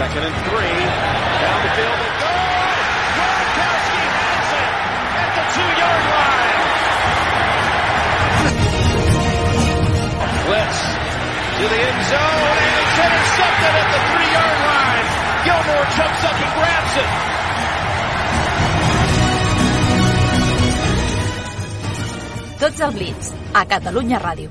2nd and 3. Down the field and good! Gronkowski has it at the 2-yard line. Blitz to the end zone, and it's intercepted at the 3-yard line. Gilmore jumps up and grabs it. Tots al Blitz, a Catalunya Ràdio.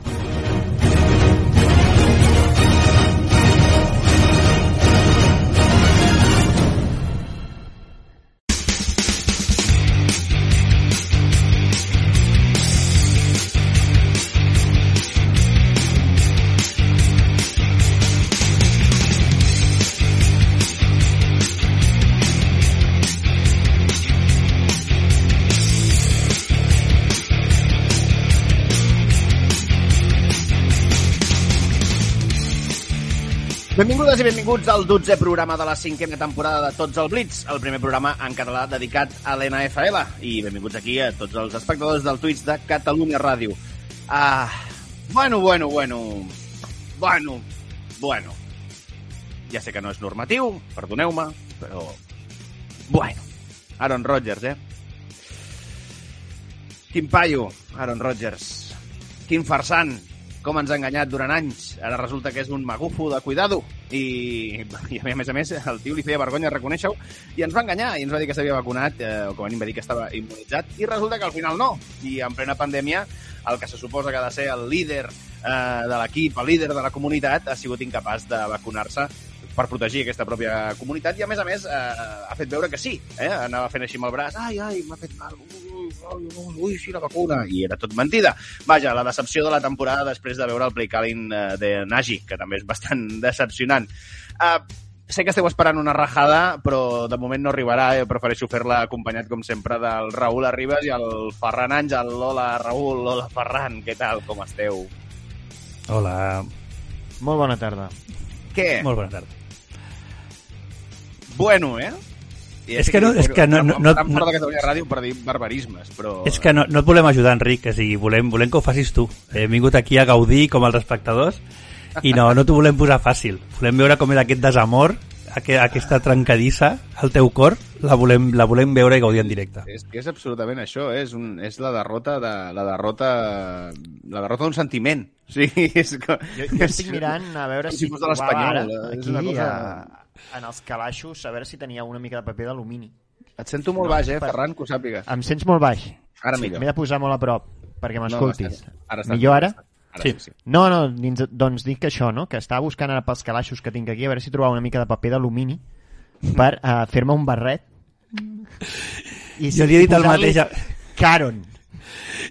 Benvingudes i benvinguts al 12è programa de la 5a temporada de Tots al Blitz, el primer programa en català dedicat a l'NFL. I benvinguts aquí a tots els espectadors del Twitch de Catalunya Ràdio. Bueno. Ja sé que no és normatiu, perdoneu-me, però... Bueno, Aaron Rodgers, Quin paio, Aaron Rodgers. Quin farsant. Com ens ha enganyat durant anys. Ara resulta que és un magufo de cuidado. I a més, el tio li feia vergonya reconèixer-ho i ens va enganyar i ens va dir que s'havia vacunat, o com a mínim va dir que estava immunitzat, i resulta que al final no. I en plena pandèmia, el que se suposa que ha de ser el líder de l'equip, el líder de la comunitat, ha sigut incapaç de vacunar-se per protegir aquesta pròpia comunitat i, a més, ha fet veure que sí. Anava fent així amb el braç. Ai, m'ha fet mal. Ui, sí, la vacuna. I era tot mentida. Vaja, la decepció de la temporada després de veure el play calling de Nagy, que també és bastant decepcionant. Sé que esteu esperant una rajada, però de moment no arribarà. Prefereixo fer-la acompanyat, com sempre, del Raül Arribas i el Ferran Àngel. Hola, Raül. Hola, Ferran. Què tal? Com esteu? Hola. Molt bona tarda. Què? Molt bona tarda. Bueno, És que no... Em fora de Catalunya Ràdio per dir barbarismes, però... És que no et volem ajudar, Enric, volem que ho facis tu. Hem vingut aquí a gaudir com els espectadors i no t'ho volem posar fàcil. Volem veure com és aquest desamor, aquesta trencadissa al teu cor, la volem veure i gaudir en directe. És absolutament això, és la derrota d'un sentiment. Sí, jo estic mirant a veure si fos de l'Espanyol. Aquí, en els calaixos, a veure si tenia una mica de paper d'alumini. Et sento molt baix, Ferran, que ho sàpigues. Em sents molt baix? Ara millor. M'he de posar molt a prop perquè m'escoltis. Ara millor ara? Sí. No, doncs dic que això, no? Que estava buscant ara pels calaixos que tinc aquí a veure si trobava una mica de paper d'alumini per fer-me un barret. Jo li he dit el mateix... Caron.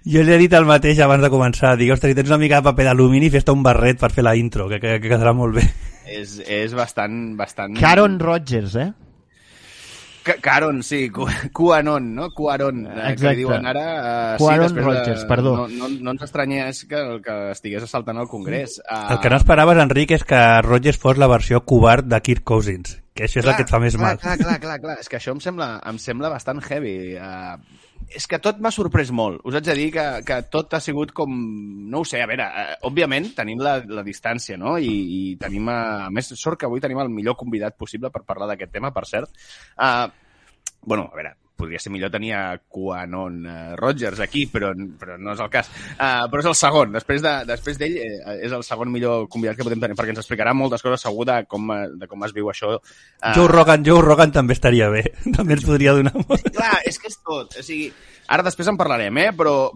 Jo li he dit el mateix abans de començar. Dic, ostres, si tens una mica de paper d'alumini, fes-te un barret per fer la intro, que quedarà molt bé. És bastant... Caron Rodgers, Caron, sí, Cuaron, no? Cuaron, que li diuen ara... Cuaron Rodgers, perdó. No ens estranyés que estigués assaltant al Congrés. El que no esperaves, Enric, és que Rodgers fos la versió covard de Kirk Cousins, que això és el que et fa més mal. Clar. És que això em sembla bastant heavy. És que tot m'ha sorprès molt. Us haig de dir que tot ha sigut com... No ho sé, a veure, òbviament tenim la distància, no? I tenim, a més, sort que avui tenim el millor convidat possible per parlar d'aquest tema, per cert. Bueno, a veure, podria ser millor tenir a Cuanon Rodgers aquí, però no és el cas. Però és el segon. Després d'ell és el segon millor convidat que podem tenir, perquè ens explicarà moltes coses segur de com es viu això. Joe Rogan també estaria bé. També ens podria donar molt. Clar, és que és tot. O sigui, ara després en parlarem, però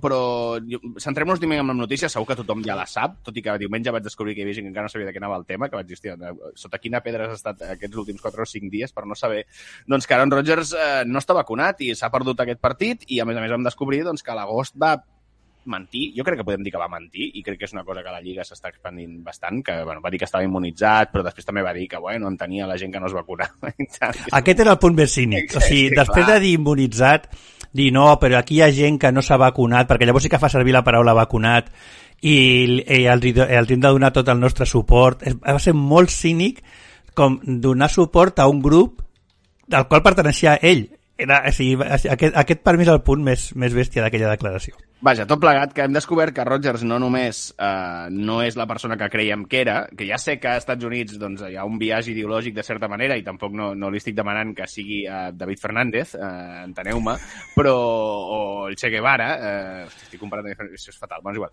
centrem-nos diumenge amb la notícia, segur que tothom ja la sap, tot i que diumenge vaig descobrir que hi havia gent que encara no sabia de què anava el tema, que vaig dir, hòstia, sota quina pedra has estat aquests últims 4 o 5 dies per no saber doncs, que Aaron Rodgers no està vacunat i s'ha perdut aquest partit, i a més vam descobrir doncs, que a l'agost va mentir. Jo crec que podem dir que va mentir, i crec que és una cosa que la Lliga s'està expandint bastant, que va dir que estava immunitzat, però després també va dir que entenia la gent que no es vacunava. Aquest era el punt més cínic. O sigui, després de dir immunitzat, dir no, però aquí hi ha gent que no s'ha vacunat, perquè llavors sí que fa servir la paraula vacunat, i els hem de donar tot el nostre suport. Va ser molt cínic com donar suport a un grup del qual perteneixia ell. Aquest per mi és el punt més bèstia d'aquella declaració. Vaja, tot plegat, que hem descobert que Rodgers no només no és la persona que creiem que era, que ja sé que als Estats Units doncs, hi ha un biaix ideològic de certa manera i tampoc no li estic demanant que sigui David Fernández, enteneu-me, però o el Che Guevara, estic comparant, això és fatal, és igual.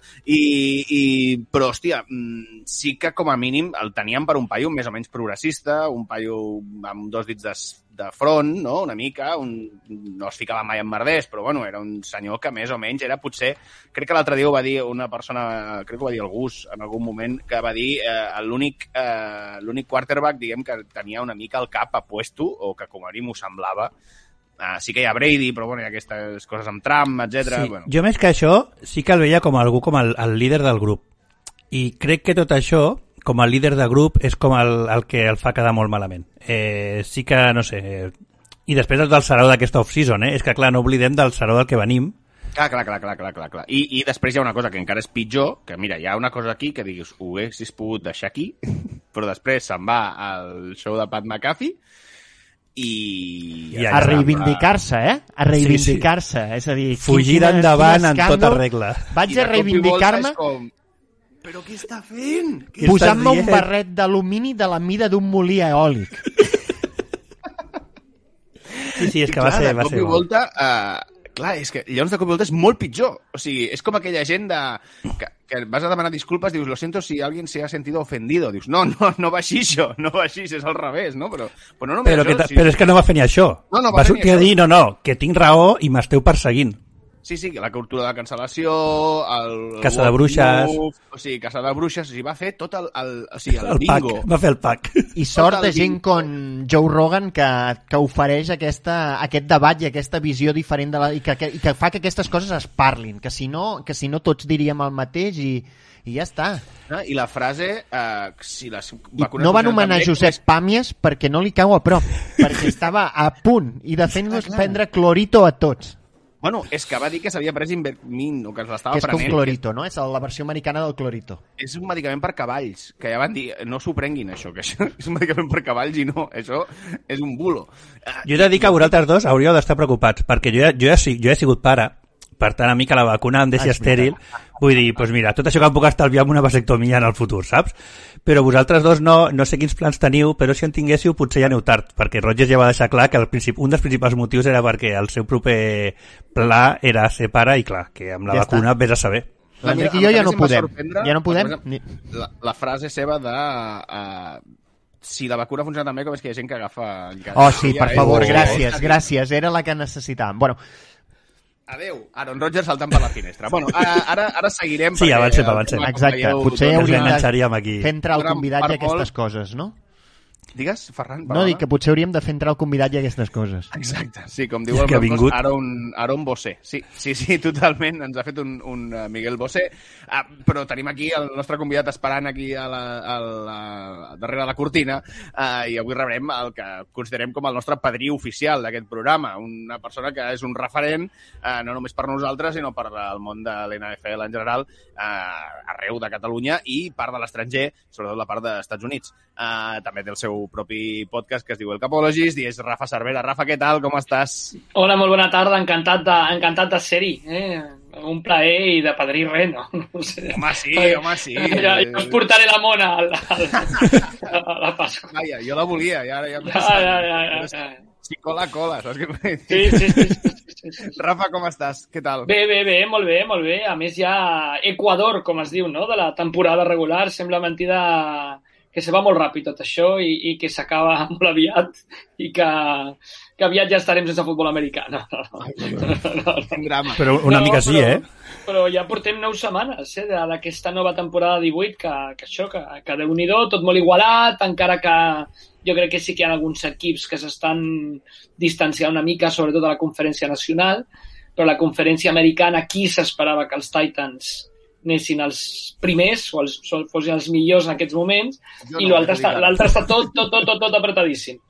Però, hòstia, sí que com a mínim el teníem per un paio més o menys progressista, un paio amb dos dits de front, no? Una mica, no es ficava mai en merders, però bueno, era un senyor que més o menys era potser, crec que l'altre dia ho va dir una persona, crec que ho va dir el Gus en algun moment, que va dir l'únic quarterback, diguem, que tenia una mica el cap a puesto, o que com a mínim ho semblava. Sí que hi ha Brady, però bueno, hi ha aquestes coses amb Trump, etc. Sí, bueno. Jo més que això, sí que el veia com algú, com el líder del grup. I crec que tot això, com a líder de grup, és com el que el fa quedar molt malament. Sí que, no sé... I després del sarau d'aquesta off-season, és que, clar, no oblidem del sarau del que venim. Clar. I després hi ha una cosa que encara és pitjor, que mira, hi ha una cosa aquí que diguis, ho haguessis pogut deixar aquí, però després se'n va al show de Pat McAfee i... A reivindicar-se, A reivindicar-se, és a dir... Fugir endavant en tota regla. Vaig a reivindicar-me... Però què està fent? Posant-me un barret d'alumini de la mida d'un molí eòlic. Sí, és que va ser... De cop i volta, clar, és que llavors de cop i volta és molt pitjor. O sigui, és com aquella gent que vas a demanar disculpes, dius, lo siento si alguien se ha sentido ofendido. Dius, no va així això, no va així, és al revés, no? Però no només això... Però és que no va fer ni això. Va sortir a dir, no, que tinc raó i m'esteu perseguint. Sí, la cultura de la cancel·lació, el... Caça de bruixes... O sigui, caça de bruixes, va fer tot el bingo. Va fer el pack. I sort de gent com Joe Rogan que ofereix aquest debat i aquesta visió diferent i que fa que aquestes coses es parlin, que si no tots diríem el mateix i ja està. I la frase... si les no va anomenar Josep Pàmies perquè no li cau a prop, perquè estava a punt i de fent-nos prendre clorito a tots. Bueno, és que va dir que s'havia pres Invermin, o que l'estava prenent. Que és prenent. com clorito, no? És la versió americana del clorito. És un medicament per cavalls, que ja van dir, no s'ho prenguin, això, que això és un medicament per cavalls i no, això és un bulo. Jo he de dir que vosaltres dos hauríeu d'estar preocupats, perquè jo he sigut pare, per tant, a mi que la vacuna em deixi estèril, vull dir, doncs mira, tot això que em puc estalviar amb una vasectomia en el futur, saps? Però vosaltres dos no sé quins plans teniu, però si en tinguéssiu potser ja aneu tard, perquè Rodgers ja va deixar clar que un dels principals motius era perquè el seu proper pla era ser pare i clar, que amb la vacuna vés a saber. L'Enric i jo ja no podem. La frase seva de... si la vacuna funciona també, com és que hi ha gent que agafa... Oh, sí, per favor, gràcies, era la que necessitàvem. Bueno, adeu, Aaron Rodgers saltant per la finestra. Bueno, ara seguirem... Sí, avancem. Exacte, potser hauríem de fer entrar el convidat i aquestes coses, no? Digues, Ferran? No, dic que potser hauríem de fer entrar el convidat i aquestes coses. Exacte, sí, com diu el meu cos, Aaron Bossé. Sí, totalment, ens ha fet un Miguel Bossé, però tenim aquí el nostre convidat esperant aquí darrere la cortina, i avui rebrem el que considerem com el nostre padrí oficial d'aquest programa, una persona que és un referent, no només per nosaltres, sinó per el món de l'NFL en general, arreu de Catalunya i part de l'estranger, sobretot la part dels Estats Units. També té el seu propi podcast que es diu El Capologist i és Rafa Cervera. Rafa, què tal? Com estàs? Hola, molt bona tarda. Encantat de ser-hi. Un plaer i de padrí res, no? No sé. Home, sí. Ja us portaré la mona a la Pasqua. Vaja, jo la volia i ara ja... Si cola, saps què vull dir? Sí. Rafa, com estàs? Què tal? Bé, molt bé. A més, ja Equador, com es diu, no?, de la temporada regular. Sembla mentida que se va molt ràpid tot això i que s'acaba molt aviat i que aviat ja estarem sense futbol americà. No. Però una mica sí, Però ja portem 9 setmanes d'aquesta nova temporada 18 que Déu-n'hi-do, tot molt igualat, encara que jo crec que sí que hi ha alguns equips que s'estan distanciant una mica, sobretot a la conferència nacional, però la conferència americana aquí s'esperava que els Titans anessin els primers o fossin els millors en aquests moments, i l'altre està tot apretadíssim.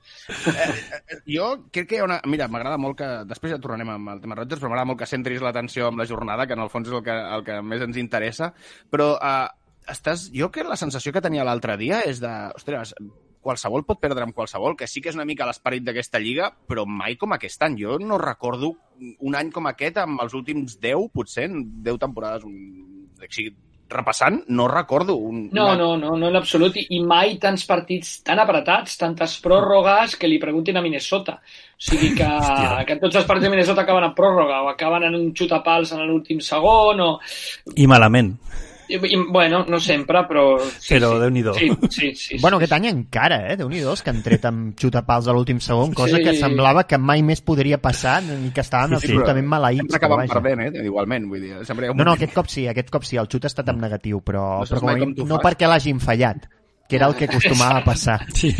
Jo crec que hi ha una... Mira, m'agrada molt que... Després ja tornarem amb el tema Rodgers, però m'agrada molt que centris l'atenció amb la jornada, que en el fons és el que més ens interessa, però jo que la sensació que tenia l'altre dia és de... Ostres, qualsevol pot perdre amb qualsevol, que sí que és una mica l'esperit d'aquesta lliga, però mai com aquest any. Jo no recordo un any com aquest amb els últims 10, potser, 10 temporades, repassant, no recordo. No, en absolut. I mai tants partits tan apretats, tantes pròrrogues, que li preguntin a Minnesota. O sigui que tots els partits de Minnesota acaben en pròrroga o acaben en un xutapals en l'últim segon o... I malament. Bueno, no sempre, però... Però Déu-n'hi-do. Sí. Bueno, aquest any encara, Déu-n'hi-do, que han tret amb xutapals a l'últim segon, cosa que semblava que mai més podria passar i que estaven absolutament maleïts. Sempre acaben perdent, igualment. Vull dir, no, aquest cop sí, el xut ha estat en negatiu, però no perquè l'hagin fallat, que era el que acostumava a passar. Sí.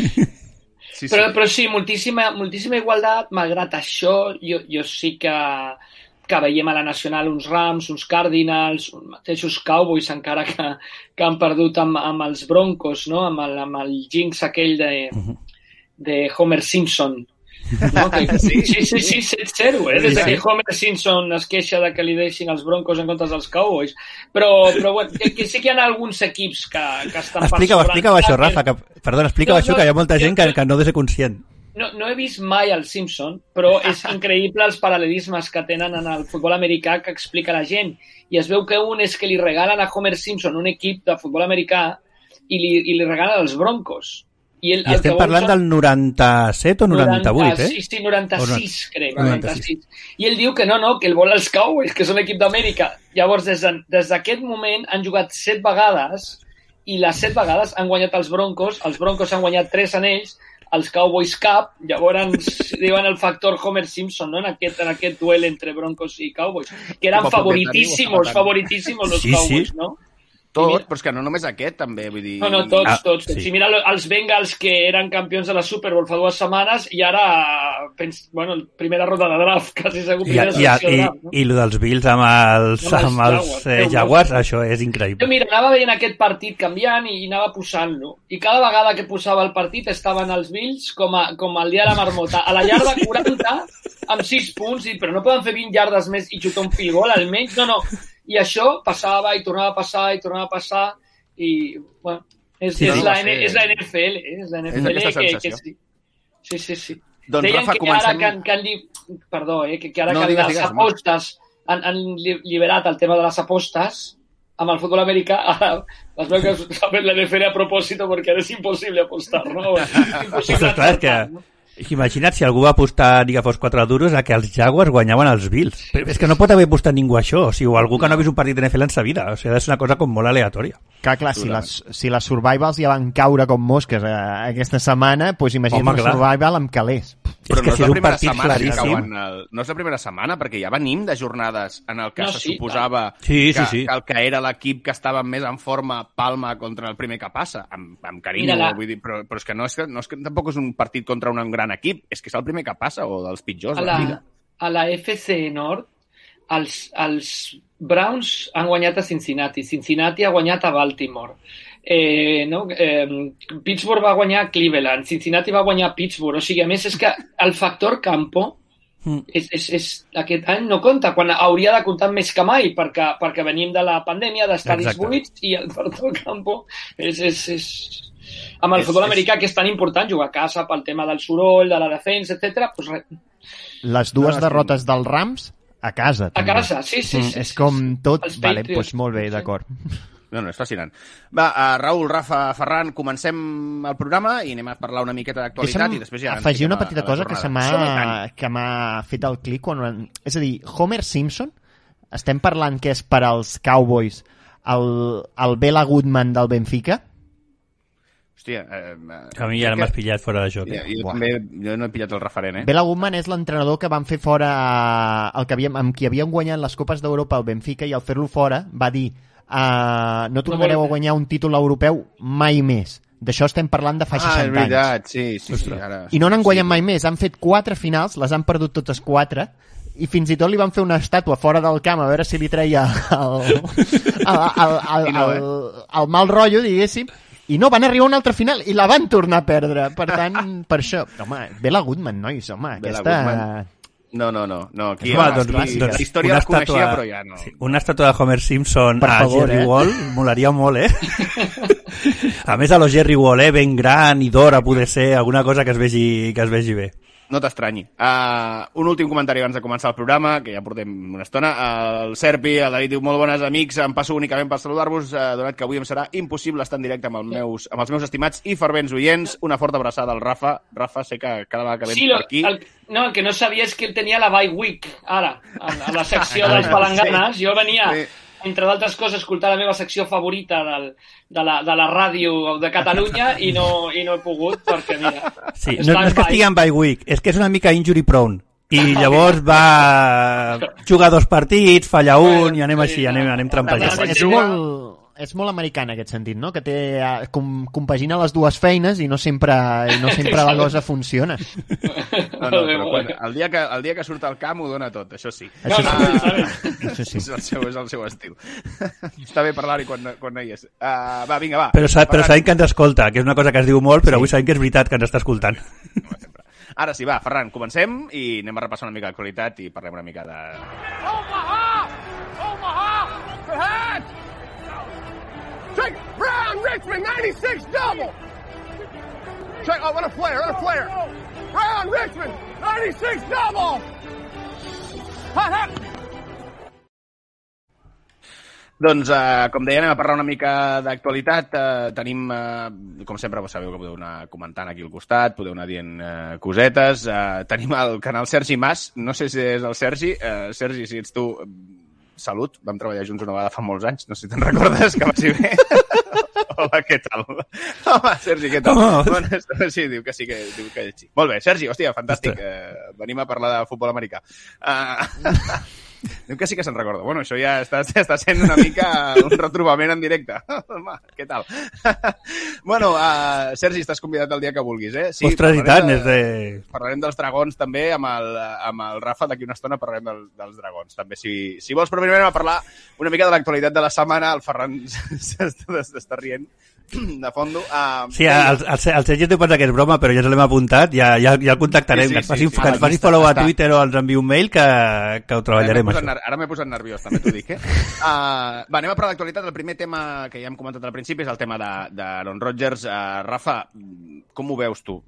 Però sí, moltíssima igualtat. Malgrat això, jo sí que veiem a la Nacional uns Rams, uns Cardinals, uns mateixos Cowboys, encara que han perdut amb els Broncos, no? amb el jinx aquell de Homer Simpson. No? Sí, 7-0, des que Homer Simpson es queixa de que li deixin els Broncos en comptes dels Cowboys. Però bueno, que sí que hi ha alguns equips que estan... Explica-ho això, Rafa. Perdona, explica-ho això, que hi ha molta gent que no deu ser conscient. No he vist mai el Simpson, però és increïble els paral·lelismes que tenen en el futbol americà que explica la gent. I es veu que un és que li regalen a Homer Simpson un equip de futbol americà i li regalen els Broncos. I estem parlant del 97 o 98, Sí, 96, crec. 96. I ell diu que no, que ell vol els Cowboys, que són l'equip d'Amèrica. Llavors, des d'aquest moment han jugat 7 vegades i les 7 vegades han guanyat els Broncos han guanyat 3 anells, els Cowboys cap, llavors diuen el factor Homer Simpson, no? en aquest duel entre Broncos i Cowboys, que eren favoritíssimos los Cowboys, no? Tots, però és que no només aquest, també, vull dir... No, tots. Sí. Si mira els Bengals, que eren campions de la Super Bowl fa 2 setmanes, i ara, primera ronda de draft, quasi segur, primera selecció de draft. No? I el dels Bills amb els Jaguars, això és increïble. Jo, mira, anava veient aquest partit canviant i anava posant-lo. I cada vegada que posava el partit estaven els Bills com el dia de la marmota. A la yarda 40, amb 6 punts, però no poden fer 20 yardes més i xutar un field goal, almenys. No. I això passava i tornava a passar i, bueno, és la NFL, és la NFL és aquesta sensació. Sí. Doncs, deien Rafa, comencem... que ara les apostes han liberat el tema de les apostes amb el futbol americà, ara les veu que s'ha fet la NFL a propòsito perquè ara és impossible apostar, no? És impossible apostar, no? Imagina't si algú va apostar ni que fos 4 duros a que els Jaguars guanyaven els Bills. Però és que no pot haver apostat ningú a això, o algú que no ha vist un partit de NFL en sa vida. O sigui, és una cosa com molt aleatòria. Clar, si les Survivals ja van caure com mosques aquesta setmana, doncs imagina't un Survival amb calés. Però no és la primera setmana que cauen no és la primera setmana, perquè ja venim de jornades en el que se suposava que el que era l'equip que estava més en forma palma contra el primer que passa, amb carinyo, vull dir, però és que no és que tampoc és un partit contra un gran equip, és que és el primer que passa o dels pitjors de la Lliga. A la FC Nord els Browns han guanyat a Cincinnati ha guanyat a Baltimore. Pittsburgh va guanyar a Cleveland, Cincinnati va guanyar a Pittsburgh, o sigui, a més és que el factor campo aquest any no compta, quan hauria de comptar més que mai, perquè venim de la pandèmia, d'estadis buits, i el factor campo és amb el futbol americà, que és tan important jugar a casa pel tema del soroll, de la defensa, etc. Les 2 derrotes dels Rams a casa. A casa, sí. És com tot... Vale, doncs molt bé, d'acord. No, és fascinant. Va, Raül, Rafa, Ferran, comencem el programa i anem a parlar una miqueta d'actualitat i després ja... afegir una petita cosa que m'ha fet el clic. És a dir, Homer Simpson, estem parlant que és per als Cowboys el Bela Goodman del Benfica? Hòstia... a mi ja m'has pillat fora de joc. Jo no he pillat el referent, Bela Goodman és l'entrenador que van fer fora amb qui havien guanyat les Copes d'Europa al Benfica, i al fer-lo fora va dir no tornareu a guanyar un títol europeu mai més. D'això estem parlant de fa 60 anys. És veritat, sí. Ara... I no n'han guanyat mai més. Han fet 4 finals, les han perdut totes 4, i fins i tot li van fer una estàtua fora del camp a veure si li treia el mal rotllo, diguéssim, i no, van arribar a una altra final i la van tornar a perdre. Per tant, per això... Home, Bela Goodman, nois, home, aquesta... No. Aquí, Doncs, la història la coneixia, però ja no. Sí, una estàtua de Homer Simpson per favor, Jerry Wall molaria molt, A més, a lo Jerry Wall, ben gran i d'or, a poder ser alguna cosa que es vegi bé. No t'estranyi. Un últim comentari abans de començar el programa, que ja portem una estona. El Serpi, el David diu, molt bones amics, em passo únicament per saludar-vos, donat que avui em serà impossible estar en directe amb els meus estimats i fervents oients. Una forta abraçada al Rafa. Rafa, sé que cada vegada que vens per aquí... El que no sabia és que ell tenia la bye week, ara, a la secció dels palanganes. Sí. Jo venia... Sí. Entre d'altres coses, escoltar la meva secció favorita de la ràdio de Catalunya i no he pogut, perquè mira... Sí, no és que estigui en bye week, és que és una mica injury prone. I llavors va jugar 2 partits, falla un i anem així, anem trampejant. És molt americà en aquest sentit, no? Que compagina les dues feines i no sempre la cosa funciona. No, però el dia que surt al camp ho dona tot, això sí. Això sí. És el seu estil. Està bé parlar-hi quan no hi és. Va, vinga, va. Però sabem que ens escolta, que és una cosa que es diu molt, però avui sabem que és veritat que ens està escoltant. Ara sí, va, Ferran, comencem i anem a repassar una mica l'actualitat i parlem una mica de... Check Brown Richmond 96 double. Check what a flare. Brown Richmond 96 double. Doncs, com deia, anem a parlar una mica d'actualitat. Tenim, com sempre, sabeu que podeu anar comentant aquí al costat, podeu anar dient cosetes. Tenim el canal Sergi Mas, no sé si és el Sergi. Sergi, si ets tu... Salut, vam treballar junts una vegada fa molts anys, no sé si te'n recordes, que vagi bé. Hola, què tal? Home, Sergi, què tal? Bueno, sí, diu que sí. Molt bé, Sergi, hòstia, fantàstic. Venim a parlar de futbol americà. Diu que sí que se'n recorda. Bueno, això ja està sent una mica un retrobament en directe. Home, què tal? Bueno, Sergi, estàs convidat el dia que vulguis, eh? Sí, ostres, i tant. Parlarem dels dragons també, amb el Rafa d'aquí una estona parlarem dels dragons. També, si vols, però primer anem a parlar una mica de l'actualitat de la setmana. El Ferran s'està rient de fondo. Sí, el Sergi té pensat que és broma, però ja ens l'hem apuntat, ja el contactarem. Que ens faci follow a Twitter o ens enviï un mail que ho treballarem. Ara m'he posat nerviós, també t'ho dic, Va, anem a parlar d'actualitat. El primer tema que ja hem comentat al principi és el tema d'Aaron Rodgers. Rafa, com ho veus tu?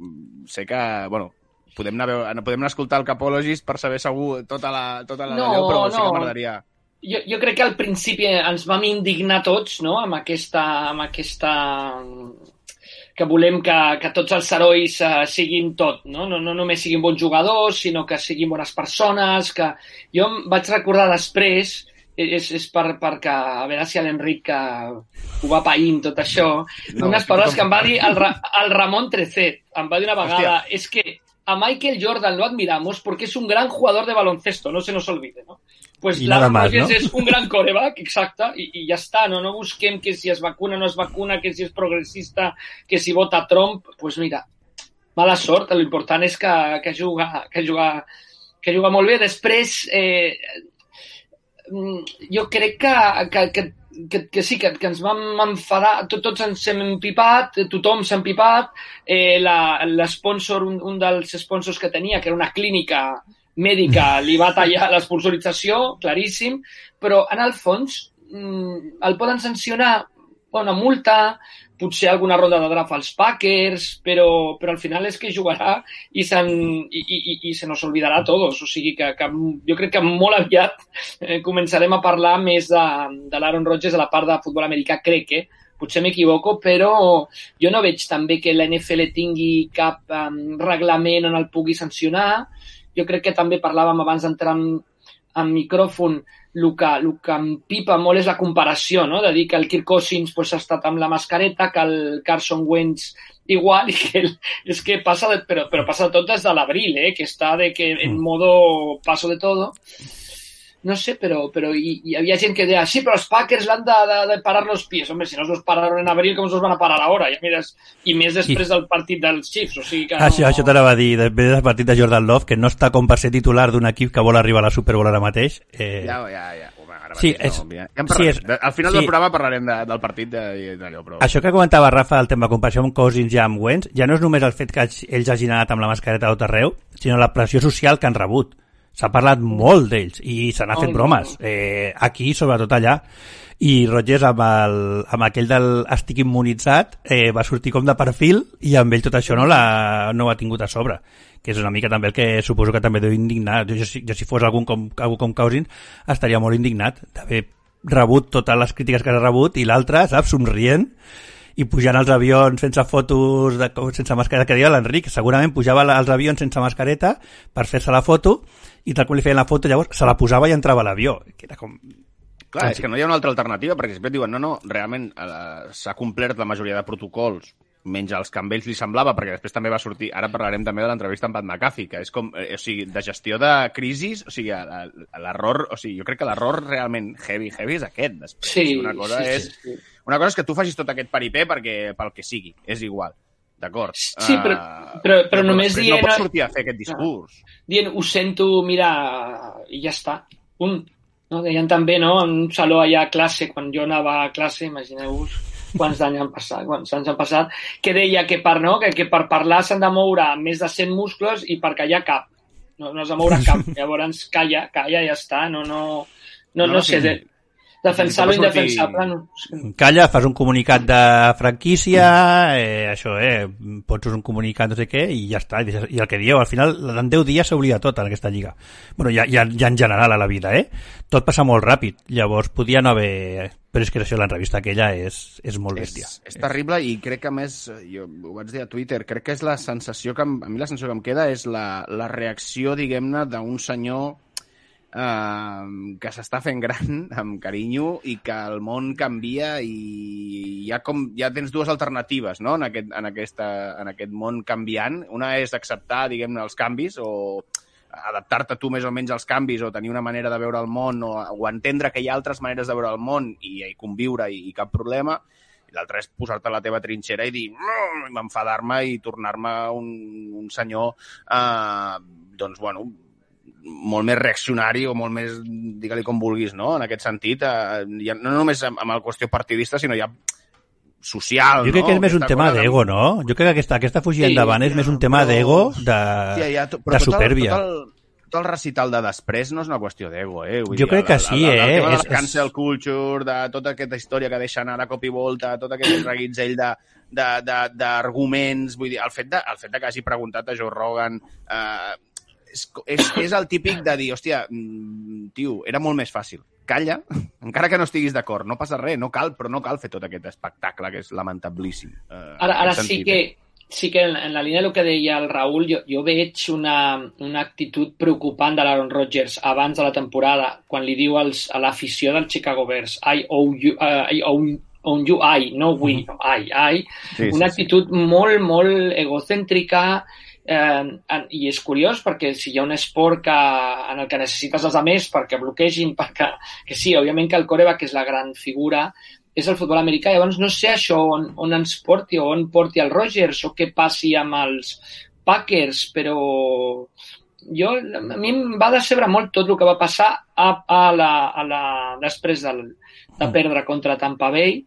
Sé que, bueno, podem anar a escoltar el Capologist per saber segur tota la d'allò, però sí que m'agradaria... Jo crec que al principi ens vam indignar tots, no?, amb aquesta que volem que tots els herois siguin tot, no? No només siguin bons jugadors, sinó que siguin bones persones, que jo em vaig recordar després, és perquè, a veure si l'Enric ho va païnt tot això, unes paraules que em va dir el Ramon Trecet, em va dir una vegada, és que a Michael Jordan lo admiramos porque es un gran jugador de baloncesto, no se nos olvide, ¿no? Pues Aaron Rodgers és un gran quarterback, exacte, i ja està, no busquem que si es vacuna o no es vacuna, que si és progressista, que si vota Trump, pues mira, mala sort, l'important és que juga molt bé. Després, jo crec que sí, que ens vam enfadar, tots ens hem empipat, tothom s'ha empipat, l'esponsor, un dels sponsors que tenia, que era una clínica mèdica, li va tallar l'esponsorització, claríssim, però en el fons el poden sancionar, una multa, potser alguna ronda de draft als Packers, però al final és que jugarà i se nos olvidarà a tots. O sigui que jo crec que molt aviat començarem a parlar més de l'Aaron Rodgers a la part de futbol americà, crec, potser m'equivoco, però jo no veig també que l'NFL tingui cap reglament on el pugui sancionar. Jo crec que també parlàvem abans d'entrar en micròfon, el que em pipa molt és la comparació, no? De dir que el Kirk Cousins ha estat amb la mascareta, que el Carson Wentz igual, i que és que passa però passa tot des de l'abril, que està en modo paso de todo. No sé, però hi havia gent que deia, sí, però els Packers l'han de parar los pies. Hombre, si no els pararon en abril, com els van a parar ara? I més després del partit dels Chiefs, o sigui que no... Això t'anava a dir, després del partit de Jordan Love, que no està com per ser titular d'un equip que vol arribar a la Super Bowl ara mateix. Ja. Sí, al final del programa parlarem del partit d'allò, però... Això que comentava Rafa, el tema de comparació amb Cousins i amb Wentz, ja no és només el fet que ells hagin anat amb la mascareta a tot arreu, sinó la pressió social que han rebut. S'ha parlat molt d'ells i se n'ha fet bromes. Aquí, sobretot allà. I Rodgers, amb aquell del estic immunitzat, va sortir com de perfil i amb ell tot això no ho ha tingut a sobre, que és una mica també el que suposo que també deu indignar. Jo si fos algú com Cousins estaria molt indignat d'haver rebut totes les crítiques que ha rebut i l'altre, saps, somrient i pujant als avions sense fotos, sense mascareta, que deia l'Enric, segurament pujava als avions sense mascareta per fer-se la foto i tal com li feien la foto llavors se la posava i entrava a l'avió, que era com... Clar, és que no hi ha una altra alternativa, perquè sempre diuen, no, realment s'ha complert la majoria de protocols, menys els que amb ells li semblava, perquè després també va sortir, ara parlarem també de l'entrevista amb Pat McAfee, que és com, o sigui, de gestió de crisis, o sigui, l'error, o sigui, jo crec que l'error realment heavy és aquest, després. Sí, una cosa és que tu facis tot aquest paripé pel que sigui, és igual. D'acord. Sí, però només dient... No pots sortir a fer aquest discurs. Dient, ho sento, mira, i ja està. No? Deien també, no?, en un saló allà a classe, quan jo anava a classe, imagineu-vos quants anys han passat, que deia que per parlar s'han de moure més de 100 muscles i per callar cap. No has de moure cap. Llavors, calla, ja està. No sé, defensar lo indefensable. Calla, fas un comunicat de franquícia, pots un comunicat no sé què i ja està. I el que dieu, al final, en 10 dies s'oblida tot en aquesta lliga. Bueno, ja en general a la vida, Tot passa molt ràpid. Llavors, podia no haver... Però és que això, l'entrevista aquella és molt bèstia. És terrible i crec que, a més, jo ho vaig dir a Twitter, crec que és la sensació que... A mi la sensació que em queda és la reacció, diguem-ne, d'un senyor que s'està fent gran amb carinyo i que el món canvia i ja tens dues alternatives, no?, en aquest món canviant. Una és acceptar, diguem-ne, els canvis o adaptar-te tu més o menys als canvis o tenir una manera de veure el món o entendre que hi ha altres maneres de veure el món i conviure i cap problema. I l'altra és posar-te a la teva trinxera i dir m'enfadar-me i tornar-me un senyor doncs, bueno, molt més reaccionari o molt més, digue-li com vulguis, no?, en aquest sentit, no només amb la qüestió partidista, sinó ja social, jo crec que és més un tema d'ego, no? Jo crec que aquesta fugida endavant és més un tema d'ego, de supèrbia. Tot el recital de després no és una qüestió d'ego, Jo crec que sí, El tema de la cancel culture, de tota aquesta història que deixa anar de cop i volta, tot aquest reguitzell d'arguments, vull dir, el fet de que hagi preguntat a Joe Rogan és el típic de dir, hòstia, tio, era molt més fàcil. Calla, encara que no estiguis d'acord, no passa res, però no cal fer tot aquest espectacle que és lamentablíssim. Ara sí que en la línia del que deia el Raül, jo veig una actitud preocupant de l'Aaron Rodgers abans de la temporada, quan li diu a l'afició del Chicago Bears, I own you, I, no we, I. Una actitud molt, molt egocèntrica, i és curiós perquè si hi ha un esport en el que necessites els altres perquè bloquegin, que sí, òbviament que el quarterback és la gran figura, és el futbol americà. Llavors no sé això on ens porti o on porti el Rodgers o què passi amb els Packers, però a mi em va decebre molt tot el que va passar després de perdre contra Tampa Bay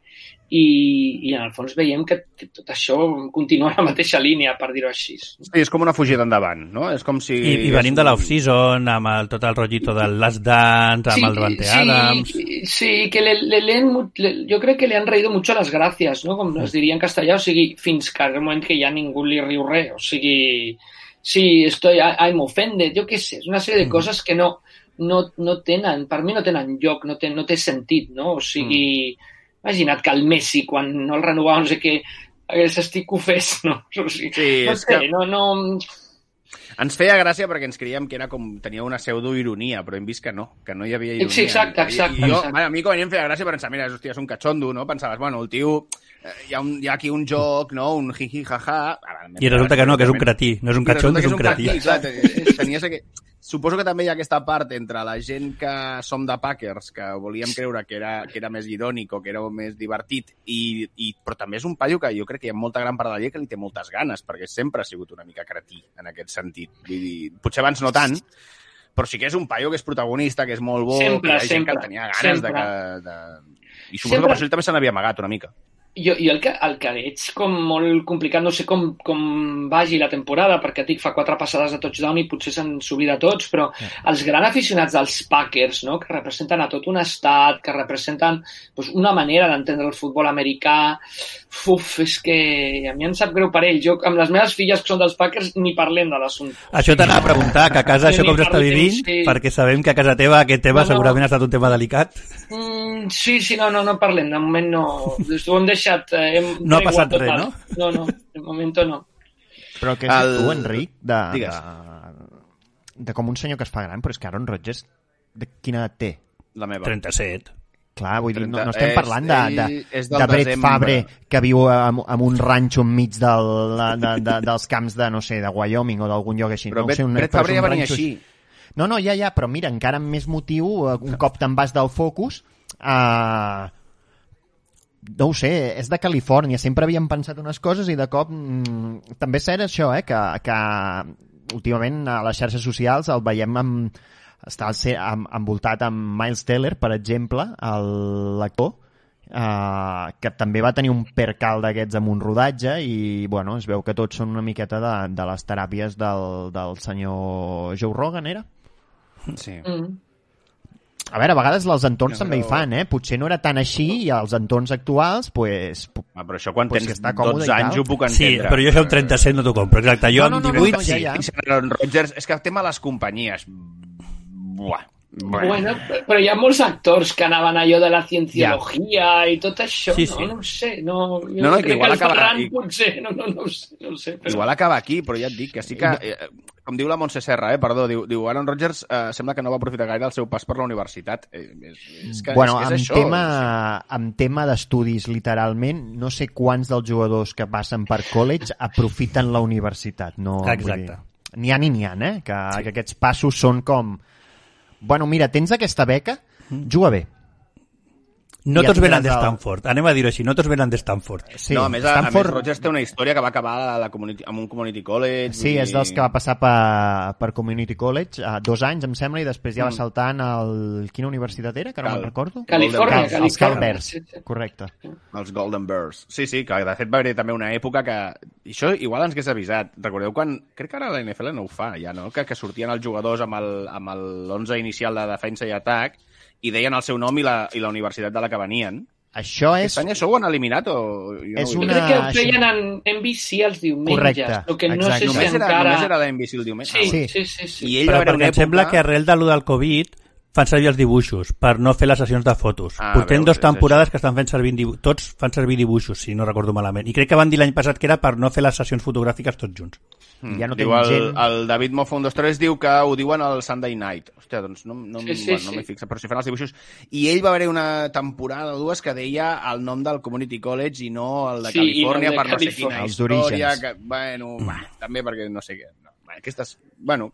i en el fons veiem que tot això continua en la mateixa línia, per dir-ho així. Sí, és com una fugida endavant, no? És com si... I venim de l'off-season, amb tot el rotllito del Last Dance, amb el Davante Adams... Sí, que jo crec que le han reído mucho las gracias, ¿no? Com es diria en castellà, o sigui, fins que al moment que ja ningú li riu res, o sigui... Sí, I'm offended, jo què sé, és una sèrie de coses que no tenen, per mi no tenen lloc, no té sentit, no? O sigui... Imagina't que el Messi, quan no el renovava, no sé què, s'estic que ho fes, no? O sigui, sí, no sé, no... Ens feia gràcia perquè ens creiem que era com tenia una pseudoironia, però hem vist que no hi havia ironia. Sí, exacte. A mi com a mi em feia gràcia pensar, mira, hòstia, és un catxondo, no? Pensaves, bueno, el tio... Hi ha aquí un joc, no? Un jiji, jaja... I resulta que no, que és un cretí. No és un catxondo, és un cretí. Suposo que també hi ha aquesta part entre la gent que som de Packers, que volíem creure que era més irònic o que era més divertit, però també és un paio que jo crec que hi ha molta gran part de la llei que li té moltes ganes, perquè sempre ha sigut una mica cretí en aquest sentit. Vull dir, potser abans no tant, però sí que és un paio que és protagonista, que és molt bo, que hi ha gent que tenia ganes de... I suposo que per això ell també se n'havia amagat una mica. Jo el que veig com molt complicat, no sé com vagi la temporada, perquè fa 4 passades de touchdown i potser se'n s'oblida tots, però els grans aficionats dels Packers, no?, que representen a tot un estat, que representen una manera d'entendre el futbol americà, és que a mi em sap greu per ells. Jo, amb les meves filles que són dels Packers, ni parlem de l'assumpte. Això t'anava a preguntar, que a casa això com s'està vivint, perquè sabem que a casa teva aquest tema segurament ha estat un tema delicat. Sí, no parlem, de moment no. Ho hem deixat... no ha passat res, no? No, de moment no. Però què és tu, Enric, de com un senyor que es fa gran, però és que Aaron Rodgers, de quina edat té? La meva. 37. Clar, vull dir, no estem parlant de Brett desembre. Favre, que viu en un ranxo enmig dels camps de, no sé, de Wyoming o d'algun lloc així. Però no Brett Favre ja venia així. No, ja, però mira, encara amb més motiu, un cop te'n vas del focus, no ho sé, és de Califòrnia, sempre havíem pensat unes coses i de cop també és cert això, que últimament a les xarxes socials el veiem està envoltat amb Miles Teller, per exemple, l'actor, que també va tenir un percal d'aquests amb un rodatge i bueno, es veu que tots són una miqueta de les teràpies del senyor Joe Rogan, era? Sí. A veure, a vegades els entorns també hi fan, Potser no era tan així i els entorns actuals, pues... però això quan pues, tens 12 anys ho puc entendre. Sí, però jo això amb 37 no t'ho compro, exacte. Jo amb 18 sí. Ja. Rodgers, és que el tema de les companyies... Buah. Bueno, però hi ha molts actors que anaven allò de la cienciologia i tot això, sí. No ho sé. No, que igual acaba... potser, no ho sé. Però... Igual acaba aquí, però ja et dic que sí que... Com diu la Montse Serra, perdó, diu Aaron Rodgers sembla que no va aprofitar gaire el seu pas per la universitat. És que bueno, és això. amb tema d'estudis, literalment, no sé quants dels jugadors que passen per college aprofiten la universitat. No, exacte. N'hi ha, que aquests passos són com... Bueno, mira, tens aquesta beca, juga bé. No tots venen de Stanford, anem a dir-ho així, no tots venen de Stanford. Sí, no, a més Rodgers té una història que va acabar amb un community college. Sí, és dels que va passar per community college 2 anys, em sembla, i després ja va saltant quina universitat era, que no me'n recordo? Califòrnia. Els Cal Bears, correcte. Els Golden Bears. Sí, que de fet va haver també una època que... I això igual ens hagués avisat. Recordeu quan... Crec que ara la NFL no ho fa, ja, no? Que sortien els jugadors amb l'11 inicial de defensa i atac i deien el seu nom i la universitat de la que venien. Això és... Aquest any això ho han eliminat o... És una... Crec que ho feien en NBC els diumenges. Correcte. El que no sé si encara... Només era l'NBC el diumenge. Sí. I ell però va haver perquè em sembla que arrel de lo del Covid fan servir els dibuixos per no fer les sessions de fotos. Portem 2 temporades que estan fent servir tots fan servir dibuixos, si no recordo malament. I crec que van dir l'any passat que era per no fer les sessions fotogràfiques tots junts. Ja no diu el David Moffo 1, 2, 3 diu que ho diuen al Sunday Night. Hòstia, doncs no m'hi fixa, però si fan els dibuixos. I ell va haver una temporada o 2 que deia el nom del Community College i no el de Califòrnia per no sé quina història. Que, bueno, també perquè no sé què. Aquestes,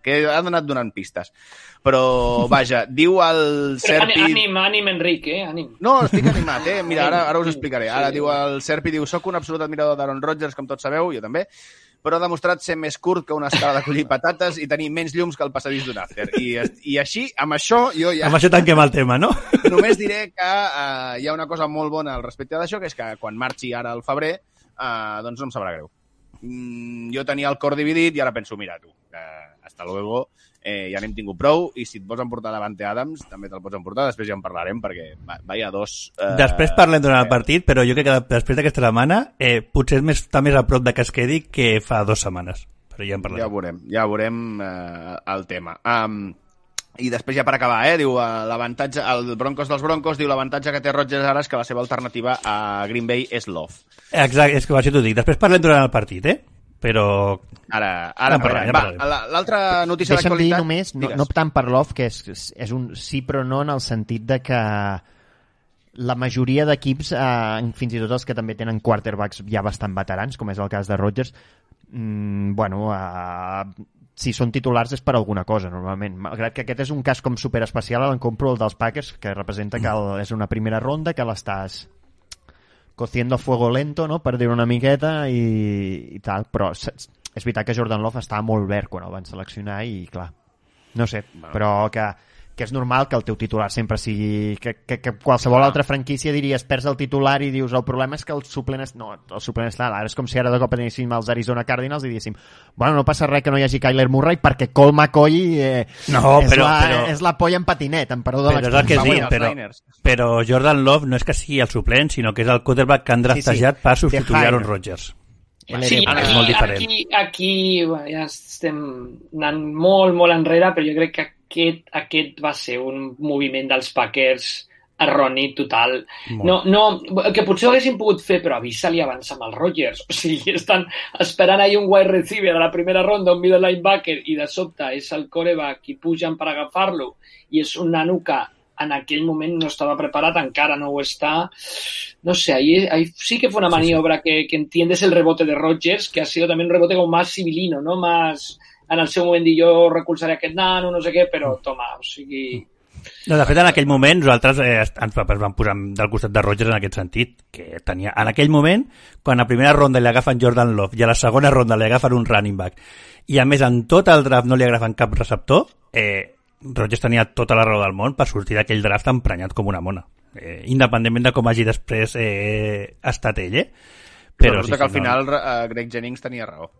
que ha anat donant pistes. Però, vaja, diu el Serpi... Ànim, Enric, ànim. No, estic animat, Mira, ara us explicaré. Ara diu el Serpi, soc un absolut admirador d'Aaron Rodgers, com tots sabeu, jo també, però ha demostrat ser més curt que una escala de collir patates i tenir menys llums que el passadís d'un after. I així, amb això, jo ja... Amb això tanquem el tema, no? Només diré que hi ha una cosa molt bona al respecte d'això, que és que quan marxi ara al febrer, doncs no em sabrà greu. Jo tenia el cor dividit i ara penso, mira tu, hasta luego, ja n'hem tingut prou i si et vols emportar Davante Adams també te'l pots emportar, després ja en parlarem perquè vaya dos... Després parlem durant el partit, però jo crec que després d'aquesta setmana potser està més a prop de que es quedi que fa 2 setmanes, però ja en parlarem. Ja veurem el tema. I després ja per acabar, diu l'avantatge, el Broncos dels Broncos diu l'avantatge que té Rodgers ara és que la seva alternativa a Green Bay és Love. Exacte, és que així t'ho dic. Després parlem durant el partit, però... Ara parlarem. L'altra notícia d'actualitat... Deixa'm dir només, no tant per Love, que és un sí però no en el sentit de que la majoria d'equips, fins i tot els que també tenen quarterbacks ja bastant veterans, com és el cas de Rodgers, si són titulars és per alguna cosa, normalment. Malgrat que aquest és un cas com superespecial, en compro el dels Packers, que representa que és una primera ronda, que l'estàs cociendo a fuego lento, no?, per dir una miqueta i tal, però és veritat que Jordan Love estava molt verd quan el van seleccionar i, clar, no sé, però que que és normal que el teu titular sempre sigui... Que qualsevol altra franquícia diries, perds el titular i dius, el problema és que el suplent està... Ara és com si ara de cop anéssim als Arizona Cardinals i diguéssim, bueno, no passa res que no hi hagi Kyler Murray perquè Colt McCoy és la polla en patinet, en perdó de l'expressió. Però Jordan Love no és que sigui el suplent, sinó que és el quarterback que han draftejat per substituir Aaron Rodgers. Sí, aquí ja estem anant molt, molt enrere, però jo crec que aquest va ser un moviment dels Packers erroni total. No, que potser ho haguessin pogut fer, però avisa-li abans amb els Rodgers. O sigui, estan esperant ahir un wide receiver a la primera ronda, un middle linebacker, i de sobte és el quarterback i pugen per agafar-lo, i és un nano que en aquell moment no estava preparat, encara no ho està. No sé, ahí sí que fue una maniobra que entiendes el rebote de Rodgers, que ha sido también un rebote como más civilino, ¿no? Más en el seu moment dir jo recolzaré aquest nano, no sé què, però toma, o sigui... No, de fet, en aquell moment nosaltres ens vam posar del costat de Rodgers en aquest sentit, que tenia, en aquell moment, quan a primera ronda li agafen Jordan Love i a la segona ronda li agafen un running back, i a més en tot el draft no li agafen cap receptor, Rodgers tenia tota la raó del món per sortir d'aquell draft emprenyat com una mona, independentment de com hagi després estat ell, però resulta que al final Greg Jennings tenia raó.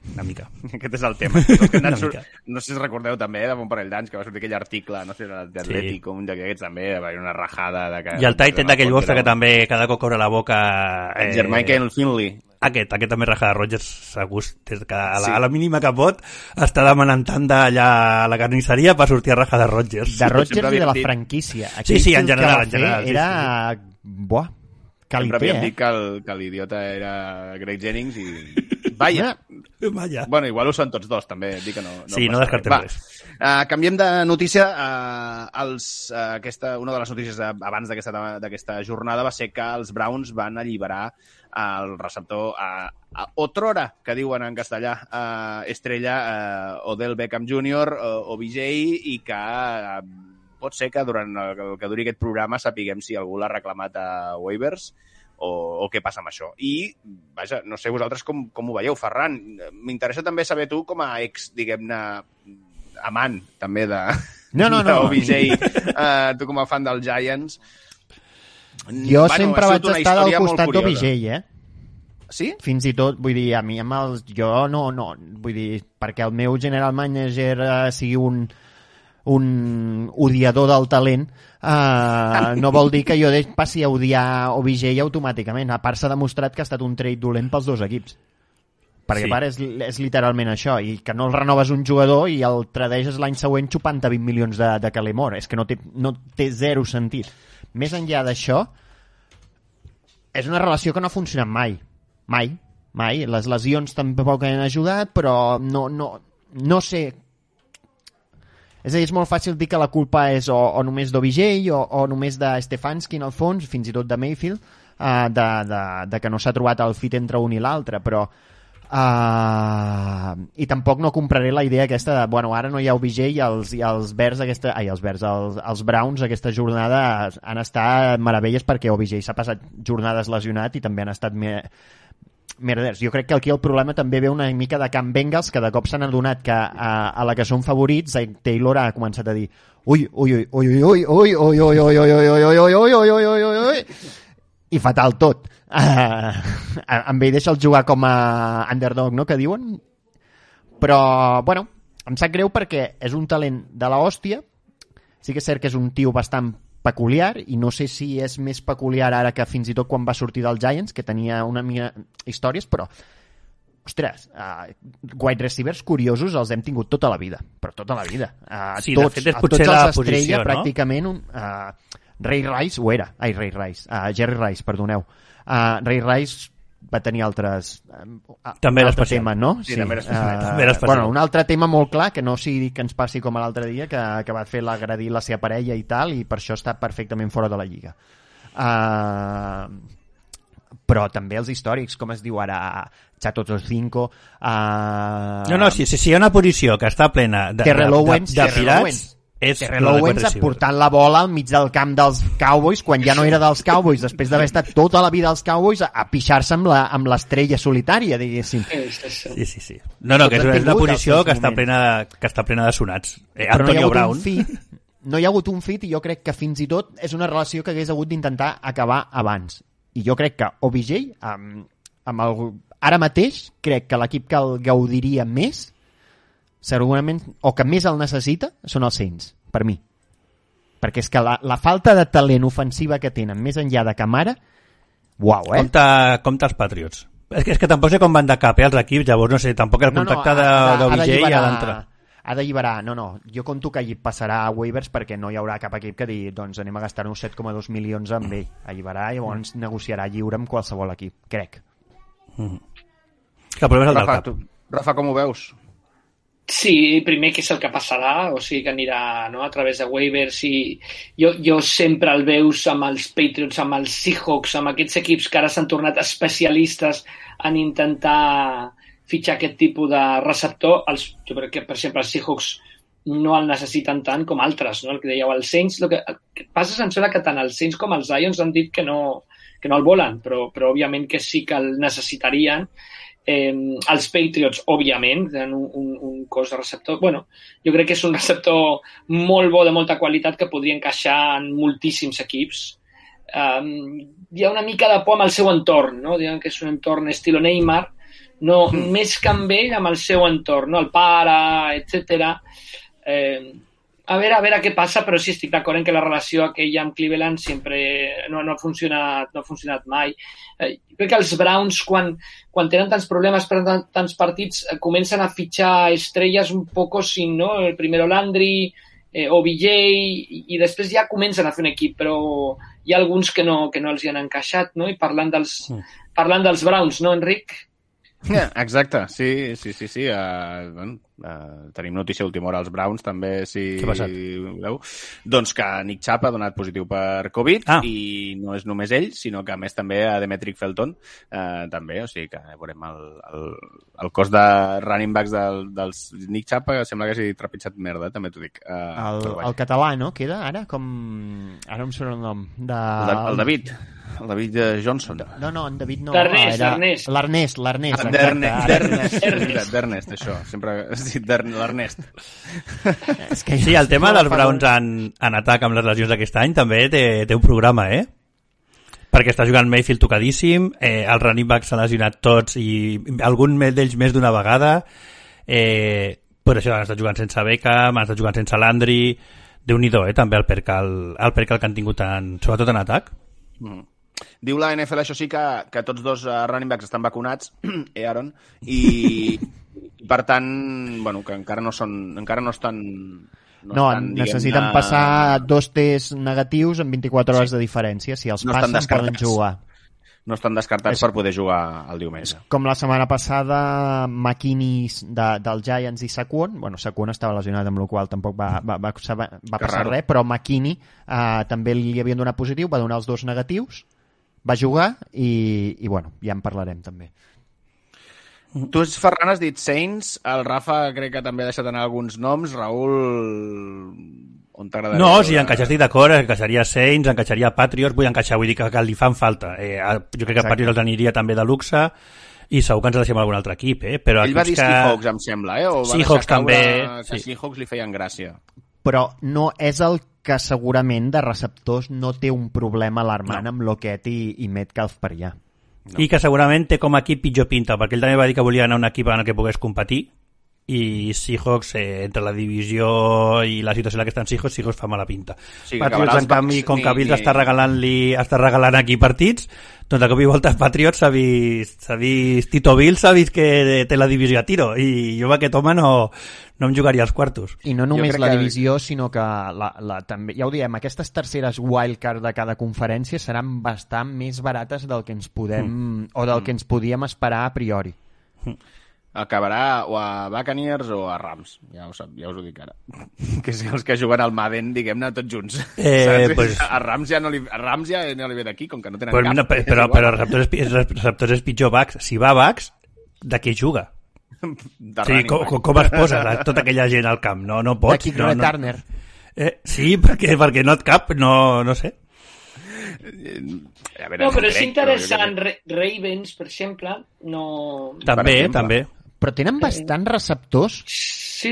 Una mica. Aquest és el tema. No sé si recordeu també, de bon parell d'anys, que va sortir aquell article, no sé, d'Atlètic, un d'aquests també, va haver una rajada... I el Titan d'aquell vostre que també cada cop obre la boca... Jermichael Finley. Aquest també raja de Rodgers, segur, des que a la mínima que pot, està demanant tant d'allà a la carnisseria per sortir a raja de Rodgers. De Rodgers i de la franquícia. Sí, en general. Era... Buah, sempre havíem dit que l'idiota era Greg Jennings i... Vaya. Bueno, igual ho són tots dos, també. Dic que no sí, no descartem res. Canviem de notícia. Una de les notícies abans d'aquesta jornada va ser que els Browns van alliberar el receptor otrora, que diuen en castellà, estrella Odell Beckham Jr. OBJ, i que pot ser que durant el que duri aquest programa sapiguem si algú l'ha reclamat a waivers o què passa amb això. I, vaja, no sé vosaltres com ho veieu, Ferran. M'interessa també saber tu, com a ex, diguem-ne, amant, també, d'OBJ, tu com a fan dels Giants. Jo sempre vaig estar al costat d'OBJ, Sí? Fins i tot, vull dir, a mi amb els... Jo no, vull dir, perquè el meu general manager sigui un odiador del talent, no vol dir que jo passi a odiar OBJ automàticament. A part s'ha demostrat que ha estat un trade dolent pels dos equips, perquè a part és literalment això, i que no el renoves un jugador i el tradeges l'any següent xupant 20 milions de Calemore. És que no té zero sentit. Més enllà d'això, és una relació que no ha funcionat mai. Les lesions tampoc han ajudat, però no sé. És a dir, és molt fàcil dir que la culpa és o només d'OBJ o només de Stefanski, en el fons, fins i tot de Mayfield, de que no s'ha trobat el fit entre un i l'altre, però i tampoc no compraré la idea aquesta de, bueno, ara no hi ha OBJ i els Browns aquesta jornada han estat meravelles perquè OBJ s'ha passat jornades lesionat i també han estat merders. Jo crec que aquí el problema també ve una mica de Camp Bengals, que de cop s'han adonat que a la que són favorits Taylor ha començat a dir ui i fatal tot. Amb ell deixa'l jugar com a underdog, no?, que diuen. Però, bueno, em sap greu perquè és un talent de la hòstia. Sí que és cert que és un tio bastant peculiar, i no sé si és més peculiar ara que fins i tot quan va sortir dels Giants, que tenia una mica històries, però ostres, wide receivers curiosos els hem tingut tota la vida, però tota la vida. Sí, de fet és potser la posició, no? Pràcticament Ray Rice ho era, Jerry Rice, perdoneu. Ray Rice va tenir altres també altre tema, no? Sí, també era especial. Bueno, un altre tema molt clar, que no sigui que ens passi com l'altre dia, que va fer l'agredir la seva parella i tal, i per això està perfectament fora de la lliga. Però també els històrics, com es diu ara, Chato Tocinco... No, si hi ha una posició que està plena de pirats... Terrell Owens portant la bola al mig del camp dels Cowboys quan ja no era dels Cowboys, després d'haver estat tota la vida als Cowboys, a pixar-se amb l'estrella solitària, diguéssim. Sí. No, que és una posició que està plena de sonats. Antonio Brown. no hi ha hagut un fit i jo crec que fins i tot és una relació que hagués hagut d'intentar acabar abans. I jo crec que OBJ, ara mateix, crec que l'equip que el gaudiria més, segurament, o que més el necessita, són els Saints, per mi. Perquè és que la falta de talent ofensiva que tenen, més enllà de Camara, uau, Compte els Patriots. És que tampoc sé com van de cap, els equips, llavors no sé, tampoc el contacte d'OBJ ha d'entrar. Ha d'alliberar, jo conto que passarà a waivers perquè no hi haurà cap equip que digui doncs anem a gastar-nos 7,2 milions amb ell. Alliberar i llavors negociarà lliure amb qualsevol equip, crec. Que el problema és el del cap. Rafa, com ho veus? Sí, primer que és el que passarà, o sigui que anirà, no, a través de waivers i jo sempre el veus amb els Patriots, amb els Seahawks, amb aquests equips que ara s'han tornat especialistes en intentar fitxar aquest tipus de receptor. Jo crec que, per exemple, els Seahawks no el necessiten tant com altres, no? El que dèieu, els Saints, el que passa és que tant els Saints com els Lions han dit que no el volen, però òbviament que sí que el necessitarien. Els Patriots, òbviament, tenen un cos de receptor. Bueno, jo crec que és un receptor molt bo, de molta qualitat, que podria encaixar en moltíssims equips. Hi ha una mica de por amb el seu entorn, no? Diuen que és un entorn estilo Neymar, no, més que amb ell, amb el seu entorn, no? El pare, etc. A veure què passa, però sí estic d'acord en que la relació aquella amb Cleveland sempre no ha funcionat mai. Crec que els Browns, quan tenen tants problemes per tants partits, comencen a fitxar estrelles un poco sin, no? El primero Landry, OBJ, i després ja comencen a fer un equip, però hi ha alguns que no els hi han encaixat, no? I parlant dels Browns, no, Enric? Exacte, sí. Tenim notícia última hora als Browns, també, si veu. Doncs que Nick Chubb ha donat positiu per Covid i no és només ell, sinó que a més també a Demetric Felton també, o sigui que veurem el cos de running backs dels Nick Chubb sembla que hagi trepitjat merda, també t'ho dic. El català, no? Queda ara com... Ara em surt el nom. El David. El David Johnson. No, en David no. L'Ernest. D'Ernest, això. Sempre has dit l'Ernest. Sí, el tema dels Browns en atac amb les lesions d'aquest any també té un programa, perquè està jugant Mayfield tocadíssim, els running backs s'han lesionat tots i algun d'ells més d'una vegada, per això han estat jugant sense Beckham, han estat jugant sense Landry, Déu-n'hi-do, també el percal que han tingut sobretot en atac. Diu la NFL, això sí, que tots dos running backs estan vacunats, Aaron, i per tant, bueno, que encara no estan... necessiten passar 2 tests negatius en 24 hores de diferència. Si els passen, poden jugar. No estan descartats per poder jugar el diumenge. Com la setmana passada, McKinney dels Giants i Saquon. Bueno, Saquon estava lesionat, amb la qual tampoc va passar res, però McKinney també li havien donat positiu, va donar els 2 negatius, va jugar i bueno, ja en parlarem també. Tu, Ferran, has dit Saints, el Rafa crec que també ha deixat anar alguns noms. Raül, on t'agradaria? No, si encaixar estic d'acord, encaixaria Saints, encaixaria Patriots, vull dir que li fan falta. Jo crec que Patriots els aniria també de luxe i segur que ens deixem algun altre equip, però ell va dir Seahawks, em sembla, o va Seahawks també, que Seahawks li feien gràcia. Però no és el que segurament de receptors no té un problema alarmant amb Lockett i Metcalf per allà. No. I que segurament té com a equip pitjor pinta, perquè ell també va dir que volia anar a un equip en el que pogués competir, i Seahawks, entre la divisió i la situació en la que estan Seahawks fa mala pinta. Sí, Patriots, en canvi, com que Bills està regalant aquí partits, doncs de cop i volta Patriots s'ha vist Tito Bills s'ha vist que té la divisió a tiro, i jo amb aquest home no em jugaria als quartos. I no només la divisió, sinó que també, ja ho diem, aquestes terceres wildcard de cada conferència seran bastant més barates del que ens podem o del que ens podíem esperar a priori. Acabarà o a Buccaneers o a Rams, ja us ho dic ara. Que si els que juguen al Madden, diguem-ne, tots junts. Pues... A Rams ja no li ve d'aquí, com que no tenen cap. No, però receptors és pitjor Bucs. Si va Bucs, de què juga? Sí, com es posa tota aquella gent al camp? No pots. De Kick Turner. Sí, perquè no et cap, no sé. No, però és interessant. Ravens, per exemple, no... També. Però tenen bastants receptors. Sí.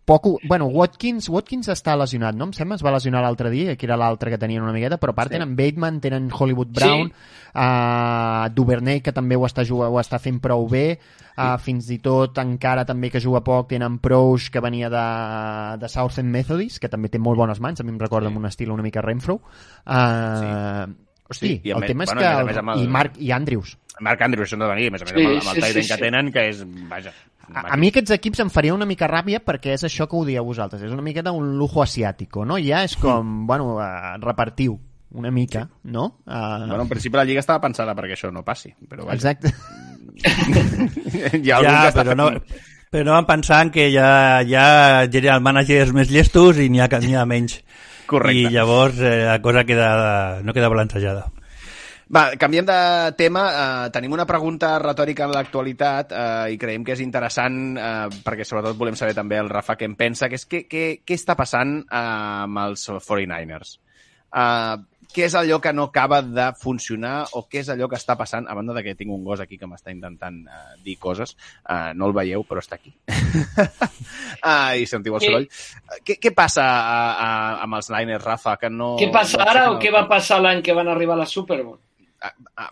Bueno, Watkins està lesionat, no? Em sembla, es va lesionar l'altre dia, que era l'altre que tenien una miqueta, però a part tenen Bateman, tenen Hollywood Brown, Duvernay, que també ho està fent prou bé, fins i tot encara també que juga poc tenen Proush, que venia de Southend Methodist, que també té molt bones mans, a mi em recorda amb un estil una mica Renfro. Hosti, el tema és que... I Andrews. Mark Andrews, això no de venir, a més amb el Tyden que tenen, que és... Vaja, a mi aquests equips em faria una mica ràbia perquè és això que ho dieu vosaltres, és una miqueta un lujo asiàtico, no? Ja és com, bueno, repartiu una mica, no? Bueno, en principi la Lliga estava pensada perquè això no passi, però vaja. Exacte. Però no van pensant que hi ha general managers més llestos i n'hi ha menys. Correcte. I llavors la cosa no queda balancejada. Va, canviem de tema. Tenim una pregunta retòrica en l'actualitat i creiem que és interessant perquè sobretot volem saber també el Rafa què en pensa, que és què està passant amb els 49ers. Què és allò que no acaba de funcionar o què és allò que està passant, a banda de que tinc un gos aquí que m'està intentant dir coses, no el veieu però està aquí i sentiu el soroll. Què passa amb els Niners, Rafa? Què passa ara o què va passar l'any que van arribar a la Super Bowl?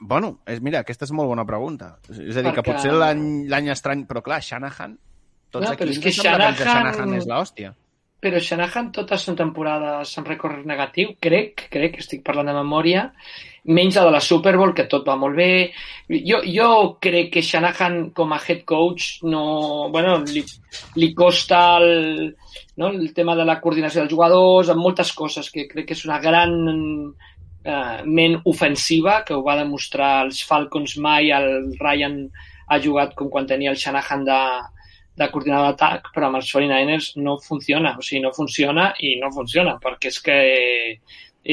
Bueno, mira, aquesta és molt bona pregunta. És a dir, que potser l'any estrany, però clar, Shanahan, tots aquí ens sembla que Shanahan és l'hòstia. Però Shanahan totes són temporades amb rècord negatiu, crec que estic parlant de memòria, menys la de la Super Bowl, que tot va molt bé. Jo crec que Shanahan com a head coach li costa el tema de la coordinació dels jugadors, amb moltes coses, que crec que és una gran ment ofensiva, que ho va demostrar els Falcons mai, el Ryan ha jugat com quan tenia el Shanahan de coordinador d'atac, però amb els 49ers no funciona, no funciona, perquè és que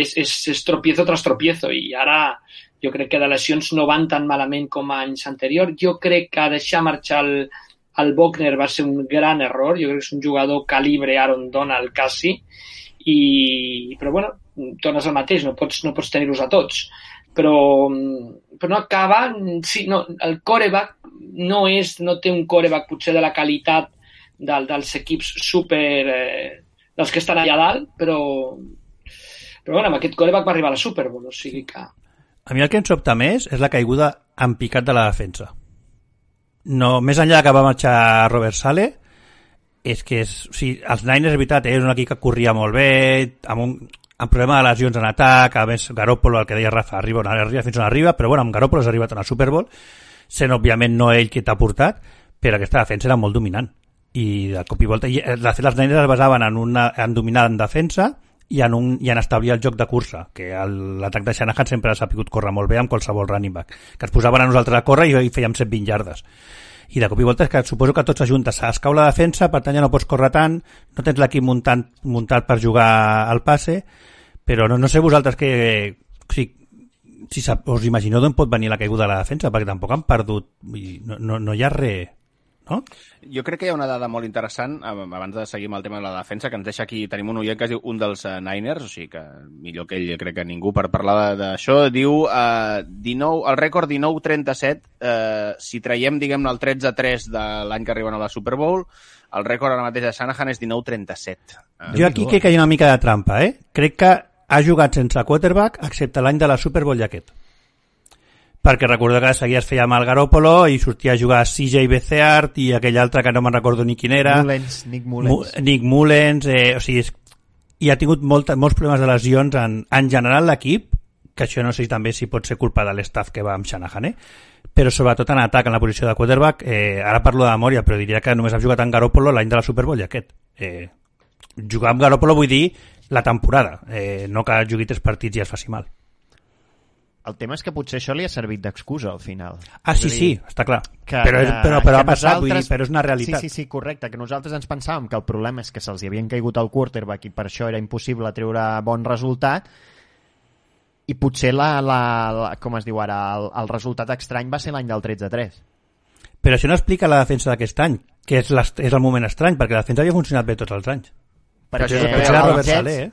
és tropiezo tras tropiezo, i ara jo crec que de lesions no van tan malament com anys anteriors. Jo crec que deixar marxar el Buckner va ser un gran error, jo crec que és un jugador calibre Aaron Donald quasi, però bueno, tornes al mateix, no pots tenir-los a tots, però no acaba. Sí, no, el quarterback no té un quarterback potser de la qualitat dels equips super dels que estan allà dalt, però bueno, amb aquest quarterback va arribar a la Super Bowl, o sigui que... A mi el que em sobta més és la caiguda en picat de la defensa. No, més enllà que va marxar Robert Saleh, és que els Niners, és veritat, és un equip que corria molt bé, amb problema de lesions en atac, a més Garoppolo, el que deia Rafa, arriba fins on arriba, però bueno, amb Garoppolo has arribat a una Super Bowl, sent òbviament no ell qui t'ha portat, però aquesta defensa era molt dominant. I de cop i volta, de fet, els Niners es basaven en dominar en defensa i en establir el joc de cursa, que l'atac de Shanahan sempre ha sapigut córrer molt bé amb qualsevol running back, que ens posaven a nosaltres a córrer i fèiem 120 yardes. I de cop i volta és que suposo que tots s'ajunten, es cau la defensa, per tant ja no pots córrer tant, no tens l'equip muntat per jugar al passe, però no sé vosaltres si us imagineu d'on pot venir la caiguda de la defensa, perquè tampoc han perdut, no hi ha res, no? Jo crec que hi ha una dada molt interessant, abans de seguir amb el tema de la defensa, que ens deixa aquí, tenim un oient que es diu un dels Niners, o sigui que millor que ell, crec que ningú per parlar d'això, diu el rècord 19-37, si traiem, diguem-ne, el 13-3 de l'any que arriben a la Super Bowl, el rècord ara mateix de Shanahan és 19-37. Jo aquí crec que hi ha una mica de trampa, Crec que ha jugat sense quarterback, excepte l'any de la Super Bowl i aquest. Perquè recordo que seguia es feia mal Garoppolo i sortia a jugar CJ Beathard i aquell altre que no me'n recordo ni quin era. Nick Mullens. Nick Mullens, o sigui, i ha tingut molts problemes de lesions en general l'equip, que això no sé també si pot ser culpa de l'estaff que va amb Shanahan, però sobretot en atac, en la posició de quarterback, ara parlo de memòria, però diria que només ha jugat en Garoppolo l'any de la Super Bowl i aquest. Jugar amb Garoppolo vull dir la temporada, no que jugui 3 partits i es faci mal. El tema és que potser això li ha servit d'excusa al final. Sí, està clar. Però ha passat, vull dir, però és una realitat. Sí, correcte, que nosaltres ens pensàvem que el problema és que se'ls havien caigut el quarterback i per això era impossible treure bon resultat, i potser com es diu ara, el resultat estrany va ser l'any del 13-3. Però això no explica la defensa d'aquest any, que és el moment estrany, perquè la defensa havia funcionat bé tots els anys. Perquè potser era Robert Saleh,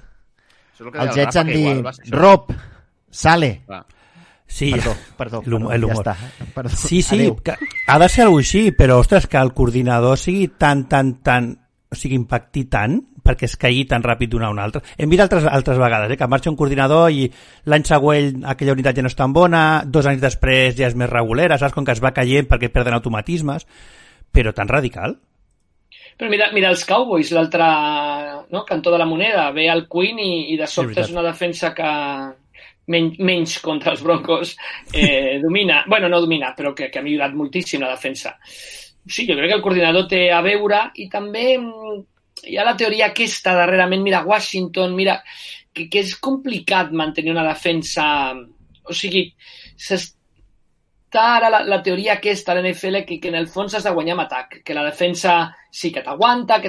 Els Jets han dit Rob, Saleh. Sí, perdó, l'humor. Ja sí, que ha de ser alguna així, però ostres, que el coordinador sigui tan impacti tant perquè es caigui tan ràpid d'una a una altra. Hem vist altres vegades, que marxa un coordinador i l'any següent aquella unitat ja no és tan bona, 2 anys després ja és més regulera, saps? Com que es va caient perquè perden automatismes, però tan radical. Però mira els Cowboys, l'altre cantó de la moneda, ve el Quinn i de sobte és una defensa que menys contra els Broncos domina. Bueno, no domina, però que ha millorat moltíssim la defensa. Sí, jo crec que el coordinador té a veure i també hi ha la teoria aquesta darrerament, mira Washington, mira que és complicat mantenir una defensa, o sigui, s'està ara la teoria aquesta a l'NFL que en el fons has de guanyar amb atac, que la defensa sí que t'aguanta,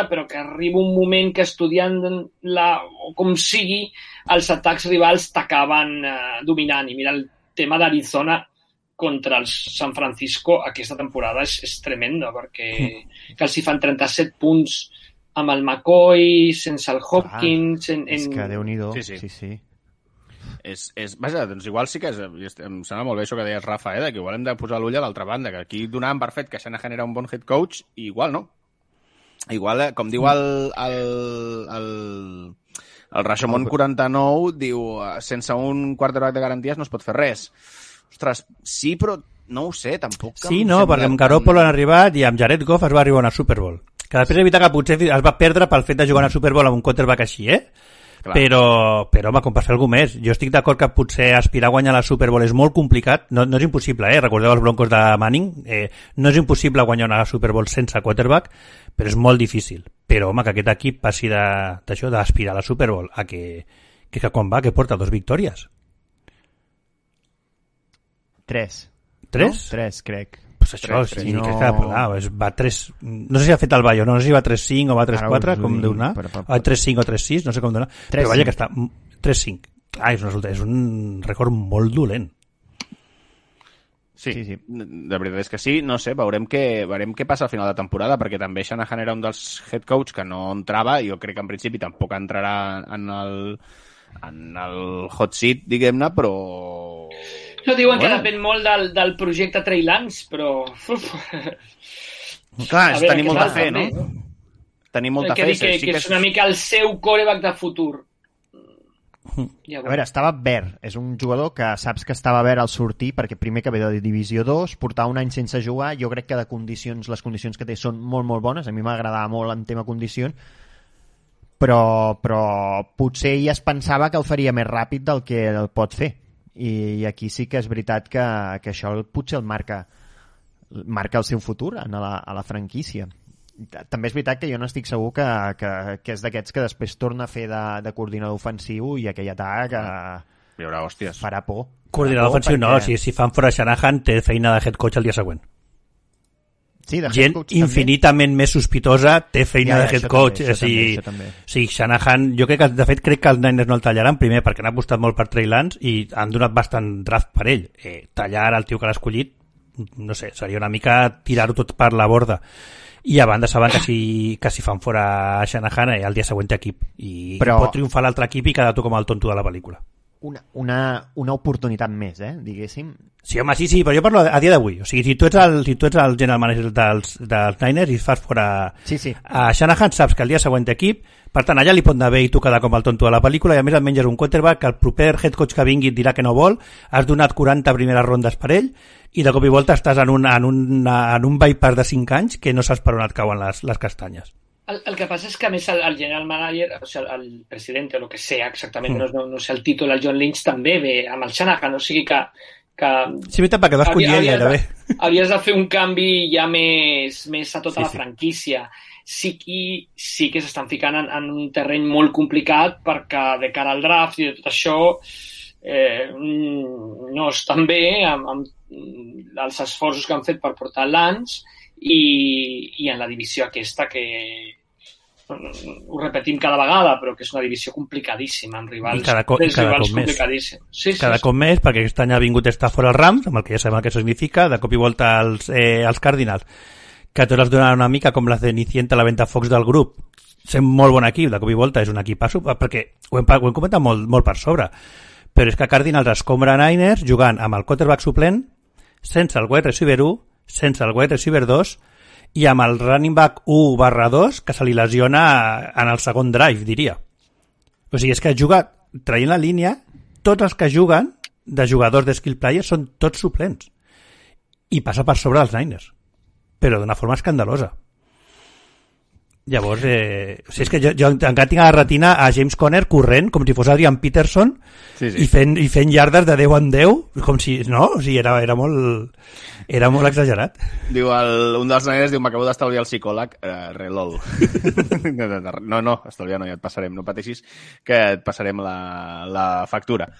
però que arriba un moment que estudiant-la o com sigui, els atacs rivals t'acaben dominant. I mira el tema d'Arizona contra els San Francisco aquesta temporada és tremenda, perquè que els hi fan 37 punts amb el sense el Hopkins... És que Déu-n'hi-do. Sí. Vaja, doncs igual sí que em sembla molt bé això que deies, Rafa, que igual hem de posar l'ull a l'altra banda, que aquí donàvem per fet que Shanahan era un bon head coach i igual no. Igual, com diu el Rashomon 49, diu, sense un quarterback de garanties no es pot fer res. Ostres, sí, però no ho sé, tampoc... Sí, no, perquè amb Garoppolo han arribat i amb Jared Goff es va arribar a una Super Bowl. Que després evita que potser es va perdre pel fet de jugar a una Super Bowl amb un quarterback així, Clar. Però, home, com per fer alguna més. Jo estic d'acord que potser aspirar a guanyar la Super Bowl és molt complicat, no és impossible, Recordeu els Broncos de Manning, no és impossible guanyar una Super Bowl sense quarterback, però és molt difícil. Però, home, que aquest equip passi d'això, d'aspirar a la Super Bowl, a que quan va, que porta 2 victòries. 3. 3? No? 3, crec. Pues això, 3, sí, no... crec que va 3... No sé si ha fet el Bayo, no sé si va 3-5 o va 3-4, com deu anar. O 3-5 o 3-6, no sé com deu anar. Però vaja que està 3-5. Clar, és un rècord molt dolent. Sí, de veritat és que sí, no sé, veurem què passa al final de temporada, perquè també Shanahan era un dels head coach que no entrava, i jo crec que en principi tampoc entrarà en el hot seat, diguem-ne, però... No diuen que depèn molt del projecte Trey Lance, però... Clar, tenim molta fe, no? Tenim molta fe. Que és una mica el seu quarterback de futur. A veure, estava verd. És un jugador que saps que estava verd al sortir, perquè primer que ve de Divisió 2, portar un any sense jugar, jo crec que les condicions que té són molt, molt bones. A mi m'agradava molt en tema condicions, però potser ja es pensava que el faria més ràpid del que el pot fer. I aquí sí que és veritat que això potser el marca el seu futur a la franquícia. També és veritat que jo no estic segur que és d'aquests que després torna a fer de coordinador ofensiu i aquell atac hi haurà hòsties. Farà por. Coordinador ofensiu no, si fan fora Shanahan té feina de head coach el dia següent. Sí, de gent infinitament més sospitosa té feina de head coach. Sí, Shanahan, jo crec que els Niners no el tallaran, primer perquè han apostat molt per Trey Lance i han donat bastant draft per ell. Tallar el tio que l'ha escollit, no sé, seria una mica tirar-ho tot per la borda. I a banda saben que si fan fora Shanahan el dia següent té equip i pot triomfar l'altre equip i quedar tu com el tonto de la pel·lícula. Una oportunitat més, diguéssim. Sí, home, sí, però jo parlo a dia d'avui. O sigui, si tu ets el general manager dels Niners i fas fora a Shanahan, saps que el dia següent té equip, per tant, allà li pot anar bé i tu quedar com el tonto de la pel·lícula, i a més et menges un quarterback que el proper head coach que vingui et dirà que no vol, has donat 40 primeres rondes per ell, i de cop i volta estàs en un bypass de 5 anys que no saps per on et cauen les castanyes. El que passa és que, a més, el general manager, o sigui, el president, o el que sea exactament, no sé el títol, el John Lynch també ve amb el Shanahan, o sigui que sí, veritat, perquè vas collir gairebé. Havies de fer un canvi ja més a tota la franquícia. Sí que s'estan ficant en un terreny molt complicat perquè de cara al draft i de tot això no estan bé amb els esforços que han fet per portar Lance i en la divisió aquesta que ho repetim cada vegada, però que és una divisió complicadíssima, amb rivals, cada cop complicadíssims. Cada cop més, perquè aquest any ha vingut Stafford als Rams, amb el que ja sabem el que això significa, de cop i volta als Cardinals, que tots els donen una mica com la Cenicienta, la Ventafocs del grup, sent molt bon equip, de cop i volta és un equipasso, perquè ho hem comentat molt per sobre, però és que Cardinals escombra Niners jugant amb el quarterback suplent, sense el wide receiver 1, sense el wide receiver 2, i amb el running back 1/2 que se li lesiona en el segon drive, diria. O sigui, és que juga traient la línia, tots els que juguen de jugadors de skill players són tots suplents i passa per sobre dels Niners, però d'una forma escandalosa. Llavors, o sigui, és que jo encara tinc a la retina a James Conner corrent com si fos Adrian Peterson i fent yardes de 10 en 10 com si, no? O sigui, era molt exagerat. Diu un dels Niners, m'acabo d'estalviar el psicòleg, relol. No, estalviar no, ja et passarem, no pateixis que et passarem la factura.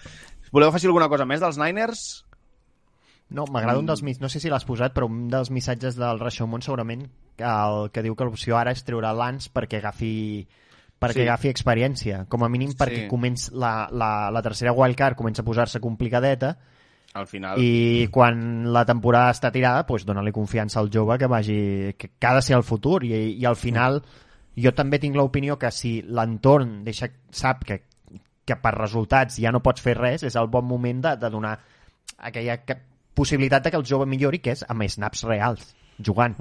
Voleu afegir alguna cosa més dels Niners? No, m'agrada un dels no sé si l'has posat, però un dels missatges del Rashomon segurament el que diu que l'opció ara és treure Lance perquè agafi experiència, com a mínim perquè la tercera wildcard comença a posar-se complicadeta al final. I quan la temporada està tirada, doncs dona-li confiança al jove que ha de ser el futur i al final jo també tinc l'opinió que si l'entorn sap que per resultats ja no pots fer res, és el bon moment de donar aquella possibilitat que el jove millori, que és amb snaps reals, jugant.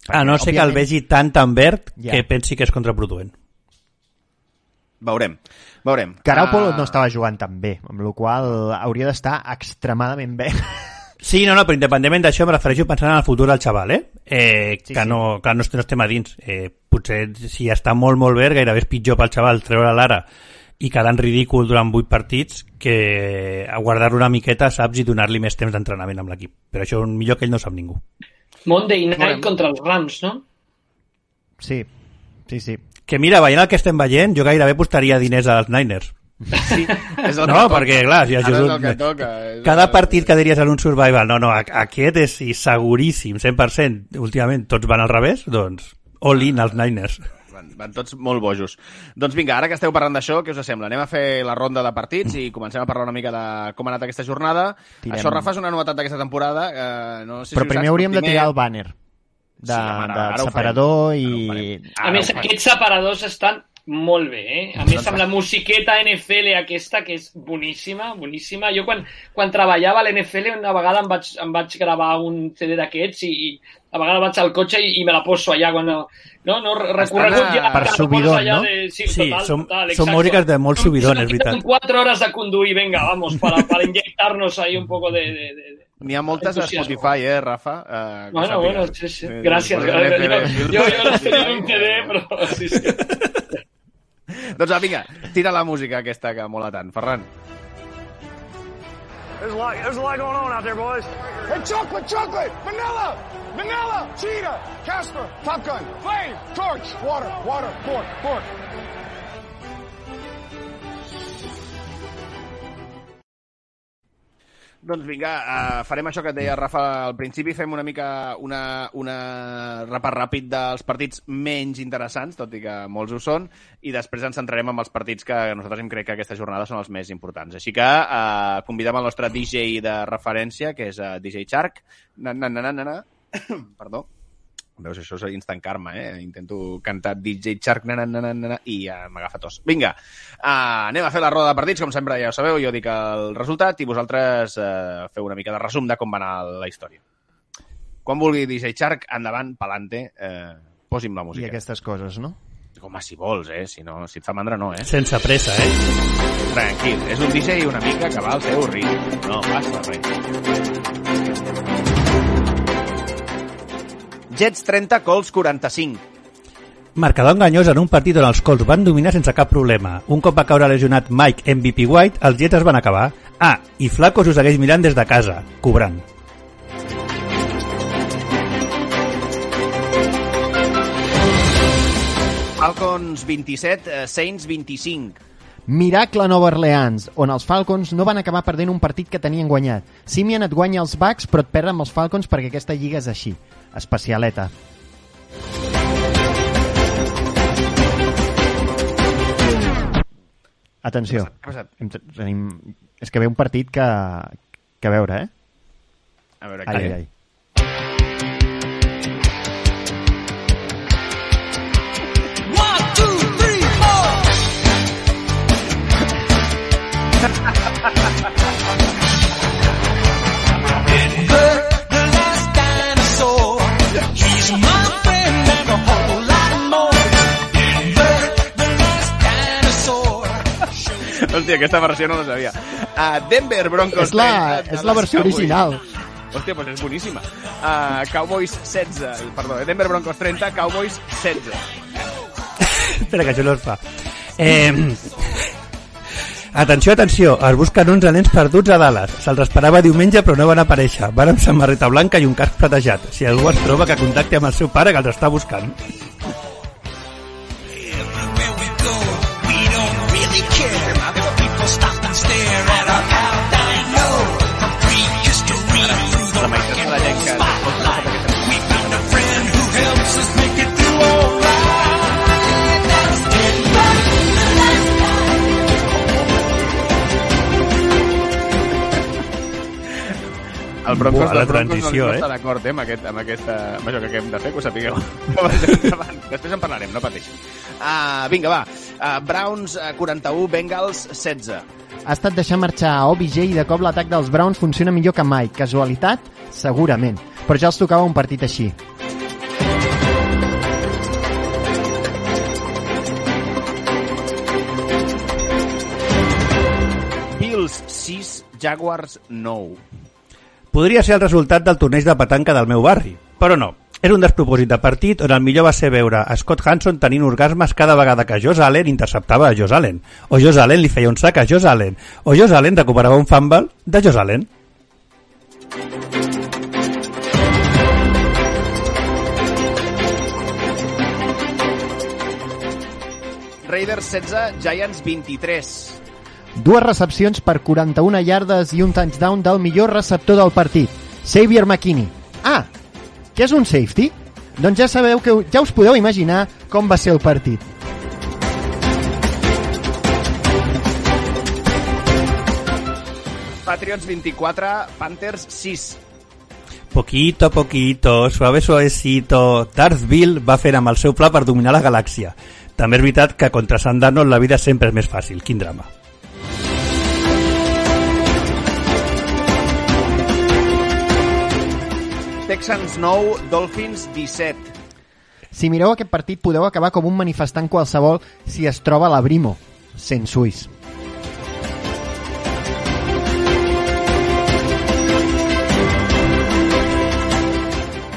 A no ser que el vegi tant verd que pensi que és contraproduent. Veurem. Garoppolo no estava jugant tan bé, amb la qual cosa hauria d'estar extremadament bé. Sí, no, però independentment d'això em refereixo pensant en el futur del xaval, que no estem a dins. Potser si està molt verd, gairebé és pitjor pel xaval treure l'ara i quedar en ridícul durant 8 partits que a guardar-lo una miqueta, saps, i donar-li més temps d'entrenament amb l'equip. Però això millor que ell no sap ningú. Monday Night contra els Rams, no? Sí. Que mira, veient el que estem veient, jo gairebé postaria diners als Niners. Sí, és el no, perquè clar, si és el que toca. Cada partit que diries en un survival, no, aquest és seguríssim, 100%, últimament tots van al revés, doncs all in als Niners. Van tots molt bojos. Doncs vinga, ara que esteu parlant d'això, què us sembla? Anem a fer la ronda de partits i comencem a parlar una mica de com ha anat aquesta jornada. Això, Rafa, és una novetat d'aquesta temporada. No sé si però primer hauríem de tirar el bàner de separador i... A més, aquests separadors estan molt bé, A més, amb la musiqueta NFL aquesta, que és boníssima. Jo quan treballava a l'NFL una vegada em vaig gravar un CD d'aquests i a vegades vaig al cotxe i me la poso allà quan recorregut ja per subidon, no? Sí, són músiques de molt subidon, és veritat. 4 hores de conduir, venga, vamos, para inyectarnos ahí un poco de N'hi ha moltes a Spotify, Rafa? Bueno, sí. Gràcies. Jo les tenia en un CD, però sí. Doncs vinga, tira la música aquesta que mola tant. Ferran. There's a lot going on out there, boys. Hey, chocolate, vanilla, cheetah, Casper, Top Gun, flame, torch, water, fork. Doncs vinga, farem això que et deia Rafa al principi, fem una mica una repàs ràpid dels partits menys interessants, tot i que molts ho són, i després ens centrarem en els partits que nosaltres hem crec que aquesta jornada són els més importants. Així que convidem el nostre DJ de referència, que és DJ Shark. Perdó. Veus, això és instant karma, Intento cantar DJ Shark, i m'agafa tos. Vinga, anem a fer la roda de partits, com sempre ja ho sabeu, jo dic el resultat i vosaltres feu una mica de resum de com va anar la història. Quan vulgui DJ Shark, endavant, pa'lante, posi'm la música. I aquestes coses, no? Home, si vols, si et fa mandra, no, Sense pressa, Tranquil, és un DJ una mica que va al seu ritme. No passa res. Jets 30, Colts 45. Marcador enganyós en un partit on els Colts van dominar sense cap problema. Un cop va caure lesionat Mike MVP White, els Jets es van acabar. I Flacco s'ho segueix mirant des de casa, cobrant. Falcons 27, Saints 25. Miracle a Nova Orleans, on els Falcons no van acabar perdent un partit que tenien guanyat. Simeon et guanya els Bucks, però et perden amb els Falcons perquè aquesta lliga és així. Especialeta. Atenció. És que ve un partit que a veure, A veure, ai. Hòstia, aquesta versió no la sabia. Denver Broncos 30. És la versió original. Hòstia, doncs és boníssima. Cowboys 16. Perdó, Denver Broncos 30, Cowboys 16. Espera, que això no es fa. Atenció, atenció, es busquen 11 nens perduts a Dallas. Se'ls esperava diumenge però no van aparèixer. Van amb samarreta blanca i un casc platejat. Si algú es troba, que contacti amb el seu pare que els està buscant. La meitat de la gent que... El Broncos, la transició, no està d'acord amb això que hem de fer, que ho sapigueu. Després en parlarem, no pateixi. Vinga, va. Browns 41, Bengals 16. Ha estat deixar marxar a OBJ i de cop l'atac dels Browns funciona millor que mai. Casualitat? Segurament. Però ja els tocava un partit així. Bills 6, Jaguars 9. Podria ser el resultat del torneig de petanca del meu barri, però no. Era un despropòsit de partit on el millor va ser veure a Scott Hanson tenint orgasmes cada vegada que Josh Allen interceptava a Josh Allen, o Josh Allen li feia un sac a Josh Allen, o Josh Allen recuperava un fumble de Josh Allen. Raiders 16, Giants 23. Dues recepcions per 41 yardes i un touchdown del millor receptor del partit, Xavier McKinney. Què és un safety? Doncs ja sabeu que ja us podeu imaginar com va ser el partit. Patriots 24, Panthers 6. Poquito, poquito, suave, suavecito. Darth Bill va fer amb el seu pla per dominar la galàxia. També és veritat que contra Sant Darnold la vida sempre és més fàcil. Quin drama. Texans 9, Dolphins 17. Si mireu aquest partit podeu acabar com un manifestant qualsevol si es troba a la Brimo, sent suís.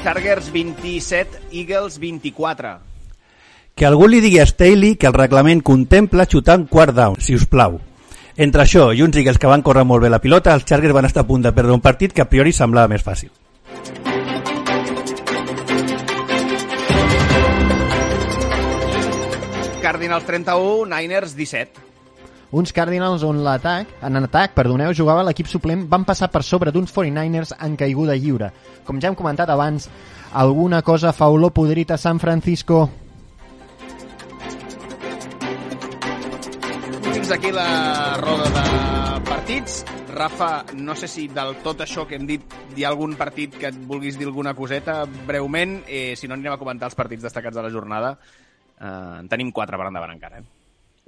Chargers 27, Eagles 24. Que algú li digui a Staley que el reglament contempla xutar en quart down, si us plau. Entre això i uns Eagles que van córrer molt bé la pilota, els Chargers van estar a punt de perdre un partit que a priori semblava més fàcil. Cardinals 31, Niners 17. Uns Cardinals on en atac, jugava l'equip suplent, van passar per sobre d'uns 49ers en caiguda lliure. Com ja hem comentat abans, alguna cosa fa olor podrit a San Francisco. Fins aquí la roda de partits. Rafa, no sé si del tot això que hem dit hi ha algun partit que et vulguis dir alguna coseta breument, si no anirem a comentar els partits destacats de la jornada. En tenim 4 per endavant encara.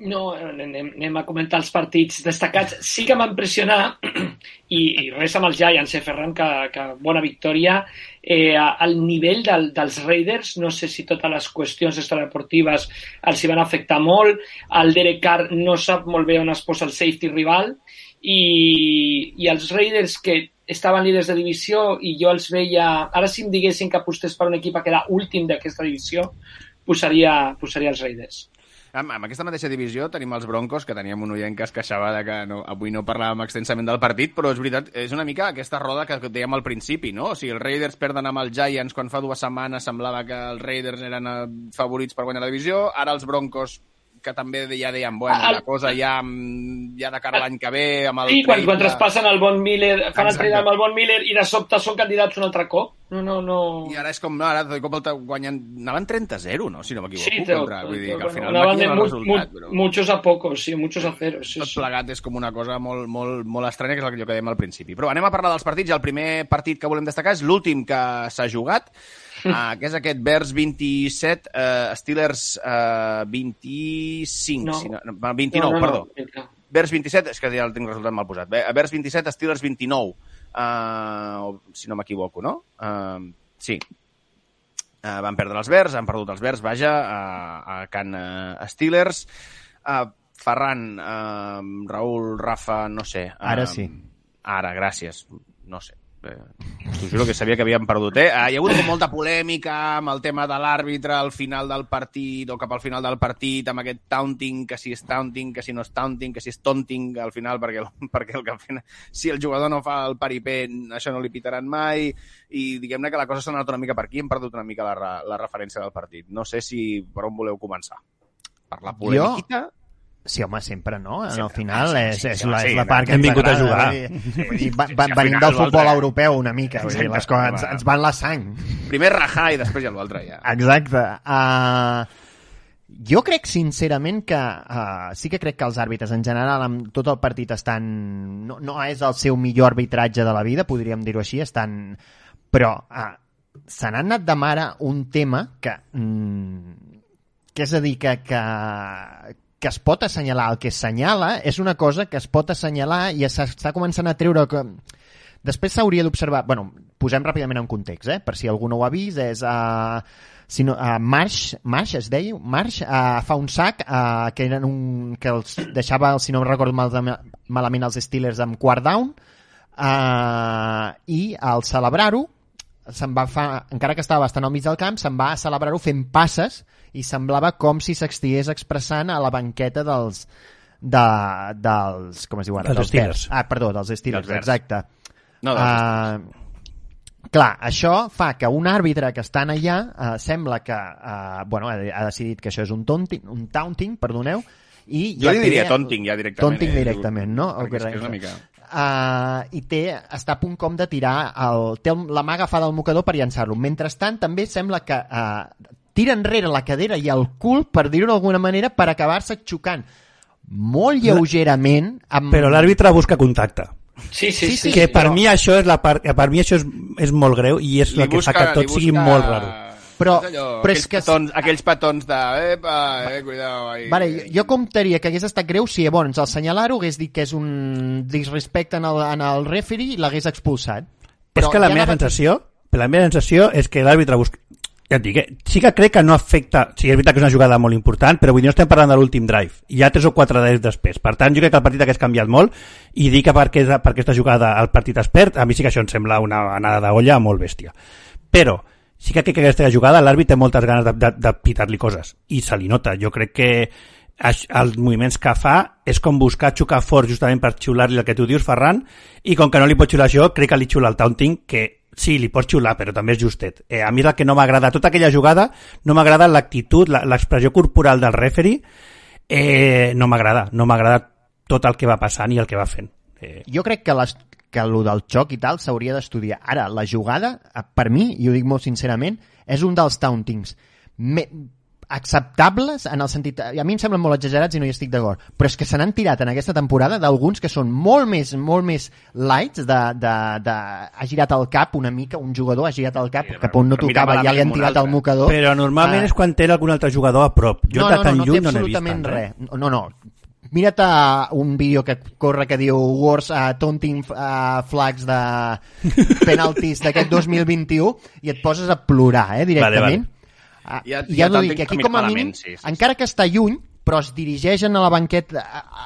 No, anem a comentar els partits destacats. Sí que m'ha impressionat, i res amb els Giants, Ferran, que bona victòria. El nivell dels Raiders, no sé si totes les qüestions extradeportives els hi van afectar molt. El Derek Carr no sap molt bé on es posa el safety rival, i els Raiders, que estaven líders de divisió, i jo els veia... Ara, si em diguessin que apostés per un equip a quedar últim d'aquesta divisió, posaria els Raiders. Amb aquesta mateixa divisió tenim els Broncos, que teníem un oient que es queixava de que avui no parlàvem extensament del partit, però és veritat, és una mica aquesta roda que dèiem al principi, no? O sigui, els Raiders perden amb els Giants quan fa 2 setmanes semblava que els Raiders eren favorits per guanyar la divisió, ara els Broncos, que també ja deien, bueno, la cosa ja de cara a l'any que ve... Amb el quan traspassen el Von Miller, fan el trade amb el Von Miller i de sobte són candidats un altre cop. No. I ara és com, no, ara de cop guanyen... Anaven 30-0, no? Si no m'equivoco. Sí, vull dir que al final maquillen el resultat. Però... Muchos a pocos, sí, muchos a cero. Sí, tot plegat és com una cosa molt, molt, molt estranya, que és el que dèiem al principi. Però anem a parlar dels partits. El primer partit que volem destacar és l'últim que s'ha jugat, que és aquest Bears 27, Steelers 25, 29, perdó. Bears 27, és que ja el tinc resultat mal posat. Bears 27, Steelers 29, si no m'equivoco, no? Sí. Van perdre els Bears, han perdut els Bears, vaja, a Can Steelers. Ferran, Raül, Rafa, no sé. Ara sí. Ara, gràcies. No sé. T'ho juro que sabia que havíem perdut. Hi ha hagut molta polèmica amb el tema de l'àrbitre al final del partit o cap al final del partit, amb aquest taunting, que si és taunting, que si no és taunting, que si és taunting al final, perquè el que fan, si el jugador no fa el paripé, això no li pitaran mai, i diguem-ne que la cosa s'ha anat una mica per aquí, hem perdut una mica la referència del partit. No sé si per on voleu començar. Per la polèmica? Sí, home, sempre, no? Al Sempre. final Sí, és sí, la part que hem ens vingut a agrada. jugar. Vull dir, venim del futbol europeu una mica. Vull dir, les coses ens van la sang. Primer rajar i després ja l'altre, ja. Exacte. Jo crec, sincerament, que sí que crec que els àrbitres, en general, amb tot el partit estan... No és el seu millor arbitratge de la vida, podríem dir-ho així, estan... Però se n'ha anat de mare un tema que és a dir, que es pot assenyalar. El que assenyala és una cosa que es pot assenyalar i s'està començant a treure... Després s'hauria d'observar... Bueno, posem ràpidament en context, per si algú no ho ha vist, és... Marsh es deia? Marsh fa un sac que els deixava, si no recordo malament, els Steelers amb quart down, i al celebrar-ho encara que estava bastant al mig del camp, se'n va a celebrar-ho fent passes i semblava com si s'estigués expressant a la banqueta dels com es diu ara? Dels Steelers. Perdó, dels Steelers, exacte. No, clar, això fa que un àrbitre que estan allà sembla que ha decidit que això és un taunting, perdoneu, i jo li diria taunting ja directament. Taunting directament, no? Perquè és que és una mica... I està a punt com de tirar té la mà agafada al mocador per llançar-lo. Mentrestant també sembla que tira enrere la cadera i el cul, per dir-ho d'alguna manera, per acabar-se xocant molt lleugerament però l'àrbitre busca contacte. Sí. Que per mi això és la part, per mi això és molt greu i és el que fa que tot sigui molt raro. Però és que... aquells petons de... cuidao. Vale, jo comptaria que hagués estat greu si llavors al senyalar-ho hagués dit que és un disrespecte en el referee i l'hagués expulsat. Però és que la meva sensació és que l'àrbitre busca... Ja et dic, sí que crec que no afecta... Sí, és veritat que és una jugada molt important, però vull dir, no estem parlant de l'últim drive. Hi ha 3 o 4 drives després. Per tant, jo crec que el partit hagués canviat molt i dir que per aquesta jugada el partit es perd, a mi sí que això em sembla una anada d'olla molt bèstia. Però sí que crec que aquesta jugada l'àrbitre té moltes ganes de pitar-li coses i se li nota. Jo crec que els moviments que fa és com buscar xocar fort justament per xiular-li el que tu dius, Ferran, i com que no li pot xiular això, crec que li xiula el taunting, que sí, li pot xiular, però també és justet. A mi és el que no m'agrada. Tota aquella jugada no m'agrada l'actitud, l'expressió corporal del referee, no m'agrada. No m'agrada tot el que va passant i el que va fent. Jo crec que el del xoc i tal s'hauria d'estudiar. Ara, la jugada, per mi, i ho dic molt sincerament, és un dels tauntings acceptables en el sentit... A mi em semblen molt exagerats i no hi estic d'acord, però és que se n'han tirat en aquesta temporada d'alguns que són molt més lights ha girat el cap una mica, un jugador ha girat el cap cap on no tocava, ja li han tirat el mocador. Però normalment és quan té algun altre jugador a prop. Jo de tan lluny no n'he vist tant. Res. No. Mira't un vídeo que corre que diu Worst Taunting Flags de penaltis d'aquest 2021 i et poses a plorar, directament. Vale. Ja no dic, aquí com a mínim, encara que està lluny, però es dirigeixen a la banqueta,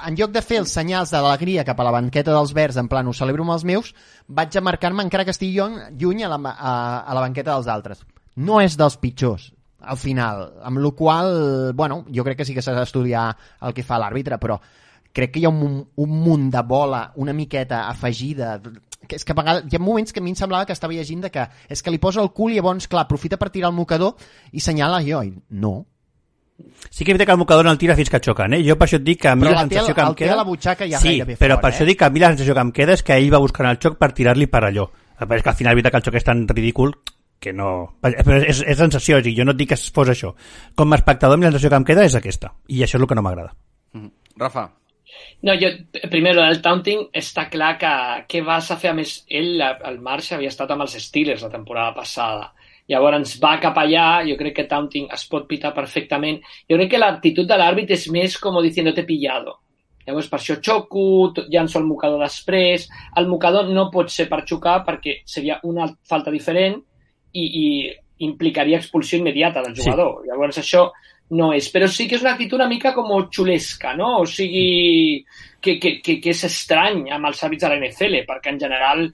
en lloc de fer els senyals d'alegria cap a la banqueta dels verds, en plan, ho celebro amb els meus, vaig a marcar-me, encara que estigui lluny, a la banqueta dels altres. No és dels pitjors, al final, amb la qual cosa, jo crec que sí que s'ha d'estudiar el que fa l'àrbitre, però crec que hi ha un munt de bola una miqueta afegida, que és que a vegades hi ha moments que a mi em semblava que estava llegint que és que li posa el cul i llavors, clar, aprofita per tirar el mocador i senyala jo, i no. Sí que és veritat que el mocador no el tira fins que xoquen, Per això et dic que a mi la sensació que em queda... la butxaca ja sí, però per això dic que a mi la sensació que em queda és que ell va buscant el xoc per tirar-li per allò. És que al final és veritat que el xoc és tan ridícul que no... Però és sensació, jo no et dic que fos això. Com a espectador, la sensació que em queda és aquesta. I això és el que no m'agrada. Rafa. No, primero, el taunting està clar que què vas a fer? A més, el Marsh havia estat amb els Steelers la temporada passada. Llavors va cap allà, jo crec que taunting es pot pitar perfectament. Jo crec que l'actitud de l'àrbit és més com diciendo te he pillado. Llavors per això xoco, llanço el mocador després. El mocador no pot ser per xocar perquè seria una falta diferent i implicaria expulsió immediata del jugador. Sí. Llavors això no és. Però sí que és una actitud una mica com xulesca, no? O sigui, que és estrany amb els hàbits de la NFL, perquè en general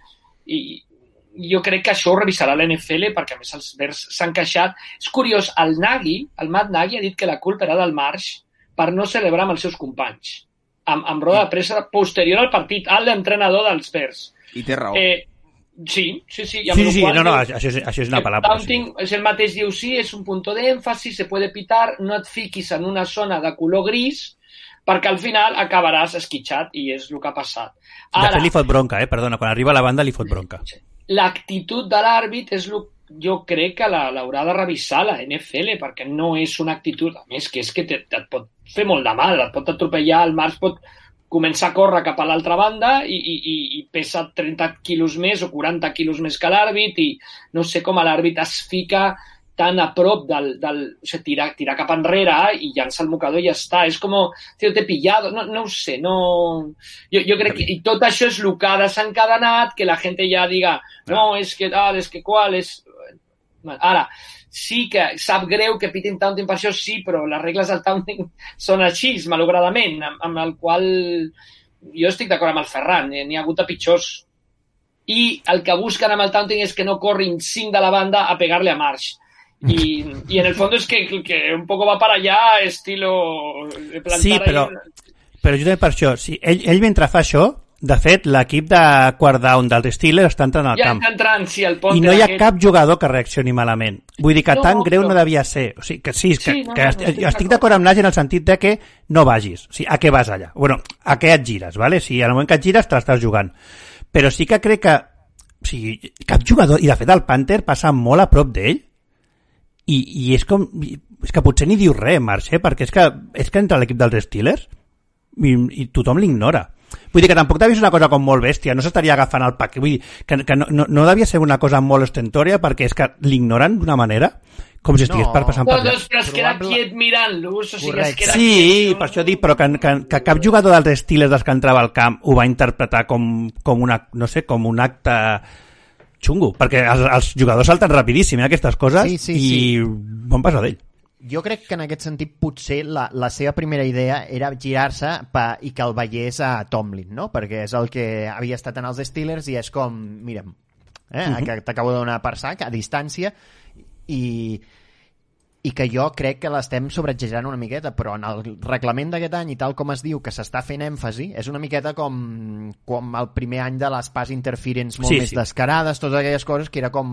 jo crec que això ho revisarà la NFL, perquè a més els Bears s'han queixat. És curiós, el Matt Nagy ha dit que la culpa era del Marsh per no celebrar amb els seus companys. Amb roda de pressa posterior al partit, l'entrenador dels Bears. I té raó. Sí. Sí, això és una palabra. Taunting, és el mateix, diu, sí, és un punto de énfasis, se puede pitar, no et fiquis en una zona de color gris, perquè al final acabaràs esquitxat, i és el que ha passat. Ara, de fet li fot bronca, perdona, quan arriba a la banda li fot bronca. L'actitud de l'àrbit és jo crec que l'haurà de revisar la NFL, perquè no és una actitud, a més, que és que et pot fer molt de mal, et pot atropellar, el Març pot començar a córrer cap a l'altra banda i pesa 30 quilos més o 40 quilos més que l'àrbit, i no sé com l'àrbit es fica tan a prop o sigui, tirar cap enrere i llança el mocador i ja està. És com, te he pillado, no ho sé, no... Jo crec que i tot això és el que ha desencadenat, que la gent ja diga, no, és que tal, és que qual, és... Ara, sí que sap greu que pitin taunting per això, sí, però les regles del taunting són així, malauradament, amb el qual jo estic d'acord amb el Ferran, n'hi ha hagut de pitjors. I el que busquen amb el taunting és que no corrin 5 de la banda a pegar-le a Marsh. Y en el fondo es que un poco va para allá, estilo... plantar sí, però justament per això, sí, ell mentre fa això, de fet, l'equip de quart down dels Steelers està entrant al camp. Ja entrant, sí, el pont. I no hi ha cap jugador que reaccioni malament. Vull dir que tan greu no devia ser. O sigui, que sí, estic d'acord amb Nagy en el sentit de que no vagis. O sigui, a què vas allà? Bueno, a què et gires, ¿vale? Si en el moment que et gires te l'estàs jugant. Però sí que crec que o sigui, cap jugador, i de fet el Panther passa molt a prop d'ell, i és com... És que potser ni diu res, Marx, perquè és que entra l'equip dels Steelers i tothom l'ignora. Vull dir que tampoc devia ser una cosa com molt bèstia, no s'estaria agafant el paquet, vull dir que no devia ser una cosa molt ostentòria, perquè és que l'ignoren d'una manera com si estigués passant per allà. Però es queda quiet mirant-los, o sigui, es queda quiet. Sí, per això dic, però que cap jugador dels Steelers dels que entrava al camp ho va interpretar com una, no sé, com un acte xungo, perquè els jugadors salten rapidíssim aquestes coses i van passar d'ell. Jo crec que en aquest sentit potser la seva primera idea era girar-se i que el veiés a Tomlin, no? Perquè és el que havia estat en els Steelers i és com, mira'm, que t'acabo de donar per sac a distància i que jo crec que l'estem sobreexagerant una miqueta, però en el reglament d'aquest any i tal com es diu que s'està fent èmfasi, és una miqueta com el primer any de les pass interference molt més descarades, totes aquelles coses que era com...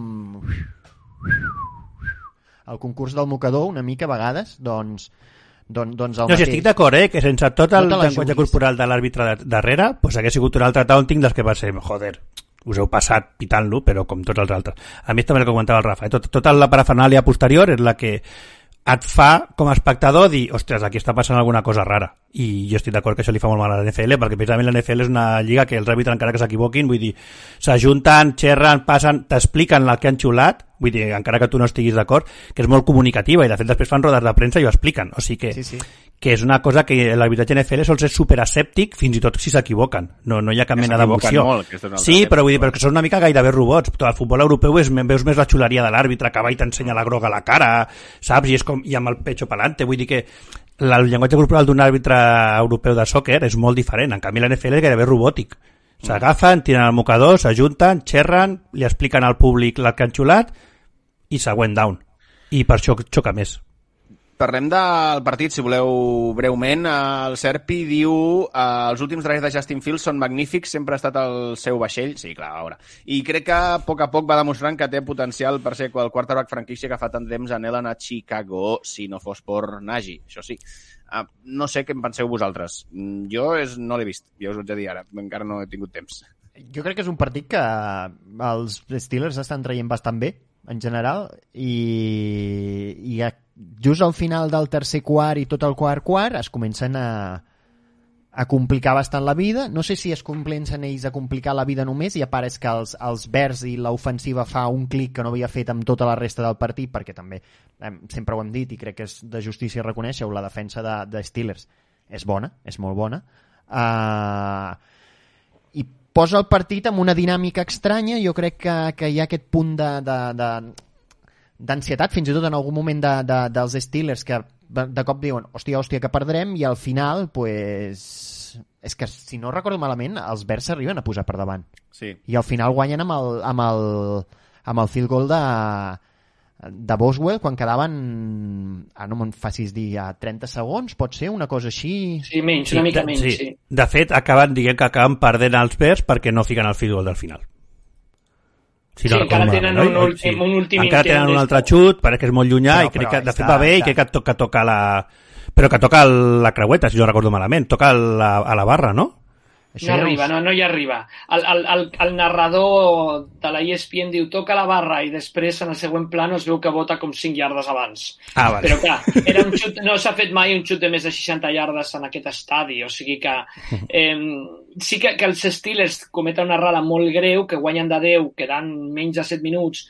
el concurs del mocador, una mica a vegades, doncs el mateix. No, si estic d'acord, que sense tot el llenguatge corporal de l'àrbitre darrere, pues hagués sigut un altre taunting dels que va ser, joder, us heu passat pitant-lo, però com tots els altres. A mi també el que comentava el Rafa, tota la parafernàlia posterior és la que et fa, com a espectador, dir, ostres, aquí està passant alguna cosa rara. I jo estic d'acord que això li fa molt mal a la NFL, perquè precisament la NFL és una lliga que els àrbitres, encara que s'equivoquin, vull dir, s'ajunten, xerren, passen, t'expliquen el que han xulat, vull dir, encara que tu no estiguis d'acord, que és molt comunicativa, i de fet després fan rodes de premsa i ho expliquen. O sigui que és una cosa que l'arbitratge NFL sol ser superescèptic, fins i tot si s'equivoquen. No hi ha cap mena d'emoció. Sí, però vull dir, però que són una mica gairebé robots. Tot el futbol europeu veus més la xuleria de l'àrbitre que va i t'ensenya la groga a la cara, saps? I és com, i amb el pecho pelante. Vull dir que el llenguatge corporal d'un àrbitre europeu de sòquer és molt diferent. En canvi, la NFL és gairebé robòtic. S'agafen, tiren el mocador, s'ajunten, xerren, li expliquen al públic el que han xulat i següent down. I per això xoca més. Parlem del partit, si voleu, breument. El Serpi diu els últims drives de Justin Fields són magnífics, sempre ha estat el seu vaixell. Sí, clar, a veure. I crec que a poc va demostrant que té potencial per ser el quarterback franquícia que fa tant temps anhelen a Chicago, si no fos per Nagy, això sí. No sé què en penseu vosaltres. Jo no l'he vist, ja us ho haig de dir ara, encara no he tingut temps. Jo crec que és un partit que els Steelers estan traient bastant bé, en general, i just al final del tercer quart i tot el quart es comencen a complicar bastant la vida. No sé si es comencen ells a complicar la vida només i a part és que els Bears i l'ofensiva fa un clic que no havia fet amb tota la resta del partit, perquè també sempre ho hem dit i crec que és de justícia reconèixer-ho, la defensa de Steelers és bona, és molt bona, i posa el partit amb una dinàmica estranya. Jo crec que hi ha aquest punt d'ansietat, fins i tot en algun moment dels Steelers, que de cop diuen, hòstia, que perdrem, i al final, pues, és que, si no recordo malament, els Bears s'arriben a posar per davant. Sí. I al final guanyen amb el field goal de Boswell quan quedaven, no me'n facis dir, a 30 segons, pot ser una cosa així? Sí, menys, una mica menys, sí. De fet, acaben perdent els Bears perquè no fiquen el field goal del final. Si no encara tenen un últim encara tenen un altre xut, perquè és molt llunyà, i crec que de fet va bé, i crec que toca però que toca la creueta, si jo recordo malament, toca a la barra, no? No hi arriba. El narrador de la ESPN diu toca la barra i després en el següent plano es veu que vota com 5 iardes abans. Vale. Però clar, era un xut, no s'ha fet mai un xut de més de 60 iardes en aquest estadi, o sigui que sí que els Steelers cometen una errada molt greu, que guanyen de 10, quedant menys de 7 minuts,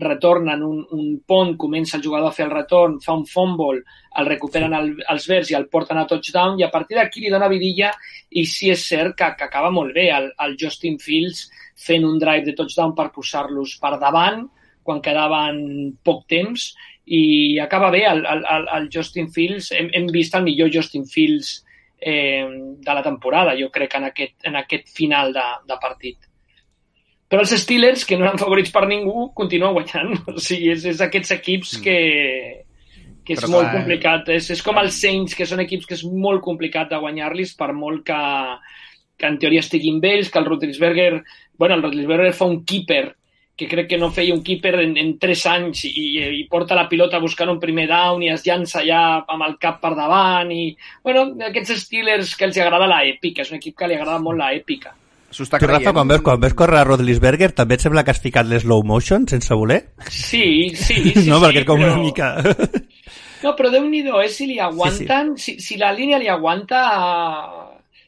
retornen un pont, comença el jugador a fer el retorn, fa un fumble, el recuperen els Bears i el porten a touchdown, i a partir d'aquí li dona vidilla, i sí és cert que acaba molt bé el Justin Fields fent un drive de touchdown per posar-los per davant quan quedaven poc temps, i acaba bé el Justin Fields. Hem vist el millor Justin Fields de la temporada, jo crec, en aquest final de partit. Però els Steelers, que no eren favorits per ningú, continuen guanyant. O sigui, és aquests equips que és però molt complicat. És com els Saints, que són equips que és molt complicat de guanyar-los, per molt que en teoria estiguin bé ells, que el Roethlisberger fa un keeper, que crec que no feia un keeper en 3 anys, i porta la pilota buscant un primer down i es llança ja amb el cap per davant, i aquests Steelers que els agrada l'èpica, és un equip que li agrada molt l'èpica. Tu, Rafa, quan veus córrer a Roethlisberger, també et sembla que has ficat l'slow motion sense voler? Sí. No, perquè és com una mica... No, però Déu-n'hi-do, si li aguanten, sí. Si la línia li aguanta...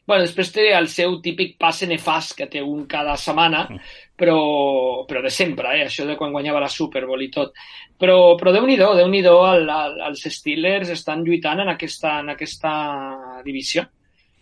Bueno, després té el seu típic passe nefast, que té un cada setmana, però de sempre, això de quan guanyava la Super Bowl i tot. Però Déu-n'hi-do, els Steelers estan lluitant en aquesta divisió.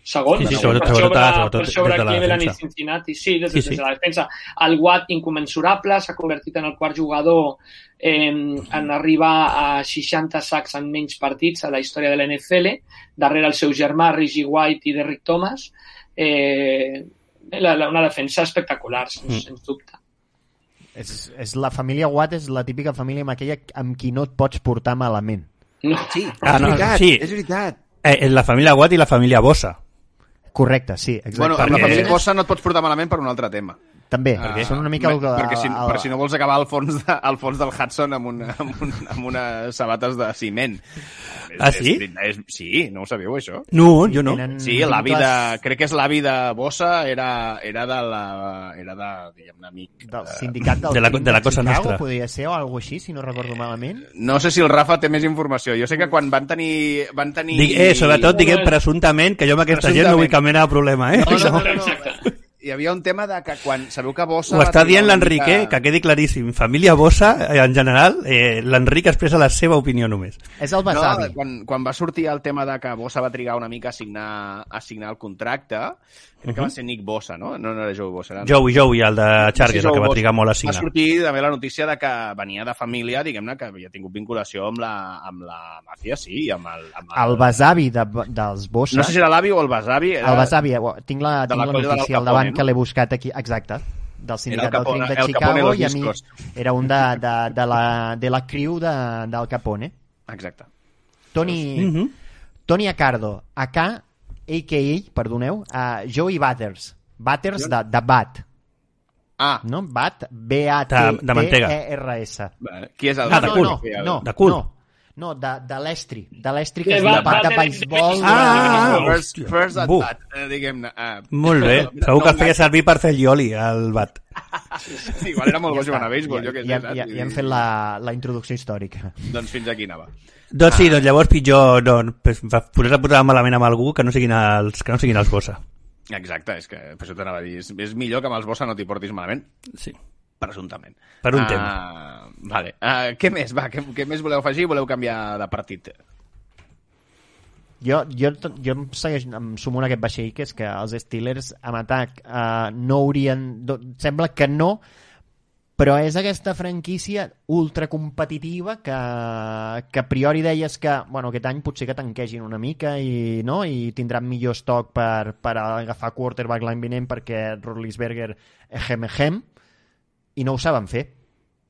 Segon, sí, per sobre Cleveland i Cincinnati. Sí, des de la defensa. El Watt, inconmensurable, s'ha convertit en el quart jugador en arribar a 60 sacks en menys partits a la història de l'NFL, darrere el seu germà Reggie White i Derrick Thomas. Una defensa espectacular, sens dubte. És la família Watt, és la típica família amb qui no et pots portar malament. No. Sí, és veritat. La família Watt i la família Bossa. Correcte, sí, exacte. Bueno, amb la família Bossa no et pots portar malament per un altre tema. També, són una mica... Perquè si no vols acabar al fons del Hudson amb unes sabates de ciment. Sí? Sí, no ho sabíeu, això? No, jo no. Sí, l'avi de... Crec que és l'avi de Bossa, era de diguem-ne, amic. Del sindicat de la cosa nostra. Podria ser, o alguna així, si no recordo malament. No sé si el Rafa té més informació. Jo sé que quan van tenir... Sobretot diguem presumptament, que jo amb aquesta gent no vull cap mena de problema, No. Hi havia un tema de que quan... Sabeu que Bossa... Ho està dient l'Enric, que quedi claríssim. Família Bossa, en general, l'Enric expressa la seva opinió només. És el besavi. No, quan va sortir el tema de que Bossa va trigar una mica a signar el contracte, crec que va ser Nick Bossa, no? No era Joey Bossa. Joey, el de Chargers, el que va trigar molt a signar. Va sortir també la notícia de que venia de família, diguem-ne, que havia tingut vinculació amb la màfia, sí, amb el besavi dels Bossa. No sé si era l'avi o el besavi. El besavi, tinc la notícia al davant, que l'he buscat aquí, exacte, del sindicat del crim de Chicago, i a mi era un de la crew del Capone. Exacte. Tony Accardo, a.k.a. perdoneu, Joey Batters de Bat. No? Bat, B-A-T-T-E-R-S. Qui és el de cul? De cul. No, de l'estri, que és un bat de beisbol. First at bat, diguem-ne. Molt bé, segur que el feia servir per fer el ioli, el bat. Sí, igual era molt bo jugant a béisbol. Ja hem fet la introducció històrica. Doncs fins aquí anava. Doncs sí, llavors pitjor posar a posar malament amb algú que no siguin els Bossa. Exacte, és que per això t'anava a dir, és millor que amb els Bossa no t'hi portis malament. Sí. Presumptament. Per un tema. Vale. Què més? Va, què més voleu afegir? Voleu canviar de partit? Jo em sumo en aquest vaixell, que és que els Steelers amb atac no haurien... Sembla que no, però és aquesta franquícia ultra competitiva que a priori deies que aquest any potser que tanquegin una mica i tindran millor estoc per agafar quarterback l'any vinent perquè Roethlisberger i no ho saben fer.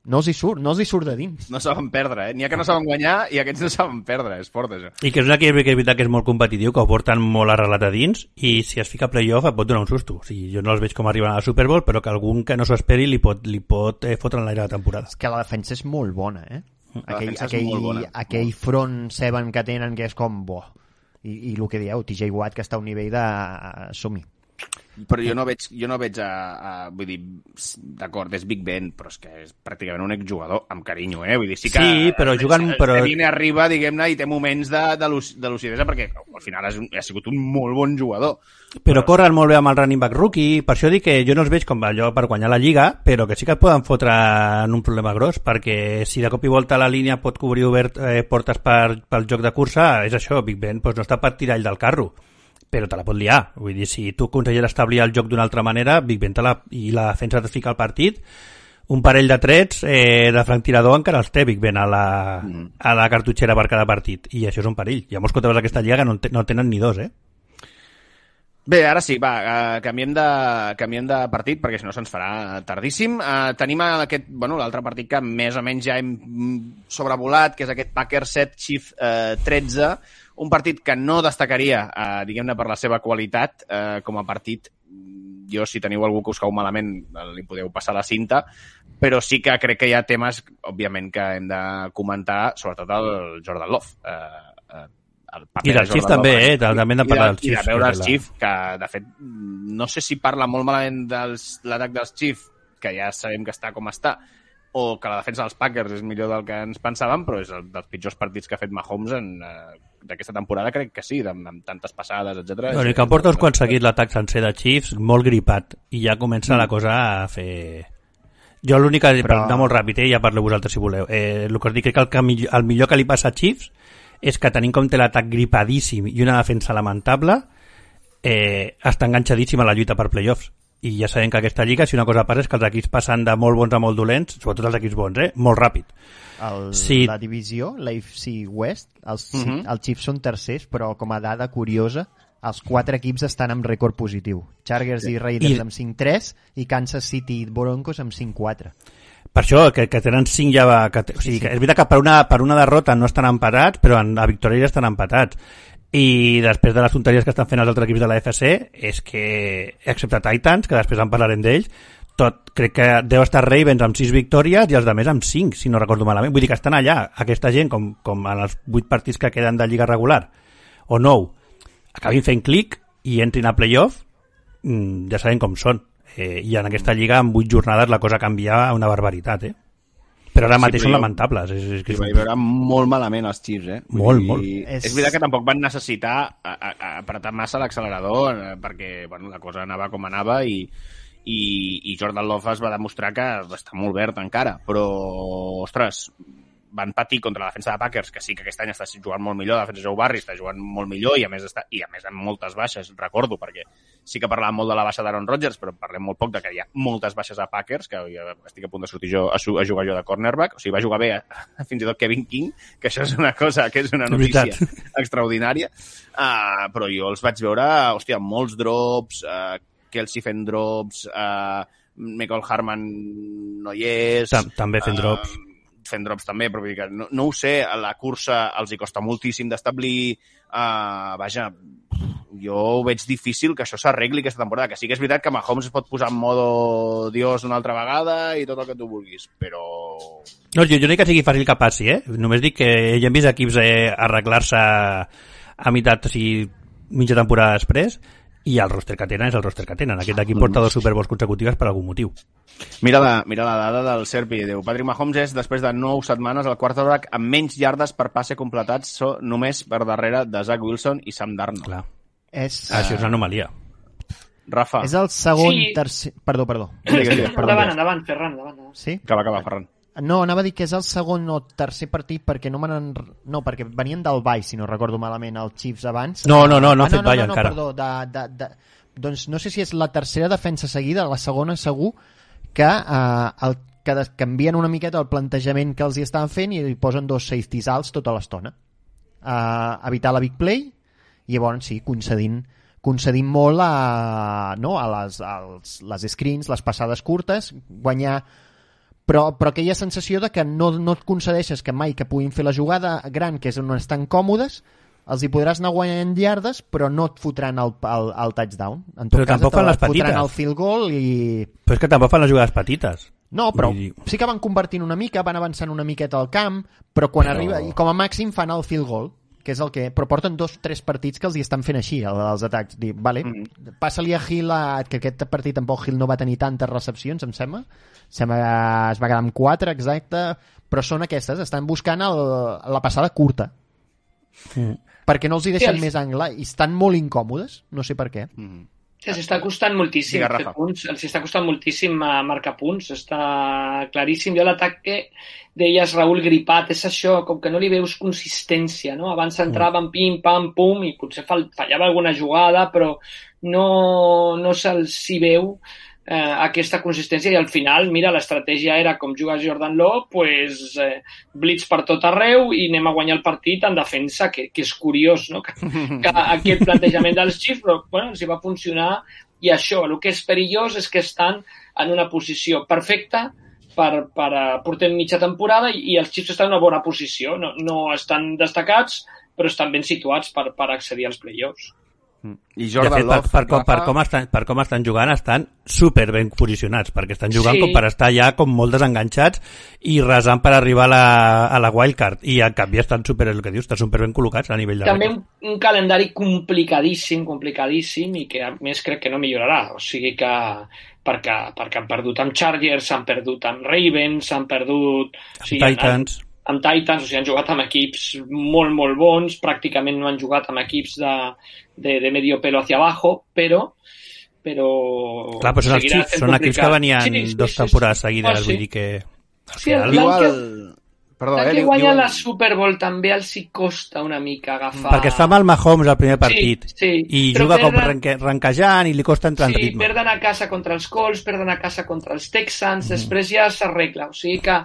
No els hi surt de dins. No saben perdre, N'hi ha que no saben guanyar i aquests no saben perdre, és fort, això. I que és un equip que és veritat que és molt competitiu, que ho porten molt arrelat a dins, i si es fica a playoff et pot donar un susto. O sigui, jo no els veig com arriben a la Super Bowl, però que algun que no s'ho esperi li pot fotre en l'aire la temporada. És que la defensa és molt bona, La defensa és molt bona. Aquell front seven que tenen que és com bo. I el que dieu, TJ Watt, que està a un nivell de som-hi. Però jo no veig vull dir, d'acord, és Big Ben, però és que és pràcticament un exjugador, amb carinyo, Vull dir, sí que... Sí, però jugant... Viene arriba, diguem-ne, i té moments de lucidesa, perquè al final ha sigut un molt bon jugador. Però corren molt bé amb el running back rookie, per això dic que jo no els veig com allò per guanyar la Lliga, però que sí que et poden fotre en un problema gros, perquè si de cop i volta la línia pot cobrir portes pel joc de cursa, és això, Big Ben no està per tirar ell del carro, però te la pot liar. Vull dir, si tu aconseguis establir el joc d'una altra manera, Big Ben i la defensa et fica al partit, un parell de trets de franctirador encara els té Big Ben a la cartutxera per cada partit, i això és un perill. Hi ha molts quarterbacks d'aquesta lliga que no tenen ni dos, Bé, ara sí, canviem de partit, perquè si no se'ns farà tardíssim. Tenim l'altre partit que més o menys ja hem sobrevolat, que és aquest Packers 7, Chiefs 13, un partit que no destacaria, diguem-ne, per la seva qualitat com a partit. Jo, si teniu algú que us cau malament, li podeu passar la cinta, però sí que crec que hi ha temes, òbviament, que hem de comentar, sobretot el Jordan Love. I dels Chiefs també, també hem de parlar dels Chiefs. I de veure els Chiefs, que de fet no sé si parla molt malament de l'atac dels Chiefs, que ja sabem que està com està, o que la defensa dels Packers és millor del que ens pensàvem, però és dels pitjors partits que ha fet Mahomes d'aquesta temporada, crec que sí, amb tantes passades, etc. I que porta uns quants seguits l'atac sencer de Chiefs, molt gripat, i ja comença la cosa a fer... Jo l'únic que per anar molt ràpid, ja parleu vosaltres si voleu, el que us dic, crec que el millor que li passa a Chiefs és que tenint en compte l'atac gripadíssim i una defensa lamentable, està enganxadíssim a la lluita per playoffs. I ja sabem que aquesta lliga, si una cosa passa, és que els equips passen de molt bons a molt dolents, sobretot els equips bons, molt ràpid. La divisió, l'AFC West, els Chiefs són tercers, però com a dada curiosa, els 4 equips estan amb rècord positiu. Chargers i Raiders amb 5-3 i Kansas City i Broncos amb 5-4. Per això, que tenen 5 ja... O sigui, que és veritat que per una derrota no estan empatats, però a victòria ja estan empatats. I després de les tonteries que estan fent els altres equips de la FC, és que, excepte Titans, que després en parlarem d'ells, crec que deu estar Ravens amb 6 victòries i els de més amb 5, si no recordo malament. Vull dir que estan allà, aquesta gent, com en els 8 partits que queden de lliga regular, o 9, acabin fent clic i entrin a playoff, ja sabem com són. I en aquesta lliga, en 8 jornades, la cosa canvia a una barbaritat, Però ara mateix són lamentables. Hi va veure molt malament els Chiefs, Molt. És veritat que tampoc van necessitar apretar massa l'accelerador, perquè la cosa anava com anava i Jordan Love es va demostrar que està molt verd encara, però, ostres, van patir contra la defensa de Packers, que sí que aquest any està jugant molt millor, la defensa de Joe Barry està jugant molt millor i a més amb moltes baixes, recordo, perquè sí que parlàvem molt de la baixa d'Aaron Rodgers, però parlem molt poc de que hi ha moltes baixes a Packers, que ja estic a punt de sortir jo a jugar jo de cornerback, o sigui, va jugar bé fins i tot Kevin King, que això és una cosa, que és una notícia extraordinària, però jo els vaig veure, hòstia, molts drops, Kelsey fent drops, Michael Harman no hi és... També fent drops. Fent drops també, però vull dir que no ho sé, a la cursa els hi costa moltíssim d'establir, vaja, jo ho veig difícil que això s'arregli aquesta temporada, que sí que és veritat que Mahomes es pot posar en modo Dios una altra vegada i tot el que tu vulguis, però... No, jo no dic que sigui fàcil que passi, només dic que ja hem vist equips arreglar-se a meitat, o sigui, mitja temporada després, i el roster que tenen és el roster que tenen. Aquest equip porta 2 Super Bowls consecutives per algun motiu. Mira la dada del Serpi. Diu, Patrick Mahomes és, després de 9 setmanes, el quarterback amb menys yardes per passe completats només per darrere de Zach Wilson i Sam Darnold. Clar. Això és una anomalia. Rafa. És el segon, tercer... Perdó. Endavant, Ferran. Sí? Acaba, Ferran. No, anava a dir que és el segon o tercer partit perquè perquè venien del bye, si no recordo malament, els Chiefs abans. No ha fet bye encara. Perdó, doncs no sé si és la tercera defensa seguida, la segona segur, que que canvien una miqueta el plantejament que els hi estan fent i hi posen 2 safeties alts tota l'estona. Evitar la big play i llavors sí, concedint molt a les screens, les passades curtes, guanyar, però aquella sensació de que no et concedeixes que mai que puguin fer la jugada gran, que és on estan còmodes, els hi podràs anar guanyant llardes, però no et fotran el touchdown. En tot però cas, tampoc fan les fotran petites. el field goal i... Però és que tampoc fan les jugades petites. No, però sí que van convertint una mica, van avançant una miqueta al camp, però quan arriba, i com a màxim fan el field goal, que és el que... Però porten 2-3 partits que els hi estan fent així, els atacs. Dir, vale, passa-li a Hill, que aquest partit tampoc Hill no va tenir tantes recepcions, em sembla. Es va quedar amb 4, exacte, però són aquestes, estan buscant la passada curta. Perquè no els hi deixen més angle i estan molt incòmodes, no sé per què. Els està costant moltíssim fer punts, els està costant moltíssim marcar punts, està claríssim. Jo l'atac que deies, Raül, gripat, és això, com que no li veus consistència, no? Abans entraven pim, pam, pum, i potser fallava alguna jugada, però no se'ls hi veu aquesta consistència, i al final, mira, l'estratègia era com juga Jordan Love, pues, blitz per tot arreu i anem a guanyar el partit en defensa, que és curiós, no? Que aquest plantejament dels Chiefs, però bueno, els hi va funcionar, i això, el que és perillós és que estan en una posició perfecta portem mitja temporada i els Chiefs estan en una bona posició, no estan destacats, però estan ben situats per accedir als playoffs. I Jordan Love, per com estan jugant, estan super ben posicionats, perquè estan jugant com per estar ja com molt desenganxats i resant per arribar a la wildcard, i en canvi estan super, el que dius, estan super ben col·locats a nivell de també un calendari complicadíssim, i que a més crec que no millorarà, o sigui que perquè han perdut amb Chargers, s'han perdut amb Ravens, s'han perdut Titans, o sigui, han jugat amb equips molt, molt bons, pràcticament no han jugat amb equips de medio pelo hacia abajo, però clar, però són equips que venien 2 temporades seguides, vull dir que que guanya la Super Bowl també els hi costa una mica agafar... Perquè està mal Mahomes al primer partit i juga com ranquejant i li costa entrar en ritme. Perden a casa contra els Colts, perden a casa contra els Texans, després ja s'arregla, o sigui que...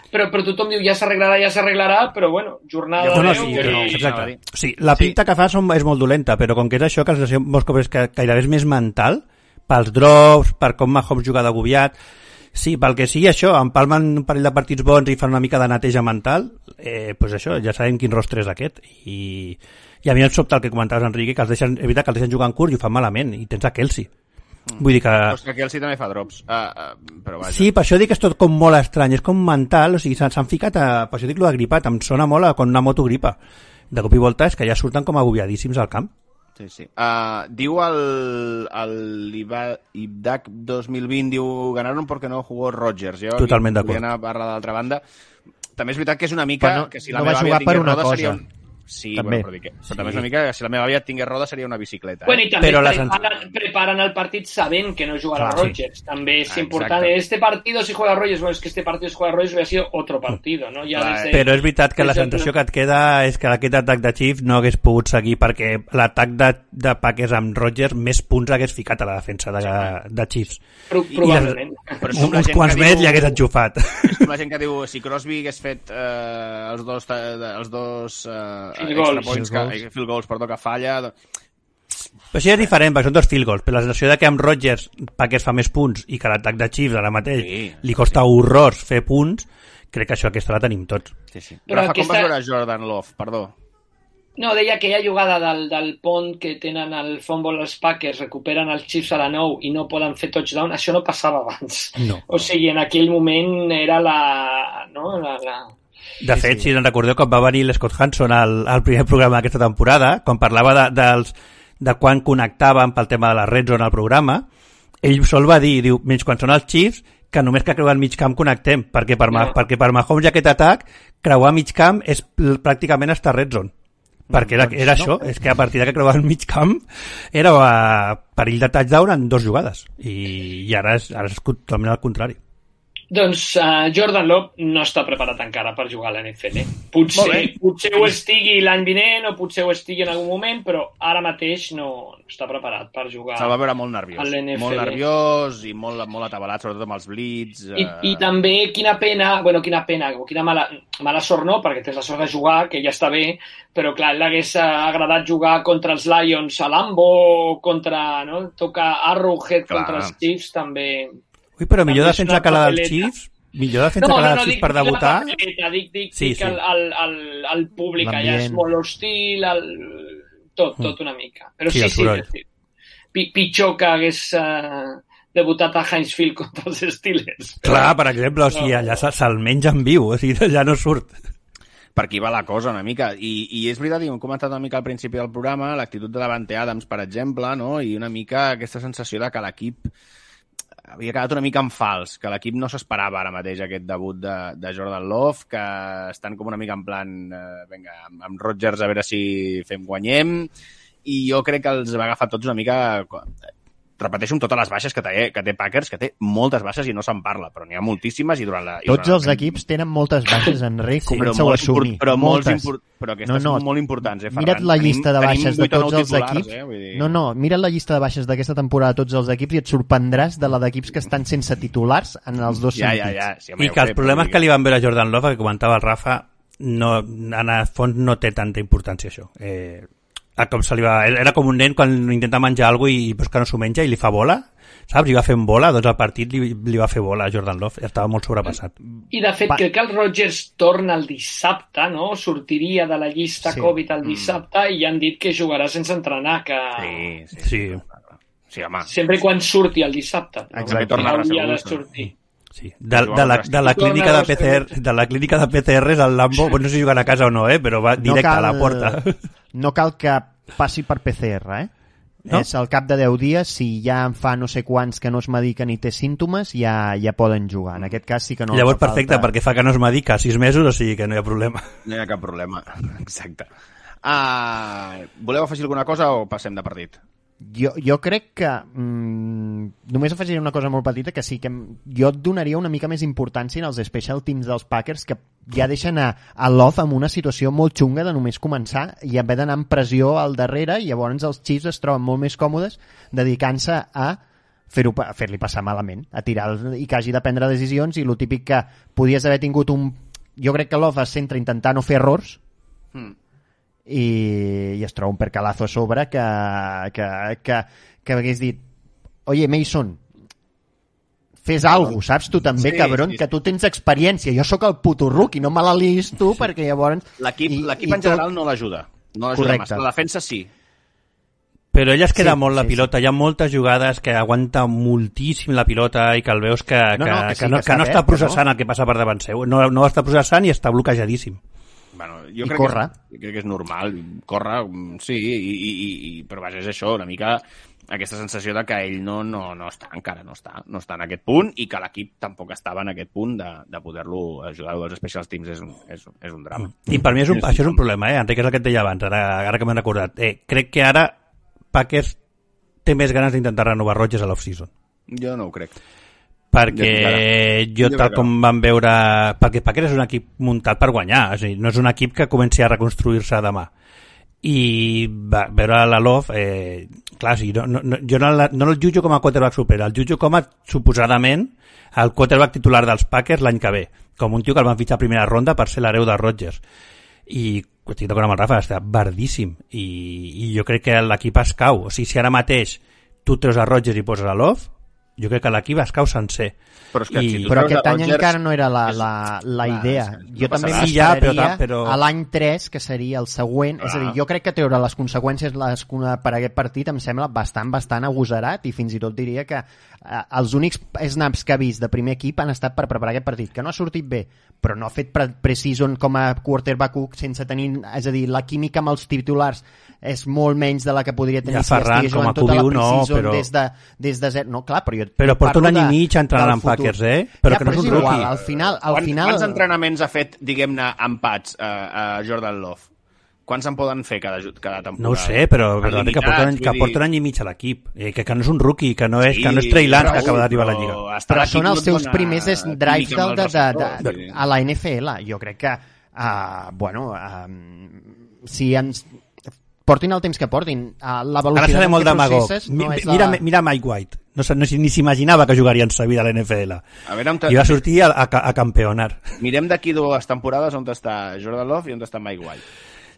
Però tothom diu ja s'arreglarà, però bueno, jornada de 10... Exacte. Sí, la pinta que fa és molt dolenta, però com que és això, que la sensació molts cops és que gairebé és més mental, pels drops, per com Mahomes juga d'agobiat, sí, pel que sigui això, empalmen un parell de partits bons i fan una mica de neteja mental, pues això, ja sabem quin rostre és aquest. I a mi em sobta el que comentaves, Enrique, que els deixen jugant curt i ho fan malament, i tens a Kelsey. Vull dir que... Però que Kelsey també fa drops. Però vaja. Sí, per això dic que és tot com molt estrany, és com mental, o sigui, s'han ficat per això dic lo de gripat, em sona molt a quan una moto gripa. De cop i volta és que ja surten com agobiadíssims al camp. Sí. Diu l'Ibdak 2020, diu, ganaron porque no jugó Rodgers. Jo totalment d'acord. Volia anar a parlar d'altra banda. També és veritat que és una mica... Però que si la no va jugar per una cosa. Sí, també. Bueno, però també és una mica que si la meva àvia tingués roda seria una bicicleta. Bueno, i també preparen el partit sabent que no jugarà Rodgers. També és important. Este partido si juega Rodgers, bueno, es que este partido si juega Rodgers hubiera sido otro partido, ¿no? Però és veritat que la sensació que et queda és que aquest atac de Chiefs no hagués pogut seguir, perquè l'atac de Packers amb Rodgers més punts hagués ficat a la defensa de Chiefs. Probablement. Uns quants més li hagués enxufat. És com la gent que diu, si Crosby hagués fet els dos field goals, perdó, que falla... Però això és diferent, perquè són 2 field goals, però la sensació de que amb Rodgers Packers fa més punts i que l'atac de Chiefs ara mateix li costa horrors fer punts, crec que això aquesta la tenim tots. Sí. Rafa, com vas veure Jordan Love? Perdó. No, deia aquella jugada del pont que tenen el fumble els Packers, recuperen els Chiefs a la 9 i no poden fer touchdown, això no passava abans. No. O sigui, en aquell moment era De fet, si no recordeu, quan va venir l'Scott Hanson al primer programa d'aquesta temporada, quan parlava de quan connectaven pel tema de la red zone al programa, ell sol va dir, menys quan són els Chiefs, que només que creuar mig camp connectem, perquè per Mahomes i aquest atac, creuar mig camp és pràcticament estar red zone. Perquè era això, és que a partir que creuar el mig camp era perill de touchdown en 2 jugades, i ara és totalment al contrari. Doncs Jordan Love no està preparat encara per jugar a l'NFL. Potser ho estigui l'any vinent o potser ho estigui en algun moment, però ara mateix no està preparat per jugar. Se'l va veure molt nerviós. A l'NFL. Molt nerviós i molt atabalat, sobretot amb els blitz. I també quina pena, o quina mala sort no, perquè tens la sort de jugar, que ja està bé, però clar, l'hagués agradat jugar contra els Lions a Lambo, tocar Arrowhead contra els Chiefs, també... Ui, però millor defensa que la dels Chiefs? Millor defensa que la dels Chiefs per debutar? Dic el públic allà és molt hostil, tot una mica. Però sí. Pitjor que hagués debutat a Heinz Field contra els Steelers. Clar, per exemple, o sigui, allà se'l menja en viu, o sigui, allà no surt. Per aquí va la cosa una mica, i és veritat, i ho hem comentat una mica al principi del programa, l'actitud de Davante Adams, per exemple, no? I una mica aquesta sensació de que l'equip havia quedat una mica en fals, que l'equip no s'esperava ara mateix aquest debut de Jordan Love, que estan com una mica en plan vinga, amb Rodgers a veure si guanyem, i jo crec que els va agafar tots una mica... Repeteixo amb totes les baixes que té Packers, que té moltes baixes i no se'n parla, però n'hi ha moltíssimes i durant la... Tots els equips tenen moltes baixes, Enric, comença-ho a assumir. Però aquestes són molt importants, Ferran. Mira't la llista de baixes de tots els equips. Mira't la llista de baixes d'aquesta temporada de tots els equips i et sorprendràs de la d'equips que estan sense titulars en els dos sentits. I que els problemes que li van veure a Jordan Love, que comentava el Rafa, en el fons no té tanta importància això. Com era com un nen quan intenta menjar alguna cosa i pues, que no s'ho menja i li fa bola, saps? I va fent bola, doncs al partit li va fer bola a Jordan Love, estava molt sobrepassat. I de fet crec que el Rodgers torna el dissabte, no? Sortiria de la llista Covid el dissabte i han dit que jugarà sense entrenar, que... Sí, home. Sempre i quan surti el dissabte. Exacte. Hauria de sortir. Sí. De la clínica de PCR, de la clínica de PCRs al Lambo, no sé si juguen a casa o no, però va directe a la porta. No cal que passi per PCR, No? És al cap de 10 dies, si ja en fa no sé quants que no es medica ni té símptomes, ja poden jugar. En aquest cas sí que no... Llavors perfecte, perquè fa que no es medica 6 mesos, o sigui que no hi ha problema. No hi ha cap problema, exacte. Voleu afegir alguna cosa o passem de partit? Jo crec que només afegiré una cosa molt petita, que sí que jo donaria una mica més importància als special teams dels Packers, que ja deixen a Love en una situació molt xunga de només començar i haver d'anar amb pressió al darrere, i llavors els Chiefs es troben molt més còmodes dedicant-se a fer-li passar malament, a tirar i que hagi de prendre decisions, i el típic que podies haver tingut jo crec que Love es centra intentar no fer errors, i es troba un percalazo a sobre que hagués dit oye Mason, fes alguna cosa, saps? Tu també, cabron, que tu tens experiència, jo sóc el puto rookie, no me la liis tu, perquè llavors... L'equip en general no l'ajuda. No l'ajuda massa. La defensa sí. Però ella es queda molt la pilota. Hi ha moltes jugades que aguanta moltíssim la pilota i que el veus que no està processant el que passa per davant seu. No està processant i està bloquejadíssim. Bueno, jo crec que és normal, córrer, sí, però vaja, és això, una mica aquesta sensació de que ell no està encara, no està en aquest punt, i que l'equip tampoc estava en aquest punt de poder-lo ajudar als special teams. És un drama. I per mi això és un problema, Enric, és el que et deia abans, ara que m'he recordat. Crec que ara Packers té més ganes d'intentar renovar Rodgers a l'off-season. Jo no ho crec. Perquè tal com vam veure, perquè Packers és un equip muntat per guanyar, és a dir, no és un equip que comenci a reconstruir-se demà, i veure la Love clar, sí, jo no el jutjo com a quarterback super, el jutjo com a suposadament el quarterback titular dels Packers l'any que ve, com un tio que el van fitxar a primera ronda per ser l'hereu de Rodgers, i estic d'acord amb el Rafa, està verdíssim, i jo crec que l'equip es cau. O sigui, si ara mateix tu treus a Rodgers i poses a Love, jo crec que l'equip es cau sencer. Però aquest any encara no era la idea. Jo també m'esperaria a l'any 3, que seria el següent. És a dir, jo crec que treure les conseqüències per aquest partit em sembla bastant agosarat, i fins i tot diria que els únics snaps que ha vist de primer equip han estat per preparar aquest partit, que no ha sortit bé, però no ha fet pre-season com a quarterback sense tenir, és a dir, la química amb els titulars és molt menys de la que podria tenir si estigués jugant tota la pre-season des de zero. No, clar, però porta un any i mig entrenant amb Packers, però que no és un rookie. Al final... Quants entrenaments ha fet, diguem-ne, empats a Jordan Love? Quants en poden fer cada temporada? No ho sé, però que porten any i mig a l'equip. Que no és un rookie, que no és Trey Lance que acaba d'arribar a la Lliga. Però són els seus primers drives a la NFL. Jo crec que, si ens portin el temps que portin, la velocitat en què processes no és la... Mira Mike White. Ni s'imaginava que jugaria en sa vida a la NFL. I va sortir a campeonar. Mirem d'aquí 2 temporades on està Jordan Love i on està Mike White.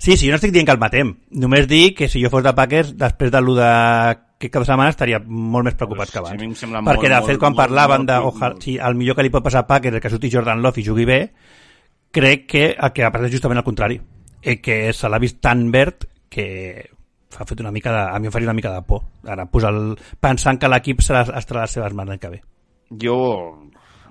Sí, jo no estic dient que el matem. Només dic que si jo fos de Packers, després de lo d'aquest cap de setmana estaria molt més preocupat que abans. Perquè, de fet, quan parlaven de el millor que li pot passar a Packers és que surti Jordan Love i jugui bé, crec que el que ha passat és justament el contrari. Que se l'ha vist tan verd que ha fet a mi em faria una mica de por. Ara, pensant que l'equip estarà a les seves mans l'any que ve.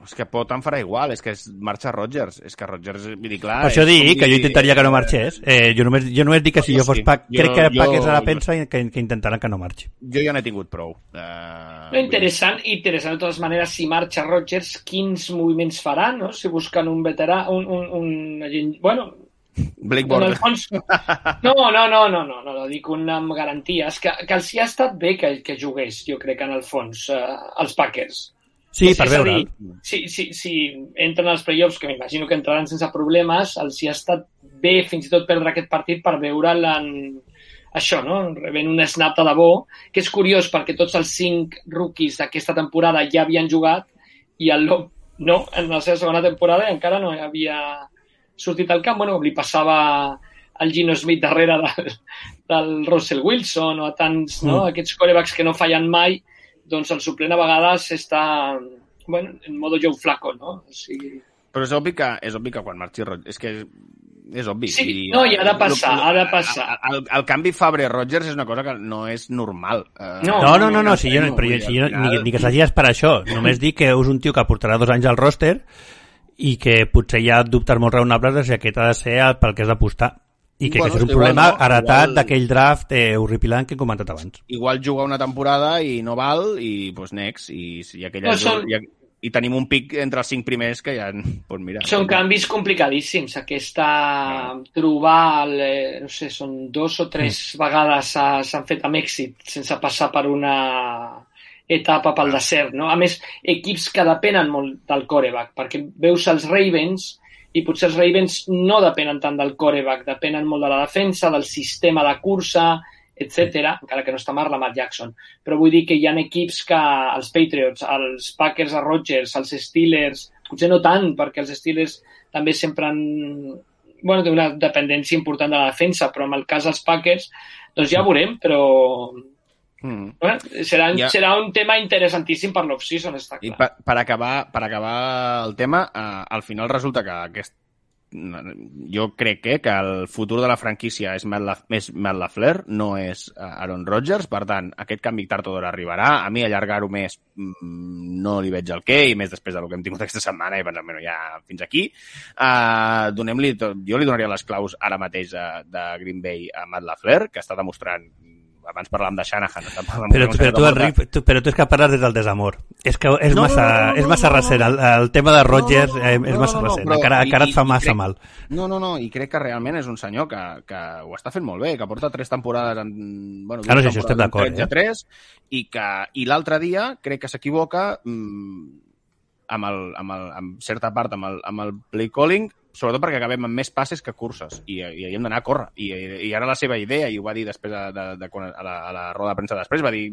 És que pot em farà igual, és que marxa Rodgers. És que Rodgers, vull dir, clar... Per això dic que jo intentaria que no marxés. Jo només dic que si jo fos crec que Packers ara pensa que intentaran que no marxi. Jo ja n'he tingut prou. Interessant de totes maneres, si marxa Rodgers, quins moviments farà, no? Si busquen un veterà, bueno... Blake Bortles. No, dic amb garanties. Que els hi ha estat bé que jugués, jo crec, en el fons, els Packers. Sí, per veure'l. Si entren als playoffs, que m'imagino que entraran sense problemes, els hi ha estat bé fins i tot perdre aquest partit per veure'l en això, no? Rebent un snap de debò, que és curiós perquè tots els 5 rookies d'aquesta temporada ja havien jugat i el Love no, en la seva segona temporada encara no havia sortit al camp. Bueno, li passava al Gino Smith darrere del Russell Wilson o a tants, no? Aquests quarterbacks que no fallen mai, doncs el suplent a vegades està en modo Joe Flacco, no? Però és obvi que quan marxi Rodgers... És que és obvi. Sí, i ha de passar, El canvi Favre-Rodgers és una cosa que no és normal. No, ni que s'hagi per això. Només dic que és un tio que portarà 2 anys al roster i que potser hi ha dubtes molt raonables de si aquest ha de ser pel que has d'apostar. I que és un problema heretat d'aquell draft horripilant que he comentat abans. Igual juga una temporada i no val, i doncs next. I tenim un pic entre els 5 primers que ja... Pues mira, són canvis complicadíssims. Trobar, no sé, són 2 o 3 vegades s'han fet amb èxit sense passar per una etapa pel desert, no? A més, equips que depenen molt del quarterback, perquè veus els Ravens i potser els Ravens no depenen tant del quarterback, depenen molt de la defensa, del sistema de cursa, etc. Encara que no està Lamar Jackson. Però vull dir que hi ha equips que els Patriots, els Packers a Rodgers, els Steelers, potser no tant, perquè els Steelers també sempre han... té una dependència important de la defensa, però en el cas dels Packers, doncs ja veurem, però... serà un tema interessantíssim per l'off-season, està clar. I per acabar el tema, al final resulta que jo crec que el futur de la franquícia és Matt LaFleur, no és Aaron Rodgers. Per tant, aquest canvi tard o d'hora arribarà. A mi allargar-ho més no li veig el què, i més després del que hem tingut aquesta setmana, i pensant, bueno, ja fins aquí. Jo li donaria les claus ara mateix de Green Bay a Matt LaFleur, que està demostrant... Abans parlàvem de Shanahan. Però tu és que parles des del desamor. És que és massa recent. El tema de Rodgers és massa recent. Encara et fa massa mal. No, i crec que realment és un senyor que ho està fent molt bé, que porta 3 temporades en... Claro, si això estem d'acord. 3, i l'altre dia crec que s'equivoca amb certa part amb el play calling, sobretot perquè acabem amb més passes que curses i hem d'anar a córrer, i ara la seva idea, i ho va dir després a la roda de premsa després, va dir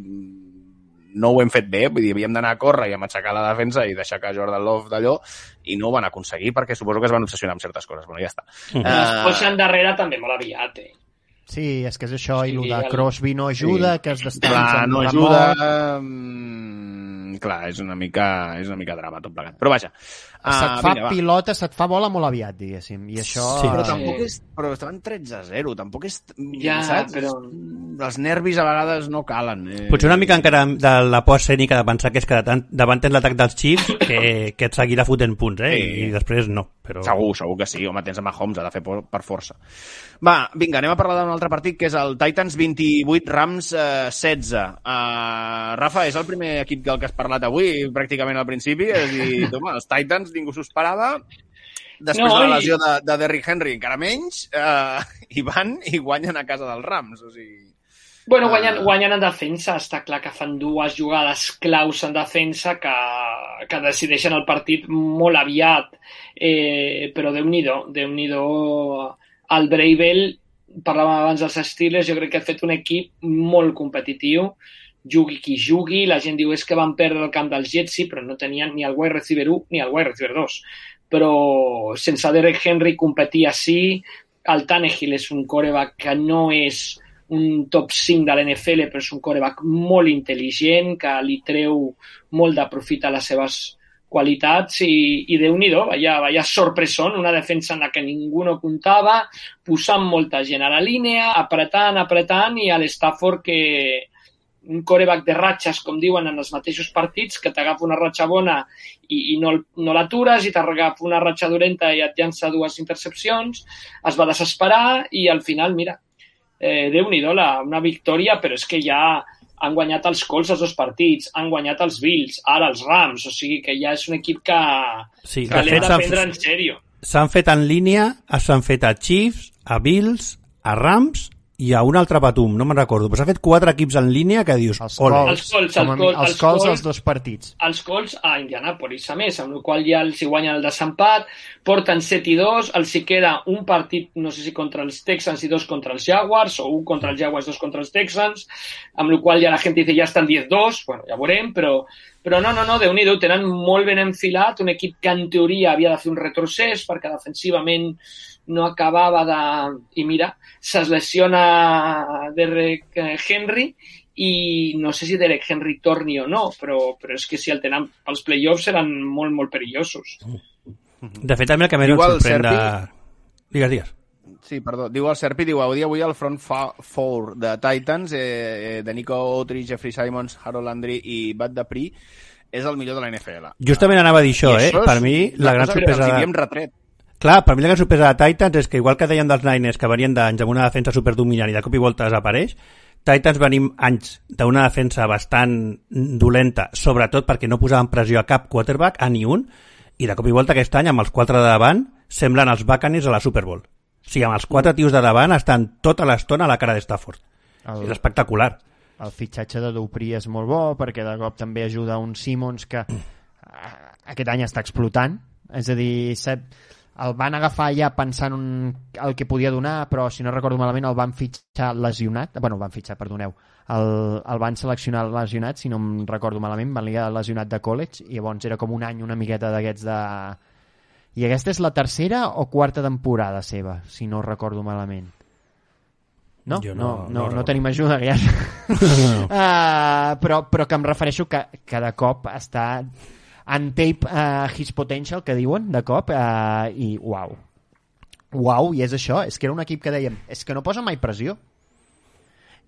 no ho hem fet bé, vull dir, havíem d'anar a córrer i a matxacar la defensa i deixar que Jordan Love d'allò, i no ho van aconseguir perquè suposo que es van obsessionar amb certes coses. Bueno, ja està. Es posen darrere també molt aviat, Sí, és que és això, i el de Crosby no ajuda, que es descansa. No ajuda... Clar, és una mica drama tot plegat. Però vaja. Se't fa pilota, se't fa bola molt aviat, diguéssim. I això... Sí, però tampoc és... Però estaven 13-0, tampoc és... Ja, saps? Però... Els nervis a vegades no calen. Potser una mica encara de la por escènica de pensar que és que davant tens l'atac dels Chiefs que et seguirà fotent punts, i després no. Però... Segur que sí. Home, tens a Mahomes, ha de fer per força. Va, vinga, anem a parlar d'un altre partit, que és el Titans 28, Rams 16. Rafa, és el primer equip del que has parlat avui, pràcticament al principi, és a dir, home, els Titans ningú s'ho esperava. Després de la lesió de Derrick Henry, encara menys, i van i guanyen a casa dels Rams. O sigui... Bueno, guanyen en defensa. Està clar que fan dues jugades claus en defensa que decideixen el partit molt aviat. Però Déu-n'hi-do. El Bravel, parlàvem abans dels Steelers, jo crec que ha fet un equip molt competitiu. Jugui qui jugui, la gent diu és que van perdre el camp dels Jets, sí, però no tenien ni el wide receiver 1 ni el wide receiver 2. Però sense Derrick Henry competir així, el Tannehill és un quarterback que no és un top 5 de l'NFL, però és un quarterback molt intel·ligent, que li treu molt de profit a les seves qualitats i Déu-n'hi-do, vaya sorpresón, una defensa en la que ningú no comptava, posant molta gent a la línia, apretant, i a l'Stafford que un quarterback de ratxes, com diuen en els mateixos partits, que t'agafa una ratxa bona i no l'atures, i t'agafa una ratxa dolenta i et llança 2 intercepcions, es va desesperar i al final, mira, Déu-n'hi-do, una victòria, però és que ja han guanyat els Colts els 2 partits, han guanyat els Bills, ara els Rams, o sigui que ja és un equip que l'hem de prendre en sèrio. S'han fet en línia, s'han fet a Chiefs, a Bills, a Rams i a un altre patum, no me'n recordo, però s'ha fet 4 equips en línia que dius... Els Colts els 2 partits. Els Colts a Indianapolis, a més, amb el qual ja els hi guanyen el desempat, porten 7-2, els hi queda un partit, no sé si contra els Texans i 2 contra els Jaguars, o 1 contra els Jaguars, 2 contra els Texans, amb el qual ja la gent dice ja estan 10-2, bueno, ja veurem, però no, Déu-n'hi-do, tenen molt ben enfilat, un equip que en teoria havia de fer un retrocés, perquè defensivament no acabava de... I mira, se's lesiona Derrick Henry i no sé si Derrick Henry torni o no, però és que si el tenen pels playoffs seran molt, molt perillosos. De fet, també el que més em sorprèn de... Digues. Sí, perdó. Diu el Serpi, avui el front four de Titans, de Nico Autry, Jeffrey Simons, Harold Landry i Bud Dupree, és el millor de la NFL. Justament anava a dir això, Per mi, la gran sorpresa... retret. Clar, per mi la gran sorpresa de Titans és que, igual que deien dels Niners, que venien d'anys amb una defensa superdominant i de cop i volta desapareix, Titans venim anys d'una defensa bastant dolenta, sobretot perquè no posaven pressió a cap quarterback, a ni un, i de cop i volta aquest any, amb els 4 de davant, semblen els Buccaneers a la Super Bowl. O sigui, amb els 4 tios de davant estan tota l'estona a la cara de Stafford. És espectacular. El fitxatge de Dupree és molt bo, perquè de cop també ajuda un Simmons que aquest any està explotant. És a dir, el van agafar ja pensant el que podia donar, però si no recordo malament el van fitxar lesionat. Bueno, el van fitxar, perdoneu. El van seleccionar lesionat, si no em recordo malament, van ligar lesionat de college, i llavors era com un any una miqueta d'aquests de... I aquesta és la 3ª o 4ª temporada seva, si no recordo malament. No? No tenim ajuda, ja. Però que em refereixo que de cop està en tape his potential, que diuen, de cop, i uau, i és això, és que era un equip que dèiem, és que no posa mai pressió.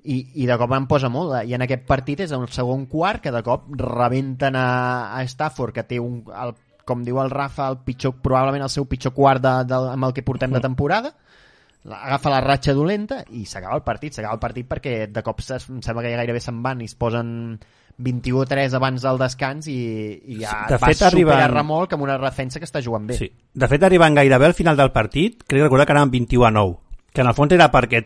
I de cop en posa molt, i en aquest partit és el segon quart que de cop rebenten a Stafford, que té com diu el Rafa, probablement el seu pitjor quart amb el que portem de temporada, agafa la ratxa dolenta i s'acaba el partit perquè de cop em sembla que ja gairebé se'n van i es posen 21-3 abans del descans i ja va superar remolc amb una defensa que està jugant bé. Sí. De fet, arribant gairebé al final del partit, crec recordar que anaven 21-9, que en el fons era perquè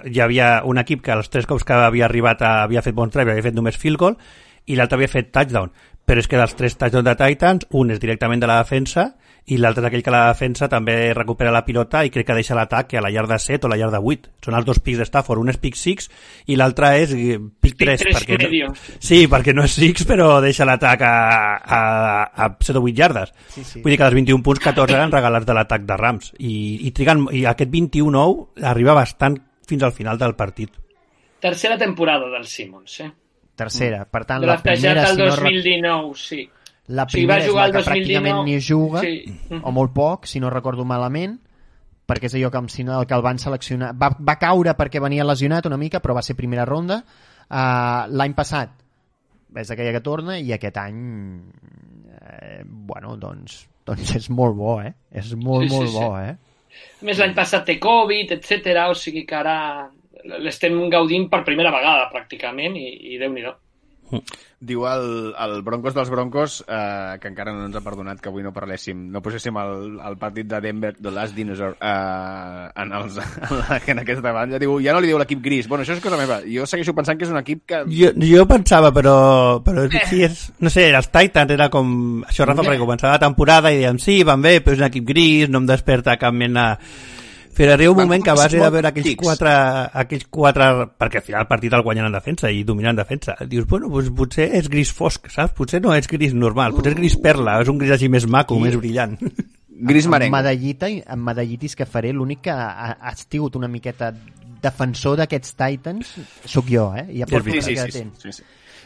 hi havia un equip que els 3 cops que havia arribat havia fet bons drives, havia fet només field goal, i l'altre havia fet touchdown. Però és que dels 3 touchdowns de Titans, un és directament de la defensa i l'altre és aquell que la defensa també recupera la pilota i crec que deixa l'atac a la yarda 7 o la yarda 8. Són els 2 pics de Stafford, un és pick 6 i l'altre és pick 3. Sí, perquè no és 6 però deixa l'atac a 7 o 8 yardes. Sí. Vull dir que dels 21 punts, 14 eren regalats de l'atac de Rams i aquest 21-9 arriba bastant fins al final del partit. Tercera temporada del Simmons, Tercera, per tant la primera el 2019, sí. La primera és la que pràcticament ni juga, sí. O molt poc, si no recordo malament, perquè és allò que el van seleccionar. Va caure perquè venia lesionat una mica, però va ser primera ronda. L'any passat és aquella que torna i aquest any doncs és molt bo, És molt bo, A més, l'any passat té Covid, etc. O sigui que ara l'estem gaudint per primera vegada, pràcticament, i Déu-n'hi-do. Diu el Broncos dels Broncos, que encara no ens ha perdonat que avui no poséssim el partit de Denver, The Last Dinosaur, en aquesta banda. Diu, ja no li diu l'equip gris. Bueno, això és cosa meva. Jo segueixo pensant que és un equip que... Jo pensava, però sí, no sé, els Titans era com... Això, Rafa, perquè començava la temporada i dèiem, sí, van bé, però és un equip gris, no em desperta cap mena... Però arriba un moment que a base de veure aquells quatre, perquè al final el partit el guanyen en defensa i dominen en defensa, dius, bueno, doncs potser és gris fosc, saps? Potser no és gris normal, potser és gris perla, és un gris així més maco, més brillant. Gris merenc. En medallitis que faré, l'únic que ha tingut una miqueta defensor d'aquests Titans sóc jo, I ja porto sí.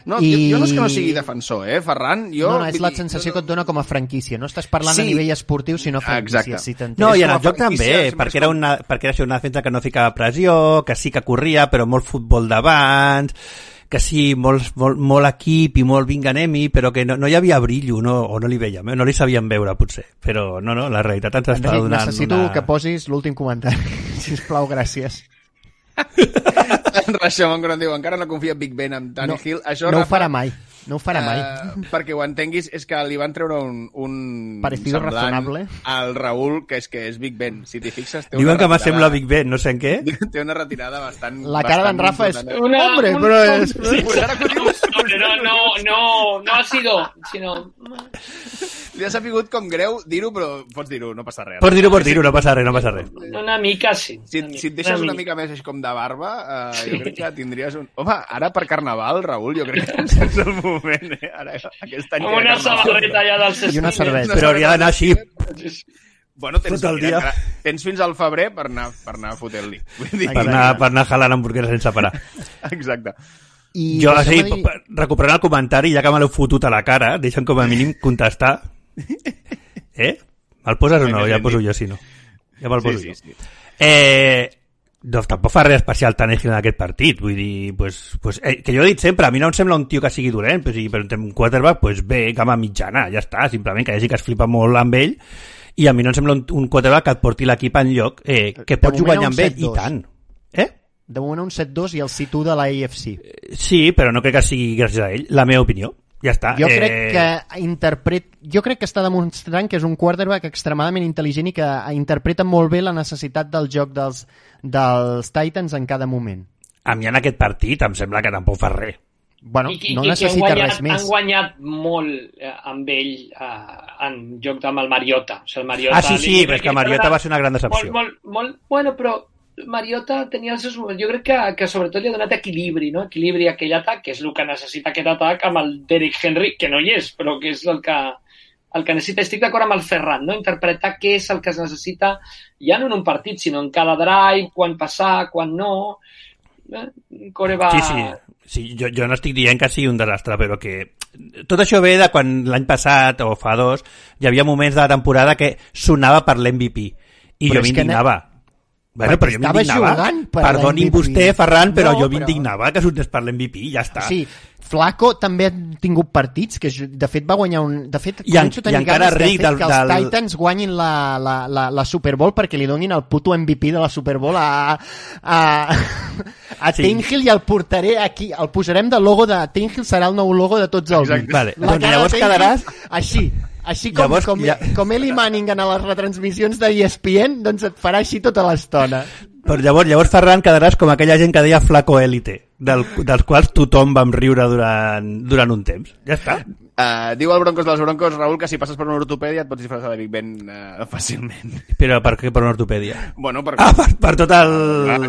No, jo no és que no sigui defensor, Ferran? No, és la sensació que et dona com a franquícia. No estàs parlant a nivell esportiu, sinó franquícia. Si no, i en el joc també, perquè era una defensa que no ficava pressió, que sí que corria, però molt futbol d'abans, que sí, molt equip i molt vinga anem-hi, però que no hi havia brillo, o no li veiem, no li sabíem veure, potser. Però no, la realitat ens està donant necessito que posis l'últim comentari. Sisplau, gràcies. Rashomon Gron diu, encara no confia en Big Ben amb Tannehill. Això, no ho farà mai. Perquè ho entenguis, és que li van treure un parecido razonable al Raül, que és Big Ben. Si t'hi fixes, té diuen que m'assembla Big Ben, no sé en què. Té una retirada bastant... La cara d'en Rafa és... Hombre, però és... No ha sido, sinó... Li ha sapigut com greu dir-ho, però pots dir-ho, no passa res. Pots dir-ho, no passa res. Una mica, sí. Si et deixes una mica més com de barba, jo crec que tindries un... Home, ara per Carnaval, Raül, jo crec que és el moment, Ara, aquest any... Una samarreta ja del I una cervesa. Però hauria d'anar així... Bueno, tens fins al febrer per anar fotent-li. Per anar jalant hamburgueses sense parar. Exacte. Jo, recuperant el comentari, ja que me l'heu fotut a la cara, deixa'm com a mínim contestar. Me'l poses o no? Ja poso jo, si no. Ja me'l poso jo. Doncs tampoc fa res especial Tannehill en aquest partit. Vull dir, que jo he dit sempre, a mi no em sembla un tio que sigui dolent, però un quarterback, bé, gamma mitjana, ja està, simplement que hi hagi que es flipa molt amb ell, i a mi no em sembla un quarterback que et porti l'equip enlloc, que pots jugar amb ell, i tant. De moment un 7-2 i el situ de la AFC. Sí, però no crec que sigui gràcies a ell, la meva opinió. Ja està. Jo crec que està demostrant que és un quarterback extremadament intel·ligent i que interpreta molt bé la necessitat del joc dels Titans en cada moment. A mi en aquest partit em sembla que tampoc fa res. Bueno, no necessita res més. Han guanyat molt amb ell en joc amb el Mariota. O sigui, el Mariota sí, però és que Mariota va ser una gran decepció. Bueno, però Mariota tenia els seus moments. Jo crec que sobretot li ha donat equilibri, no? Equilibri a aquell atac, que és el que necessita aquest atac amb el Derrick Henry, que no hi és, però que és el que necessita. Estic d'acord amb el Ferran, no? Interpretar què és el que es necessita, ja no en un partit, sinó en cada drive, quan passar, quan no. Sí, jo no estic dient que sigui un desastre, però que tot això ve de quan l'any passat o fa 2 hi havia moments de la temporada que sonava per l'MVP i jo m'indignava. Bueno, però jo m'indignava. Perdoni vostè, Ferran, però jo m'indignava que sonés per l'MVP, ja està. Sí, Flaco també ha tingut partits que de fet va guanyar un... De fet, començo a tenir ganes de fet que els Titans guanyin la Super Bowl perquè li donin el puto MVP de la Super Bowl a Tannehill i el portaré aquí. El posarem de logo de Tannehill, serà el nou logo de tots els bits. Vale. Doncs llavors quedaràs... Així com Eli Manning en les retransmissions de ESPN, doncs et farà així tota l'estona. Però llavors, Ferran, quedaràs com aquella gent que deia flaco élite, dels quals tothom vam riure durant un temps. Ja està. Diu el Broncos dels Broncos, Raül, que si passes per una ortopèdia et pots disfressar de Big Ben fàcilment. Però per què per una ortopèdia? Bueno, per tot el...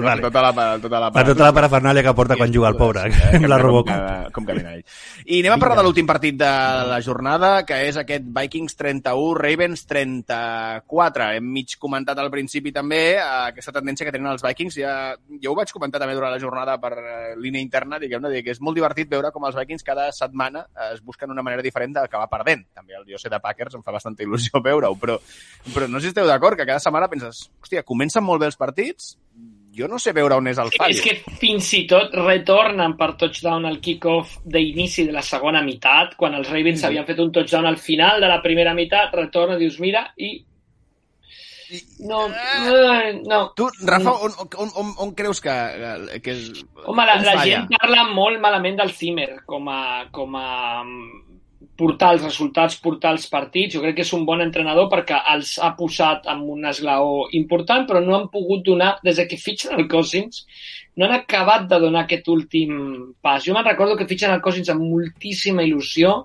Vale. Per tota la parafernàlia que porta quan juga el pobre, amb la Robocop. Com camina ell. I anem a parlar de l'últim partit de la jornada, que és aquest Vikings 31, Ravens 34. Hem mig comentat al principi també aquesta tendència que tenen els Vikings. Jo ho vaig comentar també durant la jornada per línia interna, diguem-ne, que és molt divertit veure com els Vikings cada setmana es busquen una manera diferent d'acabar perdent. També el jo sé de Packers em fa bastanta il·lusió veure-ho, però no sé si esteu d'acord, que cada setmana penses, hòstia, comencen molt bé els partits, jo no sé veure on és el fallo. És que fins i tot retornen per touchdown al kick-off d'inici de la segona meitat, quan els Ravens havien fet un touchdown al final de la primera meitat, retorna, dius, mira, i No. Tu, Rafa, on creus que és... Home, la gent parla molt malament del Zimmer com a portar els resultats, portar els partits. Jo crec que és un bon entrenador perquè els ha posat en un esglaó important, però no han pogut donar, des que fitxen el Cousins, no han acabat de donar aquest últim pas. Jo me'n recordo que fitxen el Cousins amb moltíssima il·lusió,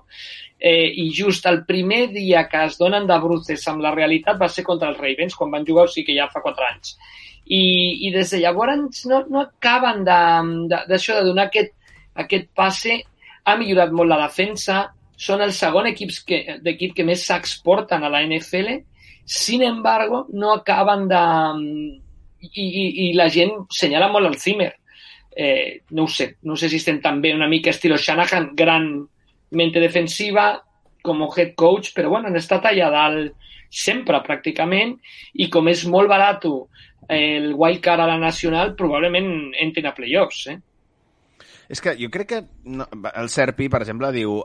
i just el primer dia que es donen de bruces amb la realitat va ser contra els Ravens, quan van jugar, o sigui que ja fa 4 anys. I des de llavors no acaben d'això de donar aquest passe. Ha millorat molt la defensa, són el segon equip que més sacs porten a la NFL, sin embargo, no acaben de... I la gent senyala molt el Zimmer. No ho sé, no sé si estem també una mica estilo Shanahan, gran mente defensiva com a head coach, però bueno, han estat allà dalt sempre, pràcticament, i com és molt barat el wildcard a la nacional, probablement entren a playoffs, És que jo crec que el Serpi, per exemple, diu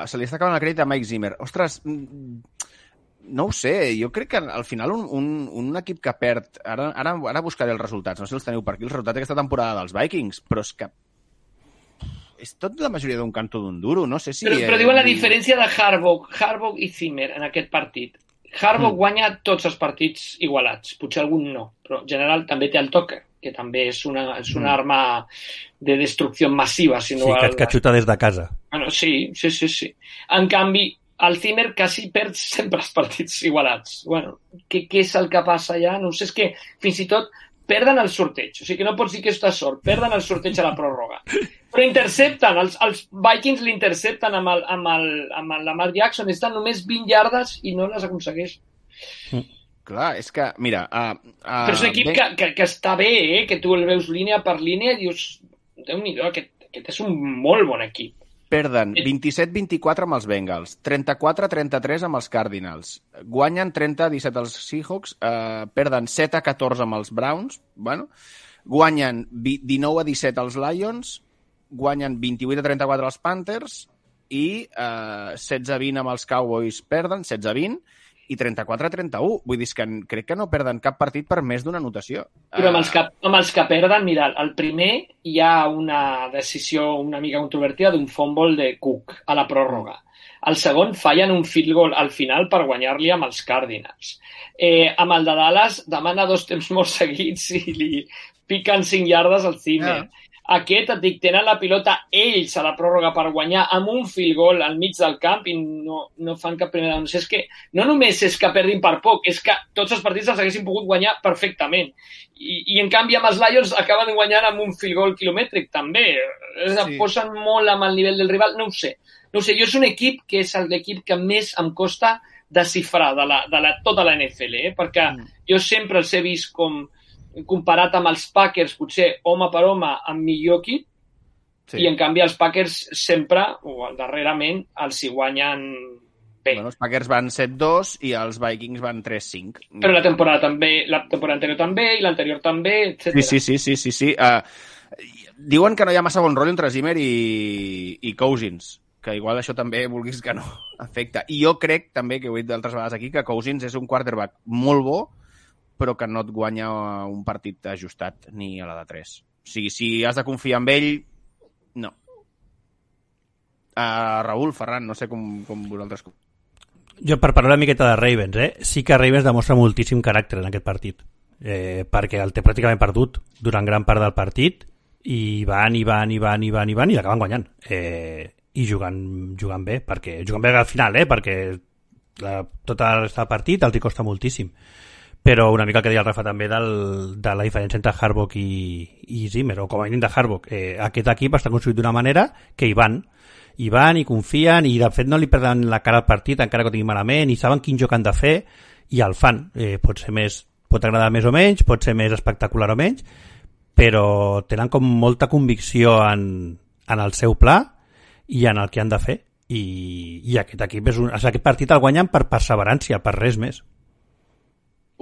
se li està acabant el crèdit a Mike Zimmer. Ostres, no ho sé, jo crec que al final un equip que perd... Ara buscaré els resultats, no sé si els teniu per aquí, els resultats d'aquesta temporada dels Vikings, però és que és tot la majoria d'un canto d'un duro, no sé si... Però diuen la diferència de Harbaugh i Zimmer en aquest partit. Harbaugh guanya tots els partits igualats, potser algun no, però en general també té el Tucker, que també és una arma de destrucció massiva. Si no que xuta des de casa. Bueno, sí. En canvi, el Zimmer quasi perd sempre els partits igualats. Bueno, què és el que passa allà? No sé, és que fins i tot perden el sorteig. O sigui que no pots dir que està sort. Perden el sorteig a la pròrroga. Però intercepten. Els Vikings l'intercepten amb el Lamar Jackson. Estan només 20 yardes i no les aconsegueix. Clar, és que, mira... Però és un equip que està bé, que tu el veus línia per línia i dius, Déu-n'hi-do, aquest és un molt bon equip. Perden 27-24 amb els Bengals, 34-33 amb els Cardinals, guanyen 30-17 els Seahawks, perden 7-14 amb els Browns, bueno, guanyen 19-17 els Lions, guanyen 28-34 els Panthers i 16-20 amb els Cowboys perden, 16-20, i 34-31. Vull dir que crec que no perden cap partit per més d'una anotació. Però amb els que perden, mira, el primer hi ha una decisió una mica controvertida d'un fumble de Cook a la pròrroga. El segon fallen un field goal al final per guanyar-li amb els Cardinals. Amb el de Dallas demana 2 temps molt seguits i li piquen 5 yardes al Zimmer. Aquest, et dic, tenen la pilota ells a la pròrroga per guanyar amb un field goal al mig del camp i no fan cap primera down. És que no només és que perdin per poc, és que tots els partits els haguessin pogut guanyar perfectament. I en canvi amb els Lions acaben guanyant amb un field goal quilomètric també. Sí. Posen molt amb el nivell del rival, no ho sé. Jo és un equip que és l'equip que més em costa desxifrar de tota la NFL, perquè jo sempre els he vist com comparat amb els Packers, potser home per home amb millor equip, i en canvi els Packers sempre, o darrerament, els hi guanyen bé. Bueno, els Packers van 7-2 i els Vikings van 3-5. Però la temporada anterior també, i l'anterior també, etc. Sí. Diuen que no hi ha massa bon rotllo entre Zimmer i Cousins, que igual això també vulguis que no afecta. I jo crec també, que ho he dit d'altres vegades aquí, que Cousins és un quarterback molt bo, però que no et guanya un partit ajustat ni a la de 3. O sigui, si has de confiar en ell, no. Raül, Ferran, no sé com vosaltres... Jo, per parlar una miqueta de Ravens, sí que Ravens demostra moltíssim caràcter en aquest partit, perquè el té pràcticament perdut durant gran part del partit, i van i l'acaben guanyant. I jugant bé, jugant bé al final, perquè tota la resta del partit els hi costa moltíssim. Però una mica el que deia el Rafa també de la diferència entre Harbaugh i Zimmer, o com a mínim de Harbaugh. Aquest equip està construït d'una manera que hi van i confien, i de fet no li perden la cara al partit encara que ho tinguin malament, i saben quin joc han de fer i el fan. Pot agradar més o menys, pot ser més espectacular o menys, però tenen com molta convicció en el seu pla i en el que han de fer, i aquest equip aquest partit el guanyen per perseverància, per res més.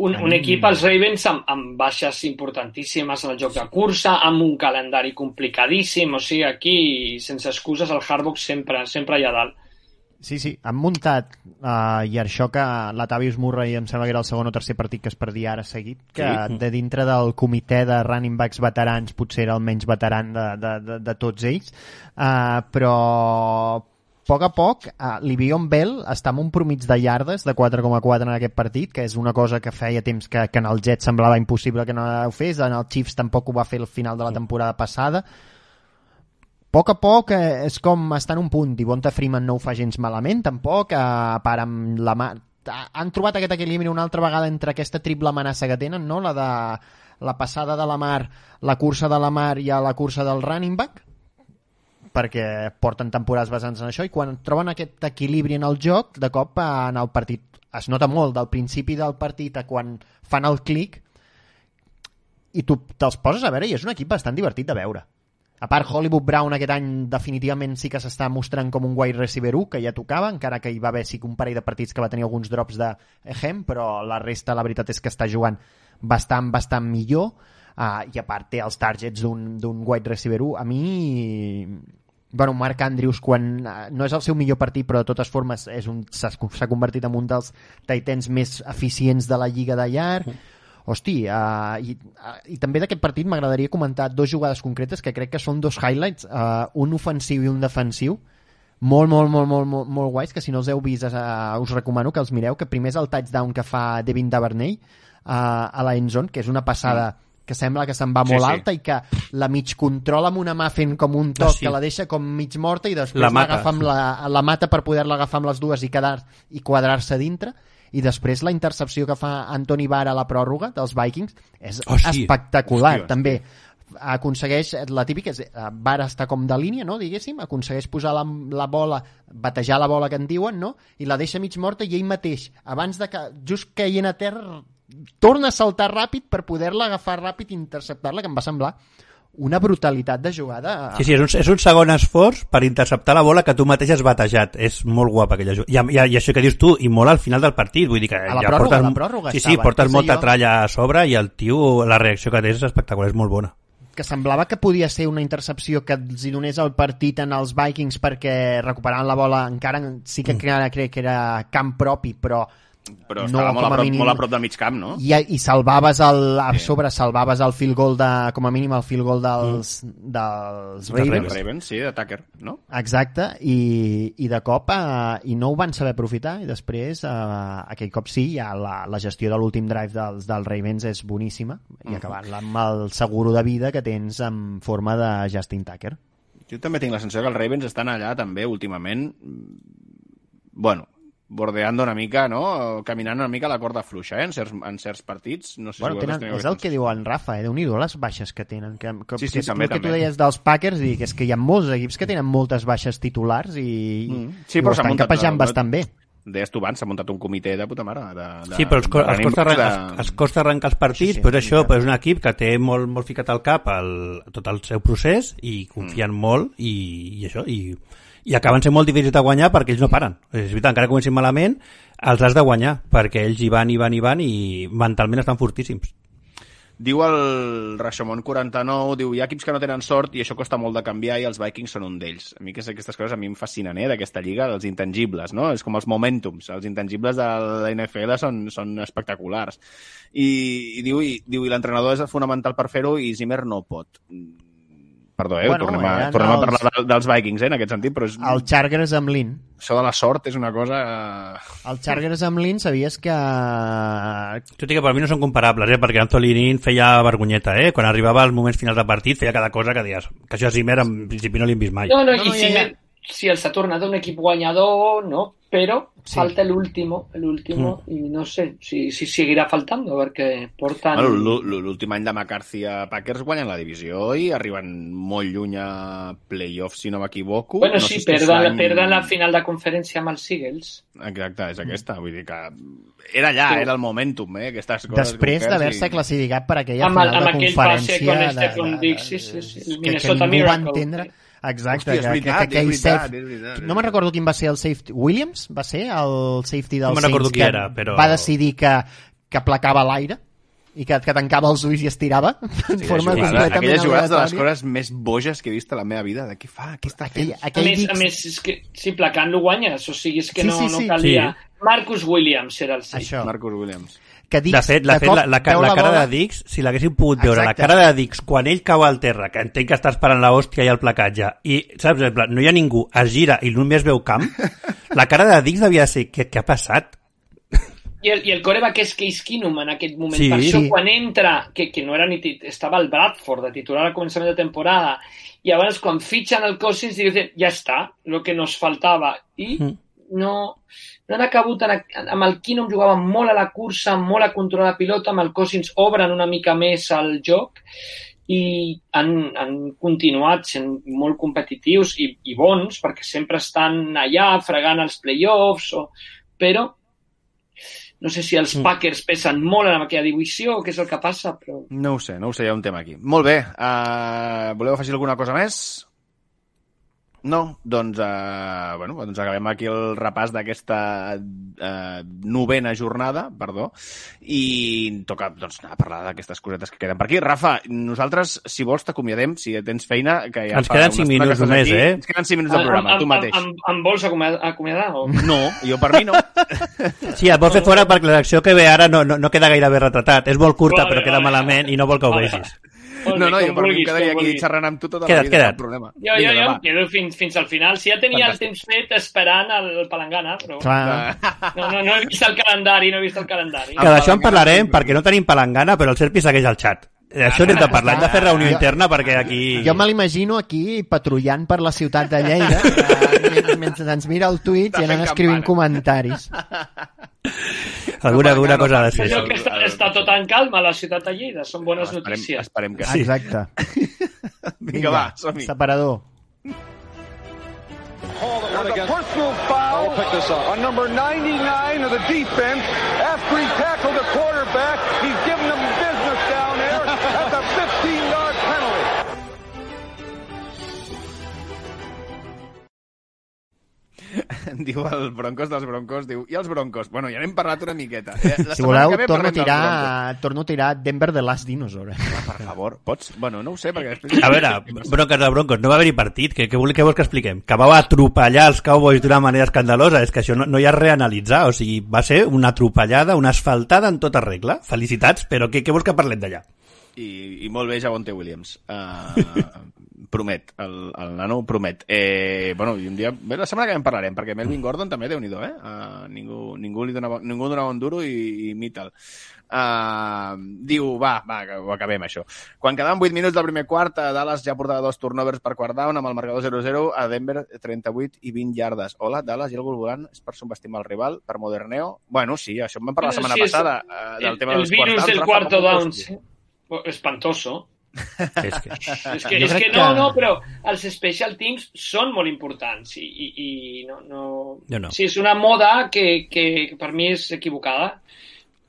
Un equip, els Ravens, amb baixes importantíssimes en el joc de cursa, amb un calendari complicadíssim, o sigui, aquí, sense excuses, el Harbaugh sempre allà dalt. Sí, han muntat, i això que l'Atavius Murray em sembla que era el segon o tercer partit que es perdia ara seguit, que de dintre del comitè de running backs veterans potser era el menys veteran de tots ells, però a poc, Le'Veon Bell està amb un promig de yardes de 4,4 en aquest partit, que és una cosa que feia temps que en el Jets semblava impossible que no ho fes, en el Chiefs tampoc ho va fer al final de la temporada passada. A poc és com estar en un punt. Devonta Freeman no ho fa gens malament, tampoc. A part amb la mà... Han trobat aquest equilibri una altra vegada entre aquesta triple amenaça que tenen, no? La de la passada de la Mar, la cursa de la Mar i la cursa del running back, perquè porten temporades basant en això, i quan troben aquest equilibri en el joc, de cop en el partit es nota molt del principi del partit a quan fan el clic, i tu te'ls poses a veure i és un equip bastant divertit de veure. A part, Hollywood Brown aquest any definitivament sí que s'està mostrant com un wide receiver 1, que ja tocava, encara que hi va haver sí que un parell de partits que va tenir alguns drops de Ehem, però la resta la veritat és que està jugant bastant millor, i a part té els targets d'un wide receiver 1. A mi, bueno, Mark Andrews, quan no és el seu millor partit, però de totes formes s'ha convertit en un dels tight ends més eficients de la lliga de llarg. Hosti, i també d'aquest partit m'agradaria comentar dos jugades concretes que crec que són dos highlights, un ofensiu i un defensiu, molt guais, que si no els heu vist us recomano que els mireu, que primer és el touchdown que fa Devin Duvernay a la endzone, que és una passada que sembla que se'n va molt alta i que la mig controla amb una mà fent com un toc que la deixa com mig morta i després l'agafa amb la mata per poder-la agafar amb les dues i quadrar-se dintre. I després la intercepció que fa Anthony Barr a la pròrroga dels Vikings és espectacular. També aconsegueix, la típica és, Barr està com de línia, no, diguéssim, aconsegueix posar la bola, batejar la bola que en diuen, no, i la deixa mig morta i ell mateix, abans de que, just caient a terra, torna a saltar ràpid per poder-la agafar ràpid i interceptar-la, que em va semblar una brutalitat de jugada. Sí, és un segon esforç per interceptar la bola que tu mateix has batejat. És molt guapa aquella jugada. I això que dius tu, i molt al final del partit, vull dir que a la pròrroga sí, portes molta tralla a sobre i el tio, la reacció que té és espectacular, és molt bona. Que semblava que podia ser una intercepció que els hi donés el partit en els Vikings perquè recuperaven la bola, encara sí que crec que era camp propi, però estava molt a prop del mig camp, no? I salvaves salvaves el field goal com a mínim el field goal dels Ravens, sí, de Tucker, no? Exacte, i de cop i no ho van saber aprofitar, i després aquell cop sí, ja la gestió de l'últim drive dels Ravens és boníssima, i acabant-la amb el seguro de vida que tens en forma de Justin Tucker. Jo també tinc la sensació que els Ravens estan allà també últimament, bueno, bordeando una mica, no? Caminant una mica a la corda fluixa, en certs partits. No sé és el que diu en Rafa, Déu-n'hi-do les baixes que tenen. Sí, també. Que tu deies dels Packers, i que és que hi ha molts equips que tenen moltes baixes titulars i ho estan capejant bastant bé. Deies tu abans, s'ha muntat un comitè de puta mare. Sí, però els costa arrencar els partits, però això és un equip que té molt ficat al cap tot el seu procés i confien molt i això, i acaben sent molt difícils de guanyar perquè ells no paren. És veritat, encara que comencin malament, els has de guanyar, perquè ells hi van i mentalment estan fortíssims. Diu el Rashomon 49, diu, hi ha equips que no tenen sort i això costa molt de canviar i els Vikings són un d'ells. A mi aquestes coses a mi em fascinen, d'aquesta lliga, dels intangibles, no? És com els momentums, els intangibles de la NFL són espectaculars. I diu, i l'entrenador és fonamental per fer-ho i Zimmer no pot. Perdó, tornem a parlar dels Vikings, en aquest sentit, però és... El Chargers amb Lynn. Això de la sort és una cosa... El Chargers amb Lynn, sabies que... Tot i que per mi no són comparables, perquè Anthony Lynn feia vergonyeta, quan arribava als moments finals de partit, feia cada cosa que deies, que això a Zimmer en principi no l'hem vist mai. No, i Zimmer, si els ha tornat un equip guanyador, no, però falta l'último, i no sé si seguirà faltando, perquè porten... L'últim any de McCarthy a Packers guanyen la divisió i arriben molt lluny a playoffs, si no m'equivoco. Bueno, sí, perden la final de conferència amb els Eagles. Exacte, és aquesta, vull dir que era allà, era el momentum, aquestes coses. Després d'haver-se classificat per aquella final de conferència... Amb aquell passe con Stephon Diggs, sí, el Minnesota Miracle. Exacte, hòstia, és veritat. No me'n recordo quin va ser el safety. Williams va ser el safety dels Saints que era, però... va decidir que placava l'aire. i que tancava els ulls i estirava en forma completament aquelles jugades de les aleatòria. coses més boges que he vist a la meva vida. De què fa? Què està fent? A més, és que si placant-lo guanyes, o sigui, és que Sí, no sí. calia. Marcus Williams era el 6. Això. Marcus Williams. Que Dix, De fet, la cara de Dix, si l'haguéssim pogut veure, la cara de Dix, quan ell cau al terra, que entenc que està esperant l'hòstia i el placatge, i, saps, no hi ha ningú, es gira i només veu camp, la cara de Dix devia ser, què ha passat? I el coreback és Case Keenum en aquest moment. Sí. Per això, Sí. quan entra, que no era ni estava el Bradford de titular al començament de temporada, i llavors quan fitxen el Cousins diuen, ja està, el que nos faltava. I no han acabut, amb el Keenum jugava molt a la cursa, molt a controlar la pilota, amb el Cousins obren una mica més el joc i han continuat sent molt competitius i bons, perquè sempre estan allà fregant els playoffs, però no sé si els Packers pesen molt en aquella divisió o què és el que passa, però... No ho sé, hi ha un tema aquí. Molt bé, voleu afegir alguna cosa més? No? Doncs acabem aquí el repàs d'aquesta novena jornada, i toca anar a parlar d'aquestes cosetes que queden per aquí. Rafa, nosaltres, si vols, t'acomiadem, si tens feina, que ja Ens queden 5 minuts només, Ens queden 5 minuts de programa, tu mateix. Em vols acomiadar? O... No, jo per mi no. Sí, et vol fer fora perquè la secció que ve ara no queda gaire bé retratat. És molt curta, però queda malament i no vol que ho vegis. No, jo per mi em quedaria aquí xerrant amb tu tota la vida, cap problema. Jo em quedo fins al final. Si ja tenia el temps fet esperant el Palangana, però... No he vist el calendari, Que d'això en parlarem perquè no tenim Palangana, però el Serpi segueix al xat. D'això n'hem de parlar, hem de fer reunió interna perquè aquí... Jo me l'imagino aquí patrullant per la ciutat de Lleida mentre ens mira el Twitch i anant escrivint comentaris. Alguna cosa ha de ser. Allò que està tot en calma a la ciutat de Lleida, són bones notícies. Esperem que sí. Exacte. Vinga, va, som-hi. Separador. With a personal foul on number 99 of the defense after he tackled the quarterback. He's giving them business down there. That's a 15-yard penalty. Diu el Broncos dels Broncos, diu, i els Broncos? Bueno, ja n'hem parlat una miqueta. Si voleu, torno a tirar Denver The Last Dinosaur. Per favor, pots? Bueno, no ho sé, perquè després... A veure, Broncos, no va haver-hi partit. Què vols que expliquem? Que vau atropellar els Cowboys d'una manera escandalosa. És que això no hi ha reanalitzar. O sigui, va ser una atropellada, una asfaltada en tota regla. Felicitats, però què vols que parlem d'allà? I molt bé, Javonte Williams. Promet, el nano promet. I un dia, la setmana que en parlarem, perquè Melvin Gordon també, Déu-n'hi-do, ningú donava un duro i mita'l. Diu, va, ho acabem, això. Quan quedaven 8 minuts del primer quart, Dallas ja portava 2 turnovers per quart down, amb el marcador 0-0, a Denver 38 i 20 yardes. Hola, Dallas, i algú volant és per subestimar el rival, per moderneo? Bueno, sí, això en vam parlar la setmana passada, del tema dels quarts downs. El virus del cuarto down, sí. Espantoso. És que no, però els special teams són molt importants i no. Sí, és una moda que per mi és equivocada.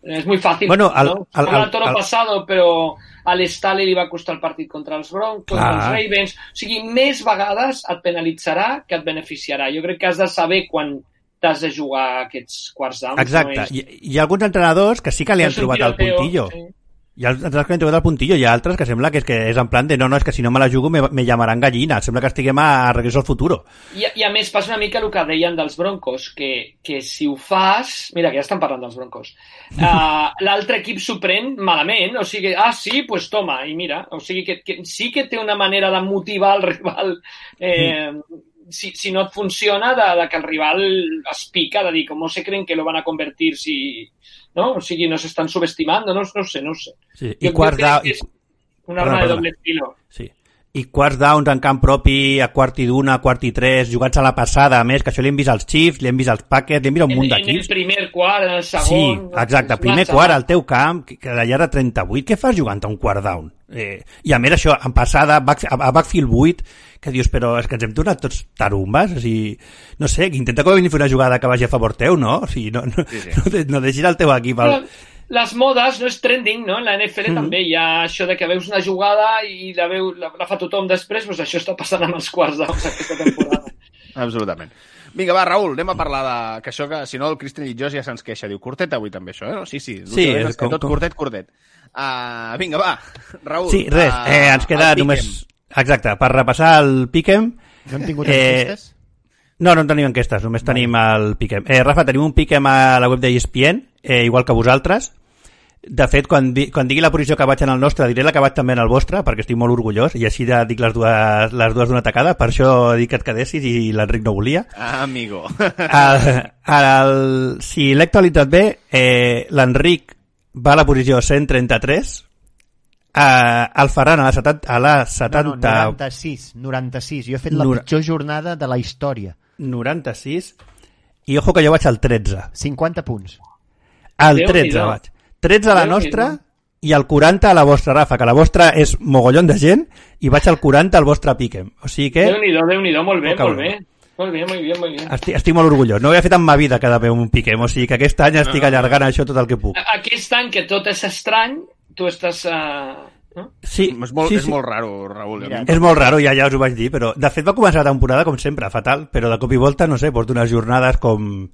És muy fácil. Bueno, el toro pasado, però a l'Staley li va costar el partit contra els Broncos, els Ravens. O sigui, més vegades et penalitzarà que et beneficiarà. Jo crec que has de saber quan t'has de jugar aquests quarts downs. Exacte. Hi ha alguns entrenadors que sí que li han trobat el puntillo. Sí. Hi ha altres que han trobat el puntillo, hi ha altres que sembla que és en plan de no, és que si no me la jugo me llamaran gallina, sembla que estiguem a Regreso al Futuro. I a més passa una mica el que deien dels Broncos, que si ho fas... Mira, que ja estan parlant dels Broncos. L'altre equip s'ho pren malament, o sigui, sí, pues toma, i mira, o sigui que sí que té una manera de motivar el rival, si no et funciona, de que el rival es pica, de dir, com se creen que lo van a convertir si... ¿no? O sigui, nos están subestimando, no sé. Sí. I quarts down... Un arma de doble estilo. Sí. I quarts downs en camp propi, a quart i d'una, a quart i tres, jugats a la passada, a més, que això l'hem vist als Chiefs, l'hem vist als Packers, l'hem vist un munt d'equips. En el primer quart, en el segon... Sí, exacte, primer quart, al teu camp, que d'allà de 38, què fas jugant a un quart down? I a més això, en passada, a backfield 8, que dius, però és que ens hem tornat tots tarumbes, o sigui, no sé, que intenta com a mínim fer una jugada que vagi a favor teu, no? O sigui, no deixis el teu equip Les modes no és trending, no? En la NFL també hi ha això de que veus una jugada i la fa tothom després, doncs això està passant amb els quarts downs aquesta temporada. Absolutament. Vinga, va, Raül, anem a parlar de... Que això, que si no, el Cristian Llitjós ja se'ns queixa. Diu, curtet avui també, això, eh? No? Sí, és com... tot curtet. Vinga, va, Raül. Sí, res, ens queda només... Exacte, per repassar el Pick'em... No hem tingut enquestes? No en tenim enquestes, només tenim el Pick'em. Rafa, tenim un Pick'em a la web de ESPN, igual que vosaltres. De fet, quan digui la posició que vaig en el nostre, diré la que vaig també en el vostre, perquè estic molt orgullós, i així dic les dues d'una tacada, per això dic que et quedessis i l'Enric no volia. Amigo. Si l'he actualitzat bé, l'Enric va a la posició 133, el Ferran a la 70... No, 96. Jo he fet la pitjor jornada de la història. 96, i ojo que jo vaig al 13. 50 punts. Al 13 vaig. 13 a la nostra i al 40 a la vostra, Rafa, que la vostra és mogollon de gent, i vaig al 40 al vostre Pick'em. O sigui que... Déu-n'hi-do, molt bé. Molt bé. Estic molt orgullós. No ho he fet en ma vida cada vegada un Pick'em, o sigui que aquest any estic allargant això tot el que puc. Aquest any, que tot és estrany, tu estàs... No? Sí, és molt raro, Raül. És molt raro, ja us ho vaig dir, però de fet va començar la temporada com sempre, fatal, però de cop i volta, no sé, porto unes jornades com...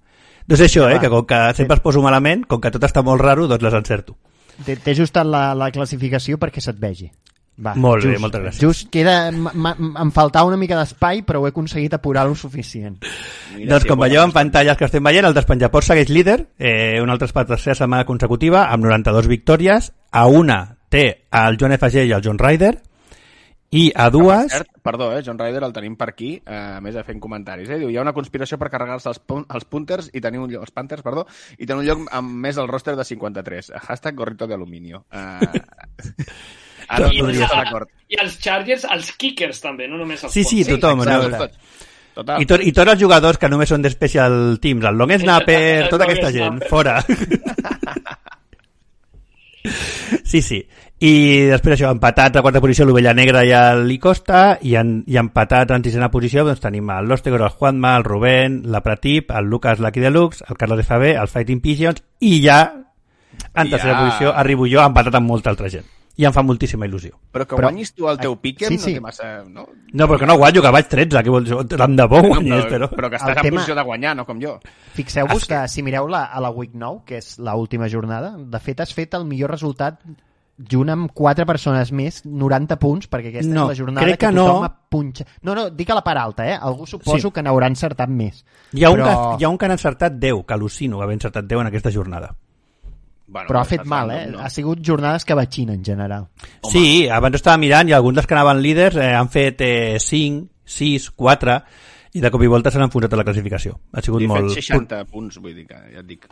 No és això, que com que sempre es poso malament, com que tot està molt raro, doncs les encerto. T'he ajustat la classificació perquè se't vegi. Va, molt bé, moltes gràcies. Just queda... Em faltava una mica d'espai, però ho he aconseguit apurar-lo suficient. Doncs com veieu en pantalles que estem veient, el Despenjaport segueix líder, una altra tercera setmana consecutiva, amb 92 victòries. A una té el Joan FG i el John Ryder, i a dues... Perdó, John Ryder el tenim per aquí, a més de fent comentaris. Diu, hi ha una conspiració per carregar-se els Punters i tenir els Panthers, i tenir un lloc amb més el roster de 53. Hashtag gorrito de aluminio. Ara no estic d'acord. I els Chargers, els Kickers també, no només els Punters. Sí, tothom. Total. I tots els jugadors que només són de special teams, el long snapper, tota aquesta gent, fora. Sí. I després això, empatats a quarta posició l'Ovella Negra i l'Icosta, i empatats en sisena posició doncs tenim el Lostegor, el Juanma, el Rubén, la Pratip, el Lucas Lucky Deluxe, el Carlos FB, el Fighting Pigeons, i ja en tercera posició arribo jo empatat amb molta altra gent. I em fa moltíssima il·lusió. Però guanyis tu el teu Pick'em sí. no té massa... No, però que no guanyo, que vaig 13, que vols... Tant de bo guanyés, però... Però que estàs en posició de guanyar, no com jo. Fixeu-vos que si mireu a la Week 9, que és l'última jornada, de fet has fet el millor resultat junt amb 4 persones més, 90 punts, perquè aquesta és la jornada que tothom ha punxat. No, dic a la part alta, Algú suposo que n'haurà encertat més. Hi ha un que han encertat 10, que al·lucino haver encertat 10 en aquesta jornada. Bueno, però ha fet mal, no? Ha sigut jornades que batxina en general. Home. Sí, abans estava mirant i alguns dels que anaven líders han fet 5, 6, 4 i de cop i volta s'han enfonsat a la classificació. Ha sigut molt... He fet 60 punts, vull dir que ja et dic.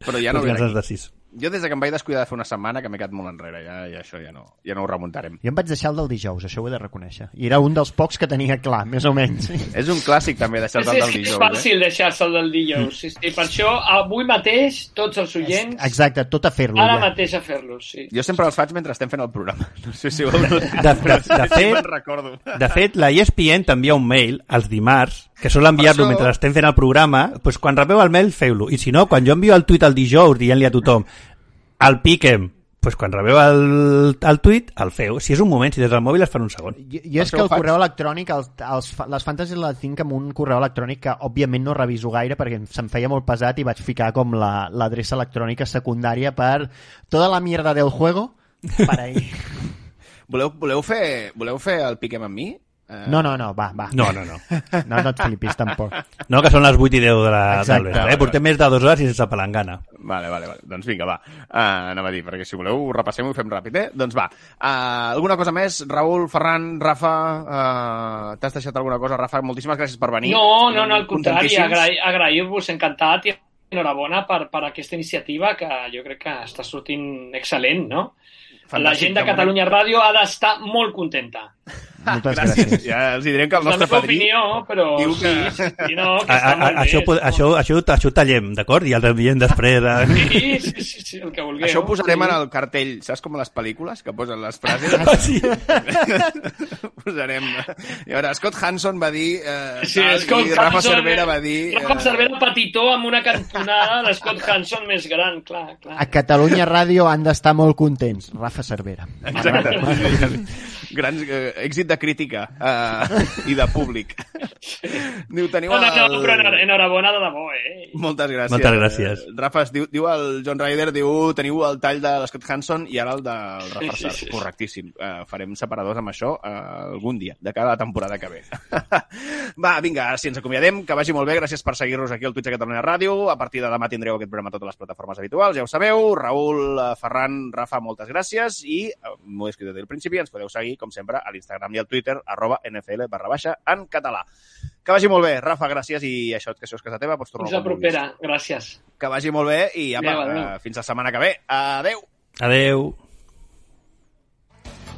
Però ja no ve d'aquí. Jo des que em vaig descuidar de fer una setmana que m'he quedat molt enrere, ja això ja no ho remuntarem. Jo em vaig deixar el del dijous, això ho he de reconèixer. I era un dels pocs que tenia clar, més o menys. És un clàssic també deixar-te el del dijous. És fàcil deixar-se el del dijous. Sí. Per això avui mateix tots els oients... Exacte, tot a fer-lo. Ara mateix a fer-los, sí. Jo sempre els faig mentre estem fent el programa. No sé si ho de fet, la ESPN t'envia un mail els dimarts que sol enviar-lo mentre estem fent el programa, doncs quan rebeu el mail feu-lo, i si no, quan jo envio el tuit el dijous dient-li a tothom el Pick'em, doncs quan rebeu el tuit el feu, si és un moment, si des del mòbil es fan un segon. Jo és que el correu electrònic les fantasy les tinc amb un correu electrònic que òbviament no reviso gaire perquè se'm feia molt pesat i vaig ficar com l'adreça electrònica secundària per tota la mierda del juego per ahí. Voleu fer el Pick'em amb mi? No, va. No. No et flipis, tampoc. No, que són les 8 i 10 del vespre. Portem més de 2 hores i sense palangana. Vale. Doncs vinga, va. Anava a dir, perquè si voleu repassem i ho fem ràpid, Doncs va. Alguna cosa més? Raül, Ferran, Rafa, t'has deixat alguna cosa? Rafa, moltíssimes gràcies per venir. No, al contrari, agrair-vos, encantat i enhorabona per aquesta iniciativa que jo crec que està sortint excel·lent, no? La gent de Catalunya Ràdio ha d'estar molt contenta. Moltes gràcies. Ja els direm que el nostre padrí... opinió, però diu que... sí, no, que està molt bé. Això ho tallem, d'acord? I el enviem després. Sí, el que vulgueu. Això ho posarem en el cartell, saps com a les pel·lícules, que posen les frases? Sí. Posarem... I ara, Scott Hanson va dir... i Rafa Cervera va dir... Rafa Cervera petitó amb una cantonada de Scott Hanson més gran, clar. A Catalunya Ràdio han d'estar molt contents. Rafa Cervera. Exacte. Grans èxit de crítica i de públic. Diu, teniu però enhorabona de debò, Moltes gràcies. Moltes gràcies. Rafa, diu el John Ryder, teniu el tall de l'Scott Hanson i ara el del Rafa Sar. Sí. Correctíssim. Farem separadors amb això algun dia, de cada temporada que ve. Va, vinga, si ens acomiadem, que vagi molt bé. Gràcies per seguir-nos aquí al Twitch de Catalunya Ràdio. A partir de demà tindreu aquest programa a totes les plataformes habituals, ja ho sabeu. Raül, Ferran, Rafa, moltes gràcies i m'ho he escrit des del principi, ens podeu seguir, com sempre, a l'Instagram i al Twitter, @NFL_en català. Que vagi molt bé, Rafa, gràcies, i això és casa teva, pots tornar fins la propera, gràcies. Que vagi molt bé i apa, fins la setmana que ve. Adeu. Adeu.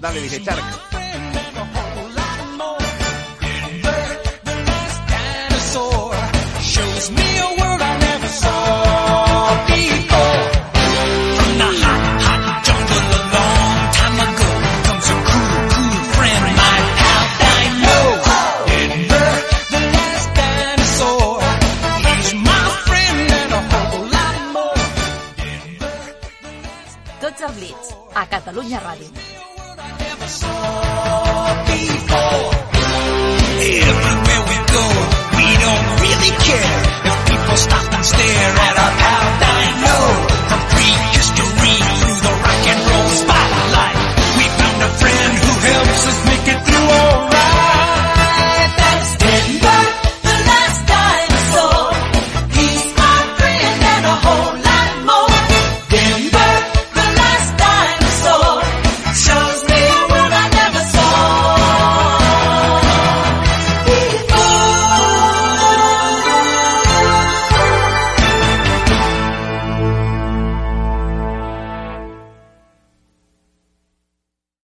Dale, DJ Shark. Tots al Blitz, a Catalunya Ràdio.